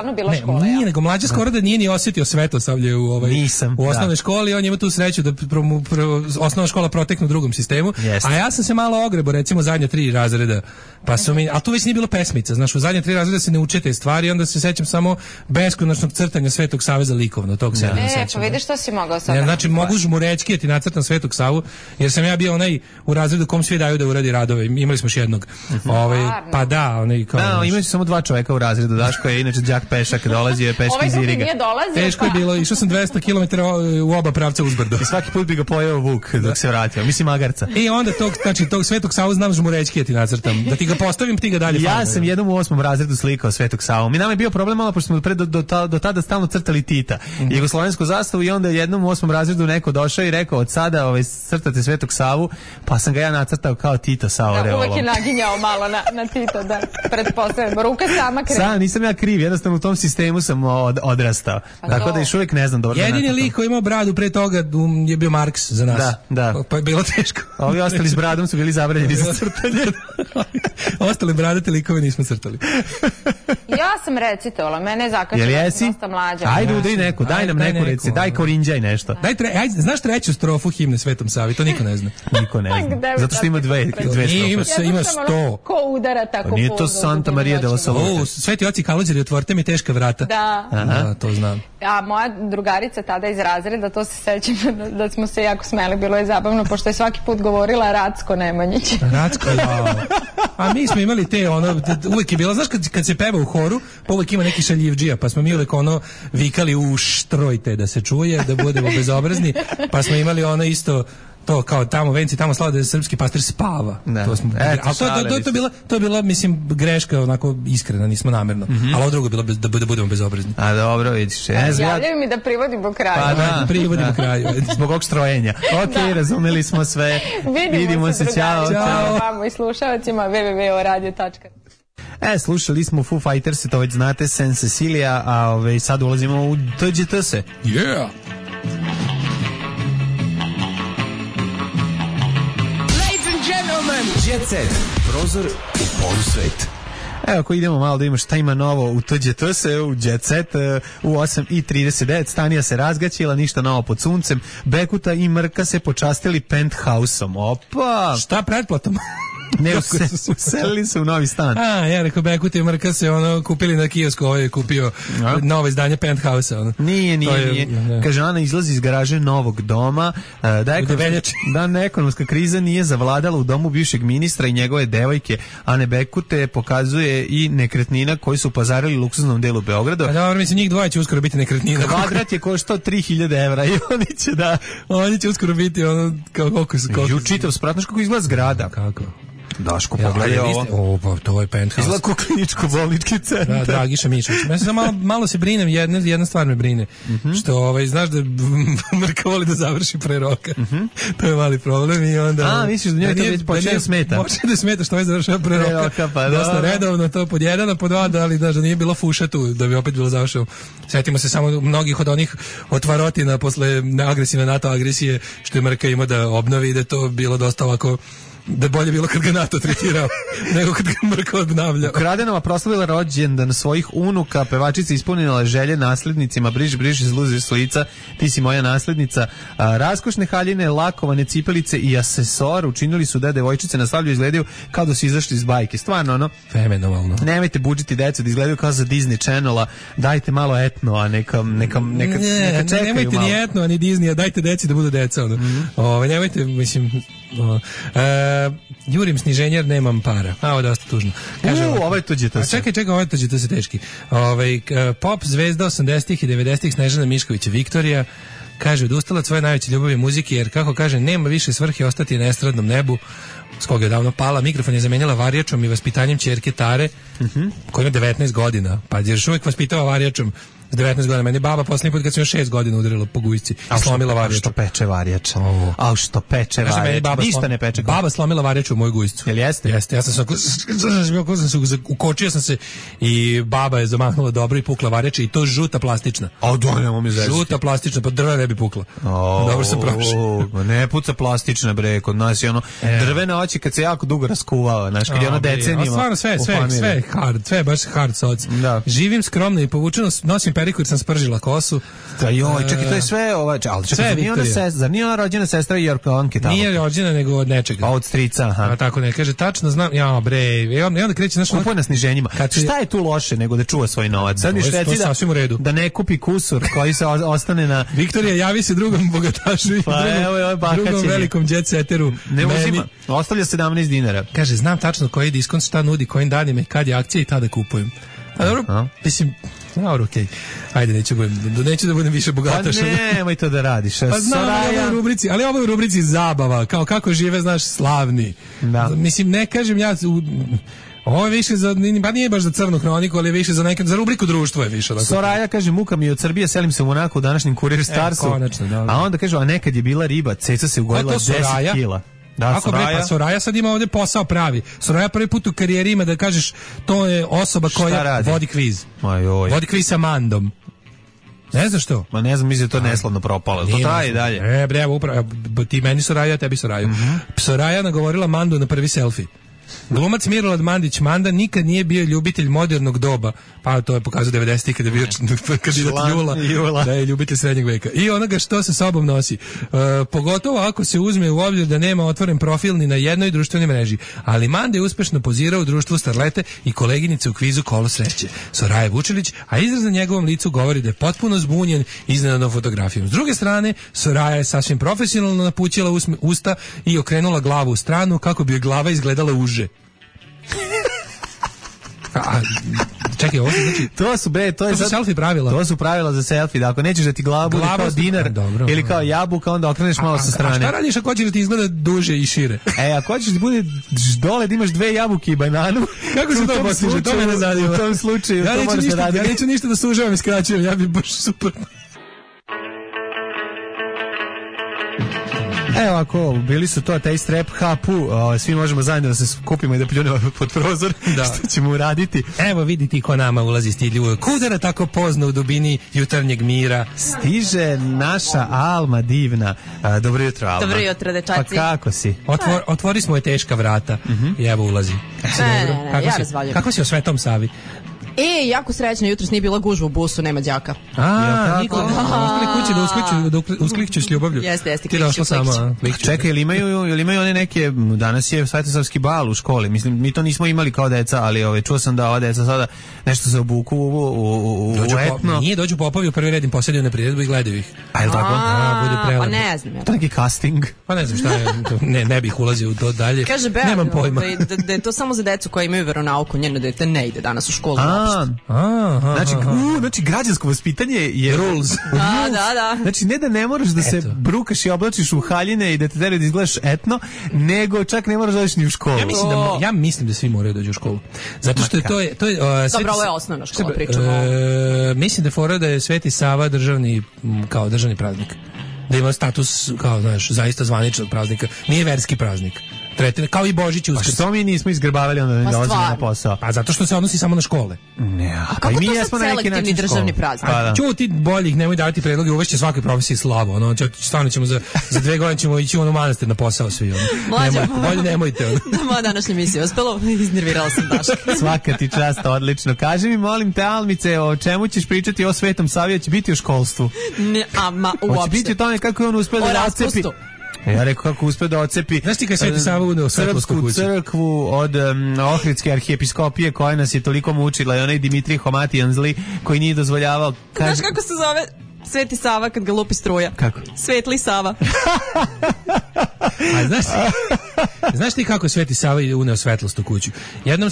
nego mlađa skoro da nije ni osjetio Svetosavlje u osnovnoj školi, on ima tu sreću da osnovna škola protekne u drugom sistemu, a ja sam se malo ogrebo, recimo zadnja 3 razreda, pa su mi, a tu već nije bilo pesmica, znaš, u zadnja 3 razreda se ne uče te stvari, onda se sećam samo beskonačnog crtanja Svetog Save za likovno, tog se ne sećam.
Pa vidiš što si mogao sad.
Znači, mogu žmurečki ti nacrtam Svetog Savu, jer sam ja bio onaj u razredu kom svi daju da uradi radove, imali smo još jednog. Pa da, onaj kao.
Da, imaju samo 2 čoveka u razredu, Daško je inače đak pešak, dolazio je peški iz Iriga.
Ovaj nije dolazio.
Teško je bilo, išao sam 200 km u oba pravca uzbrdo.
I svaki put bi ga pojeo vuk dok se vratio, mislim magarca.
I onda tog Svetog Savu znam žmurećki ti nacrtam, da ti ga postavim, ti ga dalje fajno.
Ja sam jednom u 8. razredu slikao Svetog Savu. Mi nama je bio problem malo, pošto smo do tada stalno crtali Tita, jugoslovensku zastavu, i onda jednom u 8. razredu neko došao i rekao od sada crtate Svetog Savu, pa sam ga ja nacrtao kao Tito sa oreolom.
Uvijek je naginjao malo na Tito, da pretpostavljamo. Ruka sama krene.
Sam, nisam ja kriv, jednostavno u tom sistemu sam odrastao. Tako da još uvijek ne znam dobro.
Jedini lik koji imao bradu pre toga je bio Marks za nas.
Da.
Pa je bilo teško.
Ovi ostali s bradom su bili zabranjeni za crtanje.
Ostali bradate likove nismo crtali.
Ja sam recitovala, mene je zakačila dosta mlađa.
Ajde udri neku, daj nam neku reci, daj korinđaj nešto.
Znaš treću strofu himne Svetom Savi, to niko ne zna.
Niko ne zna, zato što ima dve strofe.
Ima 100.
Ko udara tako po...
Nije to Santa Maria de la Salute.
Sveti oci Kalođeri, otvorite mi teška vrata.
Da,
to znam.
A moja drugarica tada iz razreda, to se sećam da smo se jako smeli, bilo je zabavno, pošto je svaki put govorila Racko Nemanjić.
Racko, a mi smo imali te, uvijek je bilo, znaš kad se peva u horu, pa uvijek ima neki šaljivdžija, pa smo mi uvijek vikali uštrojte da se čuje, da budemo bezobrazni, pa smo imali isto to kao tamo venci, tamo slava da je srpski pastir spava. To smo, to je bila, mislim, greška onako iskrena, nismo namerno. Ali ovo drugo je bilo da budemo bezobrazni.
A dobro, vidiš.
Javljaju mi da privodimo kraju.
Pa da, privodimo kraju.
Zbog ovog strojenja. Ok, razumeli smo sve. Vidimo se, ćao.
Vamo i slušalacima www.radio.com.
Slušali smo Foo Fighters, to već znate, San Cecilia, a sad ulazimo u TGTS.
Yeah!
Jet Set, prozor u polusvet. Evo, ako idemo malo da imamo šta ima novo u TGTS, u Jet Set, u 8:39, Stanija se razgaćila, ništa novo pod suncem, Bekuta i Mrka se počastili penthouseom. Opa!
Šta pretplatom?
Ne, uselili se u novi stan.
Ja rekao, Bekuta i Mrka se kupili na kiosku, ovo je kupio novo izdanje Penthouse-a.
Nije. Kaže, Ana izlazi iz garaže novog doma. Da ekonomska kriza nije zavladala u domu bivšeg ministra i njegove devojke Ane Bekute, pokazuje i nekretnina koji su pazarili u luksuznom delu Beograda.
Dobro, mislim, njih dvoje će uskoro biti nekretnina.
Kvadrat je koštao 3000 evra i
oni će uskoro biti koliko
čitav sprat, znaš kako izgleda zgrada.
Kako?
Daško, pogledaj ovo.
Pa to je penthouse.
Izgleda kao kliničko-bolnički centar.
Da, Dragiša Mišović. Ja se malo se brinem, jedna stvar me brine. Što, znaš da Mrka voli da završi pre roka. To je mali problem i onda...
misliš da njoj to već počne da smeta?
Počne da smeta što završava pre roka. Dosta redovno, to pod jedan, pod dva, da nije bilo fuša tu, da bi opet bilo završeno. Sjetimo se samo mnogih od onih otvarotina posle agresivne NATO agresije, što je Mrka imao da obnovi i da to bilo dosta ovako... Da bolje bilo kad ga NATO tretirao nego kad ga Mrka obnavljao.
Ukradenova proslavila rođendan svojih unuka, pevačica ispunila želje naslednicima, briš iz luze s lica, ti si moja naslednica. Raskošne haljine, lakovane cipelice i asesor učinili su da devojčice na slavlju izgledaju kao da su izašli iz bajke. Stvarno,
fenomenalno.
Nemojte budžiti decu da izgledaju kao za Disney Channela, dajte malo etno, a neka čekaju
nemojte
malo.
Ni etno, ani Disney, a dajte deci da budu deca. Nemojte, mislim... jurim sniženje jer nemam para. Ovo je dosta tužno.
Ovo je tuđe se.
Čekaj, ovo je tuđe se teški. Pop zvezda 80-ih i 90-ih Snežana Mišković Viktorija kaže, odustala od svoje najveće ljubavi muzike jer, kako kaže, nema više svrhe ostati na estradnom nebu, s koga je davno pala. Mikrofon je zamenjala varijačom i vaspitanjem ćerke Tare, koja ima 19 godina, pa je još uvijek vaspitava varijačom s 19 godina. Meni baba posljednji put kad sam još 6 godina udarila po gujsci i slomila varijač.
Što peče varijač? Što peče varijač? Ništa ne peče.
Baba slomila varijač u moju gujscu.
Jel jeste?
Jeste. Ja sam se ukočio sam se i baba je zamahnula dobro i pukla varijač i to žuta plastična. Žuta plastična, pa drva ne bi pukla. Dobro sam prošao.
Ne puca plastična, bre, kod nas je drvena oči kad se jako dugo raskuvava, znaš, kad je ono decenijima.
Stvarno sve hard, sve baš hard soc. Živim skromno i povučeno, nosim periku jer sam spržila kosu.
Da joj, čekaj, to je sve ali čekaj, zar nije ona rođena sestra Jorkovanke tamo?
Nije rođena nego od nečega.
Pa od strica, aha.
A tako ne, kaže, tačno znam, ja bre, i onda kreće naš...
Kupuje na sniženjima. Šta je tu loše nego da čuva svoj novac? Sad mi šveci da ne kupi kusur koji se ostane na...
Viktorija, javi se drugom bogatašu i drugom velikom jet setteru.
Ne uzima, ostavlja 17 dinara.
Kaže, znam tačno koji diskont, šta nudi, kojim danima i kad je akcija i tada kupujem. A dobro, mislim... Dobro, okej. Ajde, neću da budem više bogataš.
Pa nemoj to da radiš.
Pa znam, ali ovo je u rubrici zabava, kao kako žive, znaš, slavni. Da. Mislim, ne kažem ja... Ovo je više za, pa nije baš za crnu hroniku, ali je više za rubriku društvo je više.
Soraja kaže, muka mi od Srbije, selim se u Monaku u današnjem Kurir Starsu. A onda kaže, a nekad je bila riba, ceca se ugojila 10 kila.
Da, ako bre, pa Soraja sad ima ovdje posao pravi. Soraja prvi put u karijeri ima da kažeš, to je osoba koja vodi kviz. Vodi kviz sa Mandom. Ne znaš što?
Ma ne znam, mislim da to neslavno propalo. To traje i dalje.
Bre, upravo, ti meni Soraja, tebi Soraju. Soraja nagovorila Mandu na prvi selfie. Glumac Milorad Mandić Manda nikad nije bio ljubitelj modernog doba, pa to je pokazao 90-ih kada je bio kandidat Jula, da je ljubitelj srednjeg veka. I onoga što sa sobom nosi. Pogotovo ako se uzme u obzir da nema otvoren profil ni na jednoj društvenoj mreži. Ali Manda je uspešno pozirao u društvu starlete i koleginice u kvizu Kolo sreće. Soraja Vučilić, a izraz na njegovom licu govori da je potpuno zbunjen iznenadnom fotografijom. S druge strane, Soraja je sasvim profesionalno napućila usta i okrenula glavu u stranu kako bi joj glava izgledala uže. Čekaj, ovo znači
to
su selfie pravila.
To su pravila za selfie, da ako nećeš da ti glava bude kao dinar ili kao jabuka, onda okreneš malo sa strane.
A šta radiš ako hoćeš da ti izgleda duže i šire?
Ako hoćeš da bude dole da imaš 2 jabuke i bananu,
kako se to postiže? To mene zanima.
U tom slučaju to možeš da radiš.
Ja neću ništa da sužavam i skraćujem, ja bi baš super.
Evo ako, bili su to Taste Rap Hapu, svi možemo zajedno da se skupimo i da pljunemo pod prozor, što ćemo uraditi.
Evo vidite ko nama ulazi stidljivo. Kudara tako pozna u dubini jutarnjeg mira.
Stiže naša Alma divna. Dobro jutro, Alma.
Dobro jutro, dečaci.
Pa kako si?
Otvori smo je teška vrata i evo ulazi.
Ja razvaljujem.
Kako si o Svetom Savi?
Jako srećno, jutros nije bila gužva u busu, nema đaka.
Niko. Ostali kući da usklikću s ljubavlju.
Jeste,
ti došla sama.
Čekaj, ili imaju one neke, danas je Svetosavski bal u školi, mislim, mi to nismo imali kao deca, ali čuo sam da ova deca sada nešto se obuku u etno.
Nije, dođu popovi u prvi red im posadio na priredbu i gledaju ih.
A je li tako?
Bude prelepo.
Pa ne znam.
To neki casting.
Pa ne znam šta je, ne bih ulazio u to dalje.
Kaže
nemam pojma.
Da je to samo za decu koja imaju veronauku, njeno dete ne ide danas u školu.
Znači građansko vaspitanje je
rules. Da.
Znači ne da ne moraš da se brukaš i oblačiš u haljine i da te teraju da izgledaš etno, nego čak ne moraš da dođeš ni u školu.
Ja mislim da svi moraju doći u školu. Zato što to je
dobro, ovo je osnovna škola, pričamo.
Mislim da fora da je Sveti Sava državni praznik. Da ima status kao, znaš, zaista zvaničnog praznika. Nije verski praznik. Kao i Božić i Uskrs.
Pa što mi nismo izgrbavali onda da dolazimo na posao?
Pa zato što se odnosi samo na škole.
A kako to sad selektivni državni praznik?
Čuti boljih, nemoj davati predloge, uvešće svakoj profesiji slavu. Stvarno ćemo za 2 godine ćemo ići u manastir na posao svi. Bolje nemojte.
Moja današnja misija uspela, iznervirala sam Daška.
Svaka ti čast, odlično. Kaži mi, molim te, Almice, o čemu ćeš pričati o Svetom Savi, će biti o školstvu?
Uopšte.
Hoće biti o tome kako je on uspeo da rascepi. Ja rekao kako uspeo da ocepi Srpsku crkvu od Ohridske arhijepiskopije koja nas je toliko mučila i onaj Dimitrij Homatijan zli koji nije dozvoljavao.
Znaš kako se zove Sveti Sava kad ga lupi struja?
Kako?
Svetli Sava.
Znaš ti kako Sveti Sava uneo svetlost u kuću? Jednom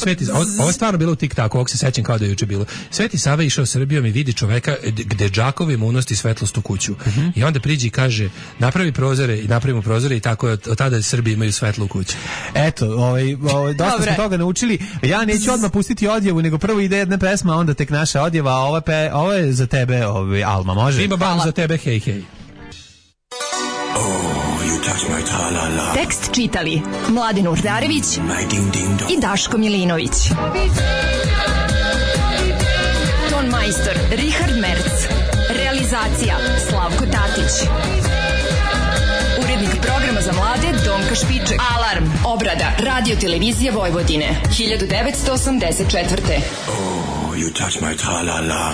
ovo je stvarno bilo u TikToku, ovog se sećam kao da je juče bilo. Sveti Sava išao Srbijom i vidi čoveka gde džakovim unosti svetlost u kuću. I onda priđi i kaže, napravi prozore i napravimo prozore i tako od tada Srbi imaju svetlo u kući.
Eto, dosta smo toga naučili. Ja neću odmah pustiti odjevu, nego prvo ide jedna pesma, a onda tek naša odjeva, a ovo je za tebe, Alma, može?
Bimba bam za tebe, hej.
Tekst čitali Mladin Urdarević i Daško Milinović. Ton majstor Richard Merc. Realizacija Slavko Tatić. Urednik programa za mlade Donka Špiček. Alarm, obrada, radio televizije Vojvodine, 1984.
Oh, you touch my tra-la-la.